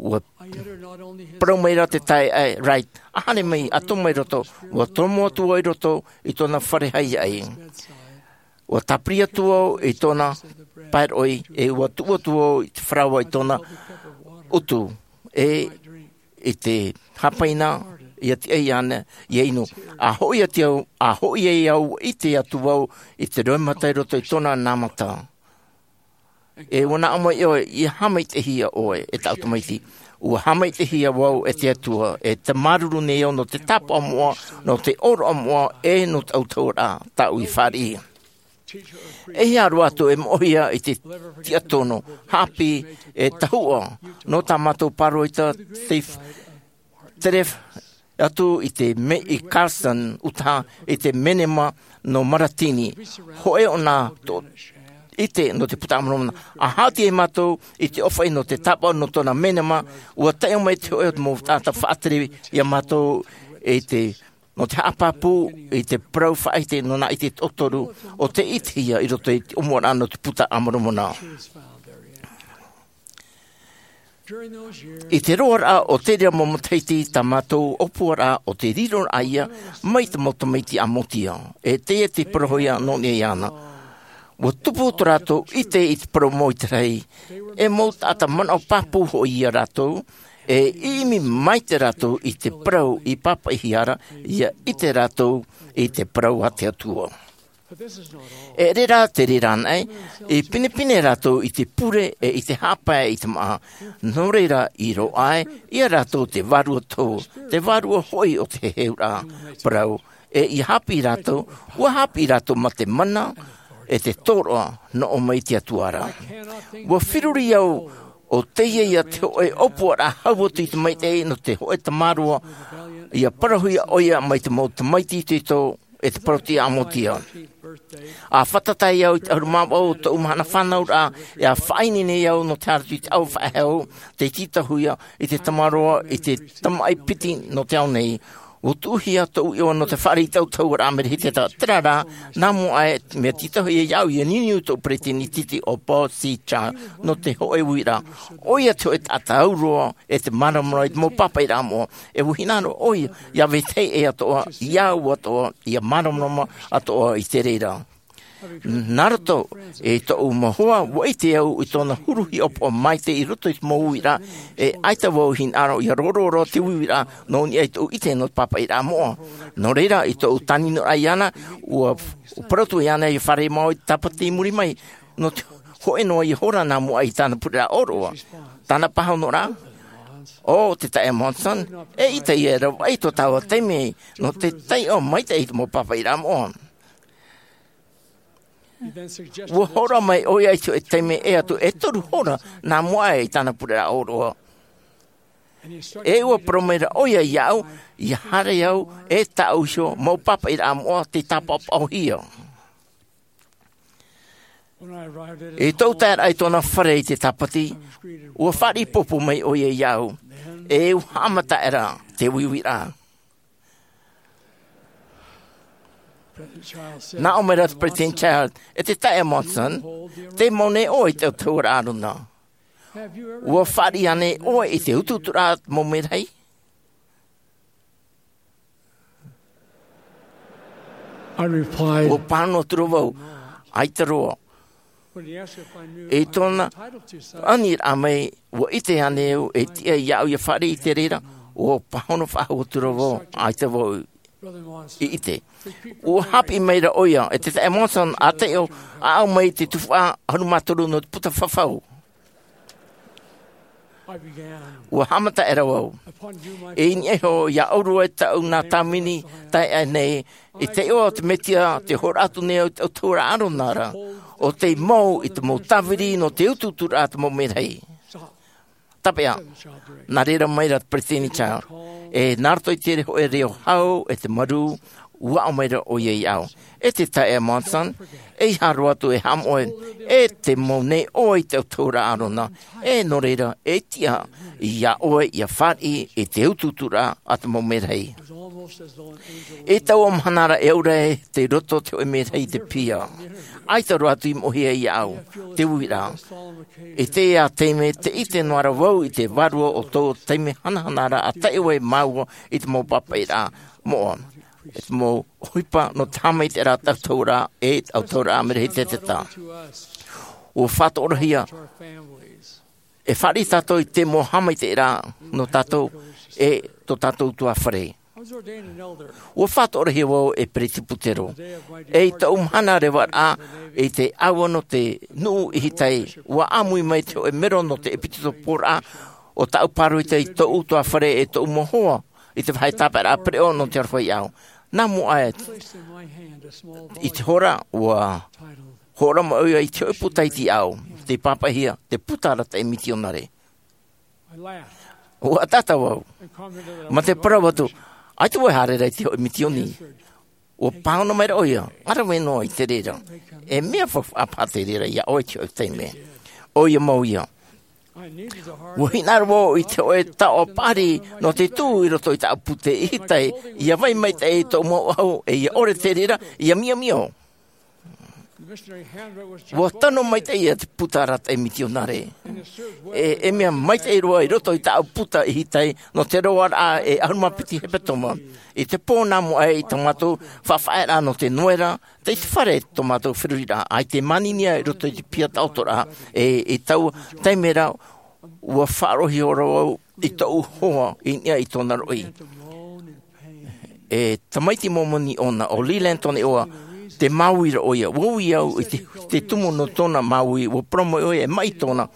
ʻua parau mai ra te taeaʻe Wright, a haere mai, a tō mai roto, ʻua tomo atu vau i roto i tōna fare haihaʻi. ʻUa tāpiri atu vau i tōna pae roʻi, e ʻua tuʻu atu vau i te faraoa i tōna utu, e i te hāpaina, ʻia tiʻa iāna ʻia inu. A hoʻi atu au, a hoʻi ai au, ʻite atu vau i te roimata i roto i tōna nā mata. E ʻua naʻo mai ʻoe, ʻia haʻamaitaʻihia ʻoe, e tāʻu tamaiti. ʻUa haʻamaitaʻihia vau e te Atua, e te māuruuru nei au nō te tāpaʻo moʻa, nō te ʻōroʻa moʻa, e nō te autahuʻaraʻa tāʻu i fāriʻi. E hia roa atu e moʻehia i te tiʻatonu, haʻapiʻi, e tahuʻa, nō tā mātou pāroita, Steve, Teref, atu i te me-, i Carson, Utah, i te menema nō Maratini. Hōʻē ʻōna tō-, ʻite nō te Buka a Moromona. A haʻati ai mātou i te ʻōfaʻi nō te tāpaʻo nō tōna menema, ʻua taiʻo mai te hōʻē o te mau taʻata faʻatere iā mātou i te, nō te haʻapāpū i te parau faʻaʻite nō nā ʻite toʻotoru o tei ʻitehia i roto i te ʻōmuaraʻa nō te Buka a Moromona. I te roaraʻa o te reira mau matahiti, tā mātou ʻōpuaraʻa o te riroraʻa ia mai te mau tamaiti ʻĀmotia. E teie te parauhia nō niʻa iāna. Ua tupu tō rātou ʻite i te parau mau i te rahi. E mau taʻata manaʻo pāpū hoʻi ia rātou, e ʻimi maite rātou i te parau i pāpaʻihia ra, ʻia ʻite rātou i te parau a te Atua. E ʻere rā te reira anaʻe, i pinepine rātou i te pure e i te haʻapae i te māʻa. Nō reira i roaʻa ai ia rātou te vārua tō, te vārua hoʻi o te heheuraʻa parau, e ʻia haʻapiʻi rātou, ʻua haʻapiʻi rātou mā te mana e te tōroʻa nō ʻō mai te Atua ra. ʻUa feruri au ʻo teie ia te hōʻē ʻōpuaraʻa hau atu i te maitaʻi nō te hōʻē tamaroa, ʻia parauhia ʻoia mai te mau tamaiti itoito e te parau-ʻĀmotia. ʻA fātata ai au i te ʻahuru mā vaʻu o tōʻu mahana fānauraʻa, e ʻa faʻaineine au nō te haere atu i te ʻāua faʻahou, tei tītauhia i te tamaroa, i te tamaʻi piti nō te ao nei. ʻUa tuʻuhia tōʻu iʻoa nō te fāriʻi i te autahuʻaraʻa Merehiteta, terā rā, nā mua aʻe, mea tītauhia iāʻu ʻia niuniu i tōʻu peresideni iti ʻo Paul C. Child nō te hōʻē uiraʻa. ʻOia te hōʻē taʻata au roa e te māramarama i te mau pāpaʻiraʻa moʻa. E ʻua hinaʻaro ʻoia ʻia vetahi ʻē atoʻa, iāʻu atoʻa, ʻia māramarama atoʻa i te reira. Nā roto i tōʻu mau hoa, ʻua ʻite au i tōna huru hiʻopoʻa maitaʻi i roto i te mau uiraʻa, e ʻaita vau i hinaʻaro ʻia rōrō roa te uiraʻa nō niʻa i tōʻu ʻite nō te pāpaʻiraʻa moʻa. Nō reira, i tōʻu tāninoraʻa iāna, ʻua parau atu iāna ʻia fārerei māua i te tāpati i muri mai, nō te hōʻē noa ia hora nā mua aʻe i tāna pureraʻa ʻōroʻa. Tāna pāhonoraʻa, ʻo te taeaʻe Monson, eʻita ʻia ravaʻi tō tāua taime nō te taiʻo maitaʻi i te mau pāpaʻiraʻa moʻa. ʻUa hōroʻa mai ʻoia i te hōʻē taime ʻē atu e toru hora nā mua aʻe i tāna pureraʻa ʻōroʻa. E ʻua parau maira ʻoia iāʻu, ʻia haere au e tāʻu iho mau pāpaʻiraʻa moʻa tei tāpaʻopaʻohia. I tōʻu taeraʻa i tōna fare i te tāpati, ʻua fāriʻi pōpō mai ʻoia iāʻu, e ʻua haʻamata aʻera te uiuiraʻa. Nā ʻō mai ra te Peresideni Child, e te taeaʻe Monson, tē mau nei ʻoe i te autahuʻaraʻa ʻĀrona. ʻUa fāriʻi ānei ʻoe i te utuuturaʻa a te mau merahi? I replied, ʻUa pāhono atu ra vau, ʻaita roa. When he asked if I knew I was entitled to such, I told him, I did not. I tōna aniraʻa mai, ʻua ʻite ānei au e tiʻa iāʻu ʻia fāriʻi i te reira, ʻua pāhono faʻahou atu ra vau, ʻaita vau i ʻite. ʻUa haʻapiʻi maira ʻoia, e te taeaʻe Monson, ʻa taiʻo, ʻāʻau mai i te tuhaʻa ʻahuru mā toru nō te puta fafau. ʻUa haʻamata aʻera vau. I niʻa iho iāʻu roa e tāʻu nā tāvini taeaʻe nei, i te iʻoa o te Mesia, tē hōroʻa atu nei au i te autahuʻaraʻa ʻĀrona ra, ʻo tei mau i te mau tāviri nō te utuuturaʻa a te mau merahi. Tāpeʻa, nā reira mai ra te Peresideni Child, e nā roto i te hōʻē reo hau e te marū, ʻua ʻō maira ʻoia iāʻu, e te taeaʻe Monson, ʻeiaha roa atu e haʻamoʻe, e tē mau nei ʻoe i te autahuʻaraʻa ʻĀrona, e nō reira, e tiʻa iā ʻoe ʻia fāriʻi i te utuuturaʻa a te mau merahi. I taua mahana ra e au ra e tei roto te hōʻē merahi i te piha. ʻAita roa atu i moʻehia iāʻu te uiraʻa. I teie taime, tē ʻite noa ra vau i te vārua o tō taime hanahana ra ʻa taiʻo ai māua i te mau pāpaʻiraʻa moʻa, e te mau ʻohipa nō te haʻamaitaʻiraʻa a te autahuʻaraʻa, e te autahuʻaraʻa Merehiteta. ʻUa faʻatoʻorahia, e fāriʻi tātou i te mau haʻamaitaʻiraʻa nō tātou, e tō tātou ʻutuāfare. ʻUa faʻatoʻorahia vau e peresibutero. E i tōʻu mahana revaraʻa, i te ʻāua nō te nuʻu i Hitai, ʻua ʻāmui mai te hōʻē mero nō te ʻepitokoporaʻa o tāʻu pāroita i tōʻu ʻutuāfare e tōʻu mau hoa, i te vāhi tāpaeraʻa pereʻoʻo nō te aroha iāʻu. Nā mua aʻe, i te hora, ʻua hōroʻa mai ʻoia i te hōʻē puta iti iāʻu, tei pāpaʻihia, Te Puta Arataʻi Mitionare. ʻUa ʻataʻata vau, mā te parau atu, ʻaita vau e haere ra i te hōʻē mitioni. ʻUa pāhono mai ra ʻoia, ʻa rave noa i te reira. E mea faufaʻa paha te reira iā ʻoe i te hōʻē taime. ʻOia mau ïa. ʻUa hinaʻaro vau i te hōʻē taoʻa paʻari nō te tuʻu i roto i tāʻu pūtē i Hitai, ʻia vai maitaʻi i tōʻu mau ʻahu, e ʻia ʻore te reira, ʻia miomio. ʻUa tano maitaʻi ïa te Puta Arataʻi Mitionare. E, e mea maitaʻi roa i roto i tāʻu puta i hitai, nō te roaraʻa e ʻahuru mā piti hepetoma. I te pō nā mua aʻe i tā mātou faʻafaʻaearaʻa nō te noera, tei te fare tō mātou feruriraʻa, ʻaita e māninia i roto i te piha taʻotoraʻa, e, i taua taime ra, ʻua faʻaroʻo roa au i tōʻu hoa i niʻa i tōna roʻi. E tamaiti Momoni ʻōna, ʻo Leland tōna iʻoa, tē māuiui ra ʻoia. ʻUa ui au i te, te tumu nō tōna māuiui, ʻua parau mai ʻoia e maʻi tōna.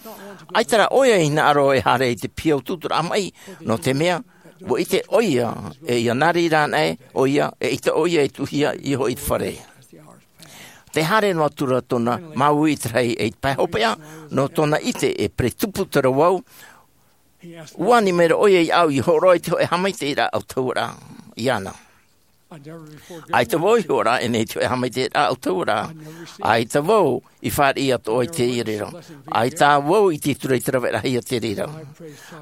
ʻAita rā ʻoia i hinaʻaro e haere i te piha utuuturaʻa maʻi, nō te mea, ʻua ʻite ʻoia, e ʻia nā reira anaʻe ʻoia, e ʻita ʻoia e tuʻuhia i hoʻi te fare. Tē haere noa atu ra tōna māuiui i te rahi e i te pae hopeʻa, nō tōna ʻite e peretupu terā vau, ʻua ani mai ra ʻoia iāʻu ʻia hōroʻa i te hōʻē haʻamaitaʻiraʻa ʻautahuʻaraʻa iāna. ʻAita vau i hōroʻa ʻē nei i te hōʻē haʻamaitaʻiraʻa ʻautahuʻaraʻa. ʻAita vau i fāriʻi atoʻa i te reira. ʻAita vau i ʻite atu ra i te rave rahi i te reira.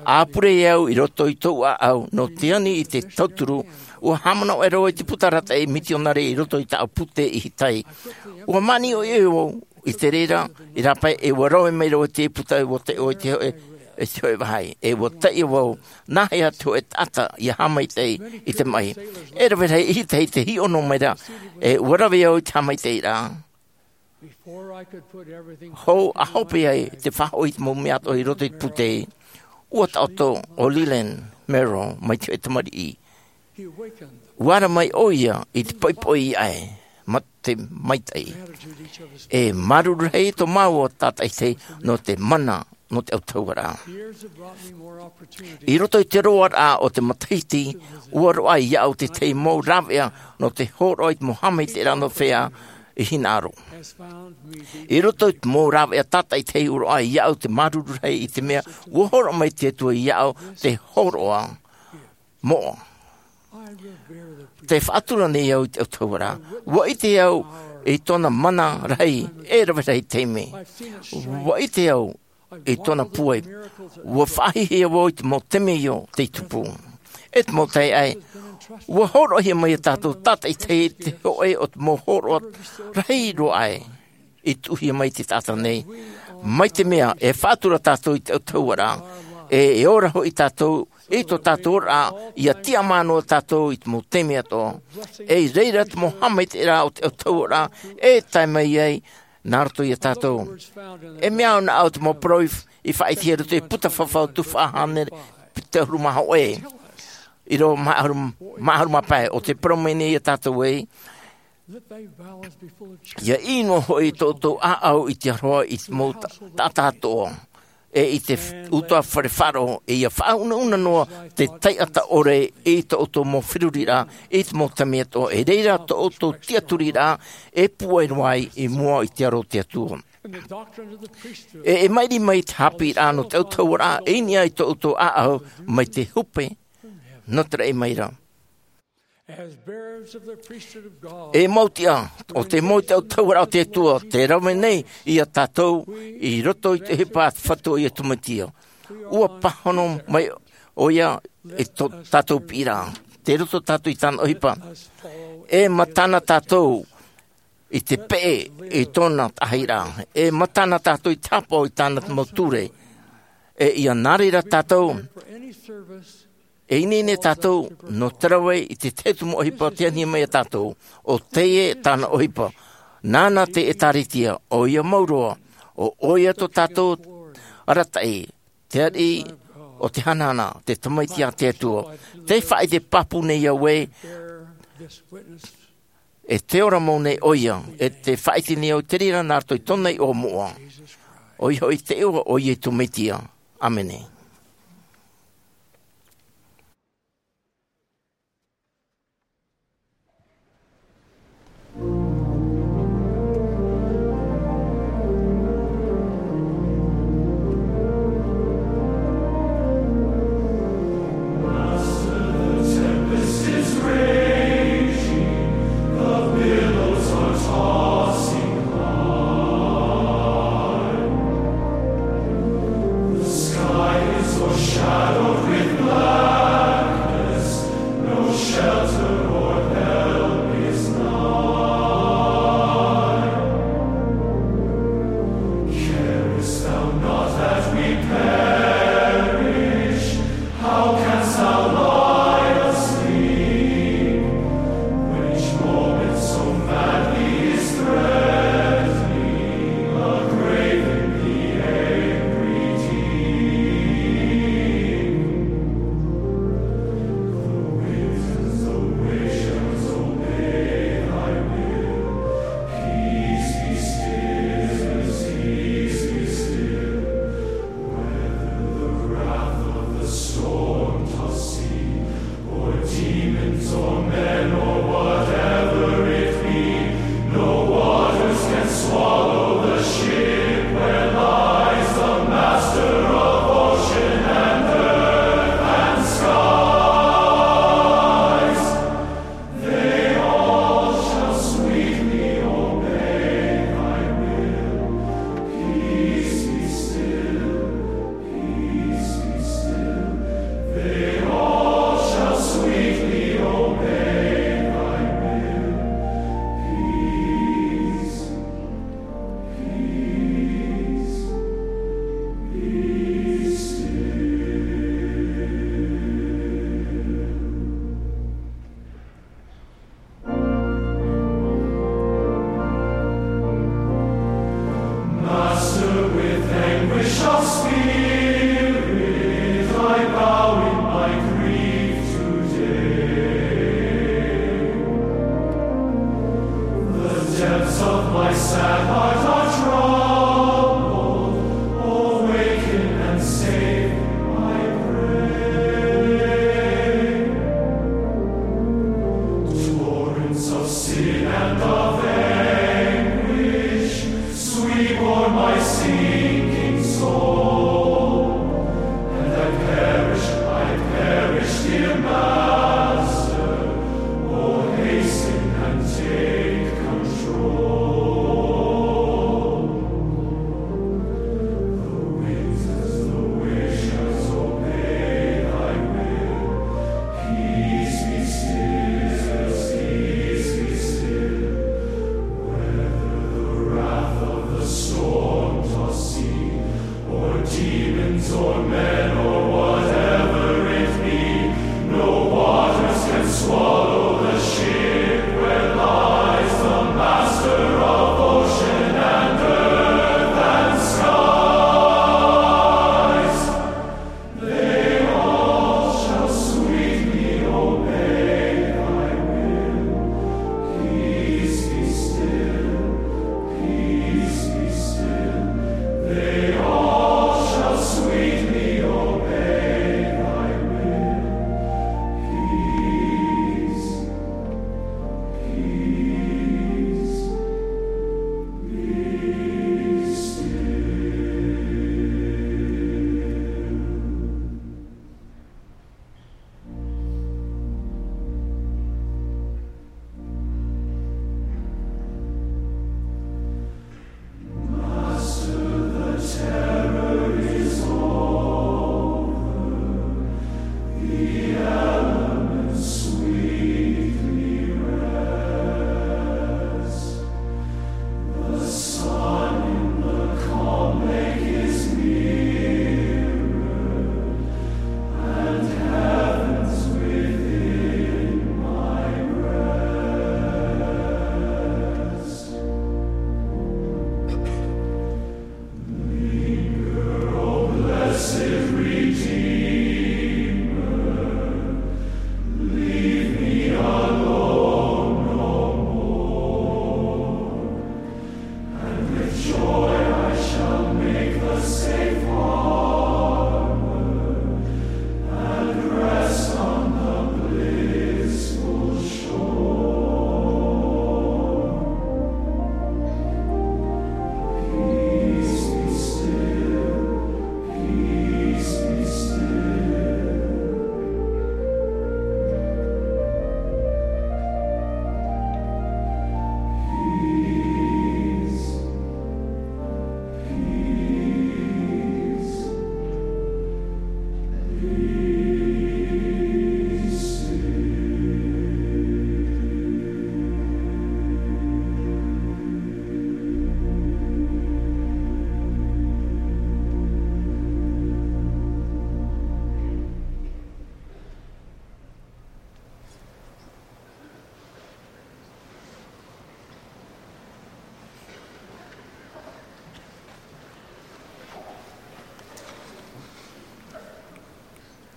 ʻA pure au i roto i tōʻu ʻāʻau, nō te ani i te tauturu, ʻua haʻamanaʻo ʻē roa i te puta arataʻi mitionare i roto i tāʻu puta i hitai. ʻUa māniʻo ʻē vau i te reira, i rāpae e ʻua rave mai roa te puta ʻua taiʻo i te hōʻē, e te hōʻē vāhi. E ʻua taiʻo vau, nāhea te hōʻē taʻata ʻia haʻamaitaʻi i te maʻi. E rave rahi i hitai te hiʻo noa mai ra, e ʻua rave au i te haʻamaitaʻiraʻa. Hou ʻa hope ai te faʻahoʻi i te mau mea atoʻa i roto i te puta, ʻua taʻoto ʻo Leland Merrill mai te hōʻē tamariʻi. ʻUa ara mai ʻoia i te poʻipoʻi ʻē, mā te maitaʻi. E māuruuru rahi tō māua tātaʻitahi nō te mana, nō te ʻautahuʻaraʻa. I roto i te roaraʻa o te matahiti, ʻua roaʻa iāʻu te tahi mau rāveʻa nō te hōroʻa i te mau haʻamaitaʻiraʻa nō fea i hinaʻaro. I roto i te mau rāveʻa tātaʻitahi ʻua roaʻa iāʻu te māuruuru rahi i te mea, ʻua hōroʻa mai te Atua iāʻu te hōroʻa moʻa. Tē faʻatura nei au i te ʻautahuʻaraʻa. ʻUa ʻite au i tōna mana rahi, e rave rahi taime. ʻUa ʻite au i tōna pūai. ʻUa faʻahiahia vau i te mau temeio tei tupu. E te mau taeaʻe, ʻua hōroʻahia mai iā tātou tātaʻitahi te hōʻē o te mau hōroʻa rahi roa aʻe i tuʻuhia mai i te taʻata nei. Mai te mea, e faʻatura tātou i te ʻautahuʻaraʻa, e, e ora hoʻi tātou, i tō tātou oraraʻa, ʻia tiʻamā noa tātou i te mau taime atoʻa. E i reira te mau haʻamaitaʻiraʻa o te ʻautahuʻaraʻa, e tae mai ai, nā roto iā tātou. E mea au nā ʻau te mau parau i, i faʻaʻitehia i roto i te puta fafau tuhaʻa hānere, piti ʻahuru mā hōʻē. ʻĪrava mā ʻahuru, mā ʻahuru mā pae, ʻo tē parau mai nei iā tātou ē, ʻIa ʻī noa hoʻi tō ʻoutou ʻāʻau i te aroha i te mau ta-, taʻata atoʻa. E i te f-, ʻutuāfare faʻaroʻo, e ʻia faʻaunauna noa te taʻata ʻore i tō ʻoutou mau feruriraʻa, i te mau taime atoʻa. E reira tō ʻoutou tiʻaturiraʻa, e pūai roa ai i mua i te aro o te Atua. E, e maʻiri mai te haʻapiʻiraʻa nō te ʻautahuʻaraʻa, e i niʻa i tō ʻoutou ʻāʻau, mai te hope, nō te raʻi mai ra. E mau tiʻa, ʻo te mau i te ʻautahuʻaraʻa o te Atua, tē rave nei iā tātou, i roto i te ʻohipa a te Fatu ʻo Iesu Mesia. ʻUa pāhono mai ʻoia i tō tātou piʻiraʻa. Tei roto tātou i tāna ʻohipa. E matana tātou i te peʻe i tōna taʻahiraʻa. E matana tātou i te haʻapaʻo i tāna mau ture. E ʻia nā reira tātou. E ineine tātou, nō te rave i te tahi atu mau ʻohipa tei ani mai iā tātou, ʻo teie tāna ʻohipa. Nāna te ʻĒtārētia, ʻoia mau roa, ʻo ʻoia tō tātou arataʻi, te ariʻi o te hanahana, te tamaiti a te Atua. Tē faʻaʻite pāpū nei au ē, e tē ora mau nei ʻoia, e tē faʻaʻite nei au i te reira nā roto i tōna iʻoa moʻa. ʻOia hoʻi te iʻoa o Iesu Mesia. ʻĀmene. Anguish of spirit, I bow in my grief today. The depths of my sad heart are troubled. Awaken and save, I pray. Torrents of sin and of anguish sweep o'er my sinking soul, and I perish, I perish, dear Master. Oh, hasten and take control. The winds as the waves shall obey thy will. Peace be still, peace be still. Whether the wrath of the storm tossed sea, or demons, or men, or whatever it be, no waters can swallow the ship where lies the master of ocean and earth and skies. They all shall sweetly obey thy will. Peace be still, peace be still. They all shall sweetly obey thy will. Peace, peace, be still. Master, the terror is over, the elements sweetly rest. The sun in the calm lake is mirrored, and heaven's within my breast. Linger, O blessed Redeemer, leave me alone no more. And with joy I shall make the safe harbor, and rest on the blissful shore. Peace be still, peace be still. Peace, peace, peace.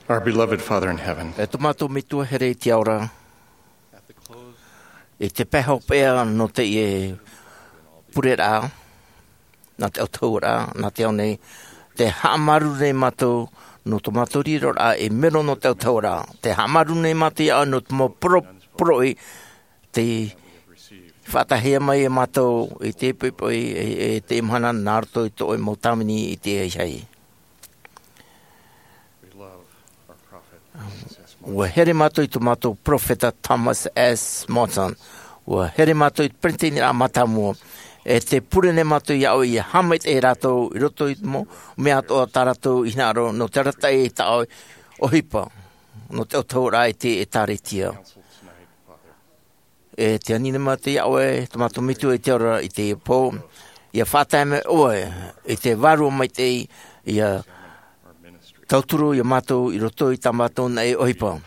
Our beloved Father in heaven, e tō mātou Metua here i te ao ra, i te pae hopeʻa nō teie pureraʻa, nā te autahuʻaraʻa, nā te ao nei, tē haʻamāuruuru nei mātou nō tō mātou riroraʻa ei mero nō te autahuʻaraʻa. Tē haʻamāuruuru nei mātou iā ʻoe nō te mau poro-, poroʻi tei faʻataʻahia mai e mātou i te poʻipoʻi, e, e te mahana nā roto i tō ʻoe mau tāvini i te ahiahi. ʻUa here mātou i tō mātou peropheta Thomas S. Monson. ʻUa here mātou i te peretiteniraʻa mātāmua. E tē pure nei mātou iā ʻoe ʻia haʻamaitaʻi ia rātou i roto i te mau mea atoʻa tā rātou i hinaʻaro nō te arataʻi i tā ʻoe ʻohipa, nō te autahuʻaraʻa i te ʻĒtārētia. E tē ani nei mātou iā ʻoe, tō mātou Metua i te ao ra i teie pō, ʻia faʻatae mai ʻoe i te Vārua Maitaʻi, ʻia tauturu iā mātou i roto i tā mātou naʻe ʻohipa.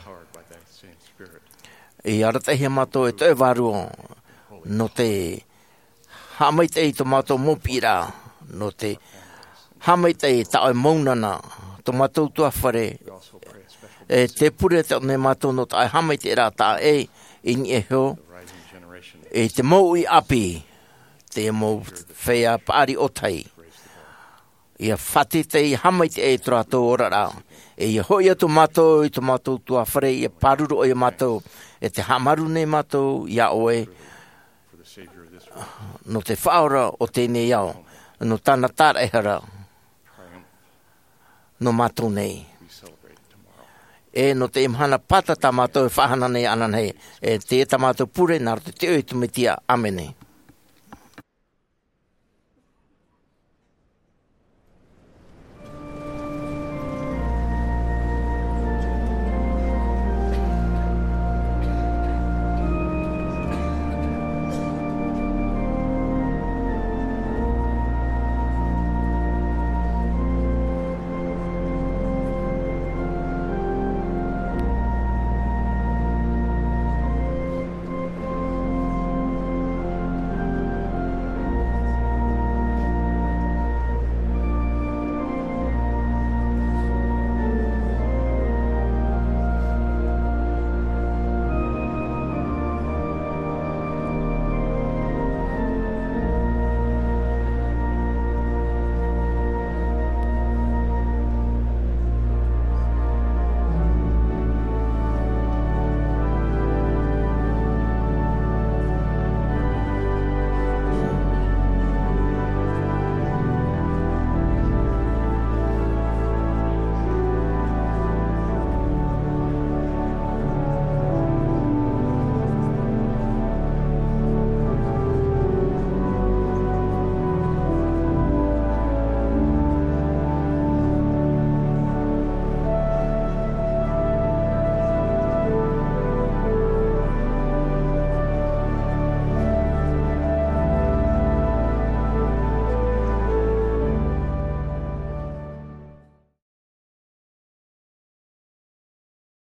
ʻIa arataʻihia mātou e tō ʻoe Vārua, nō te haʻamaitaʻi i tō mātou mau piʻiraʻa, nō te Haʻamaitaʻi i tā ʻoe mau nana, tō mātou tuahare. E te pure atu nei mātou nō tā ʻoe haʻamaitaʻiraʻa taʻa ʻē i niʻa iho i te mau ʻāpī, te mau feiā paʻari ʻōtahi. ʻIa faʻateitei haʻamaitaʻi i tō rātou oraraʻa. E ʻia hoʻi atu mātou i tō mātou tuahare, ʻia pāruru ʻoia mātou, e te haʻamaru nei mātou iā ʻoe nō te faʻaora o teie nei ao, nō tāna tāraʻehara nō mātou nei. E nō teie mahana pāta tā mātou e faʻahana nei ananahi, e teie tā mātou pure nā roto i te iʻoa o Iesu Mesia. ʻĀmene.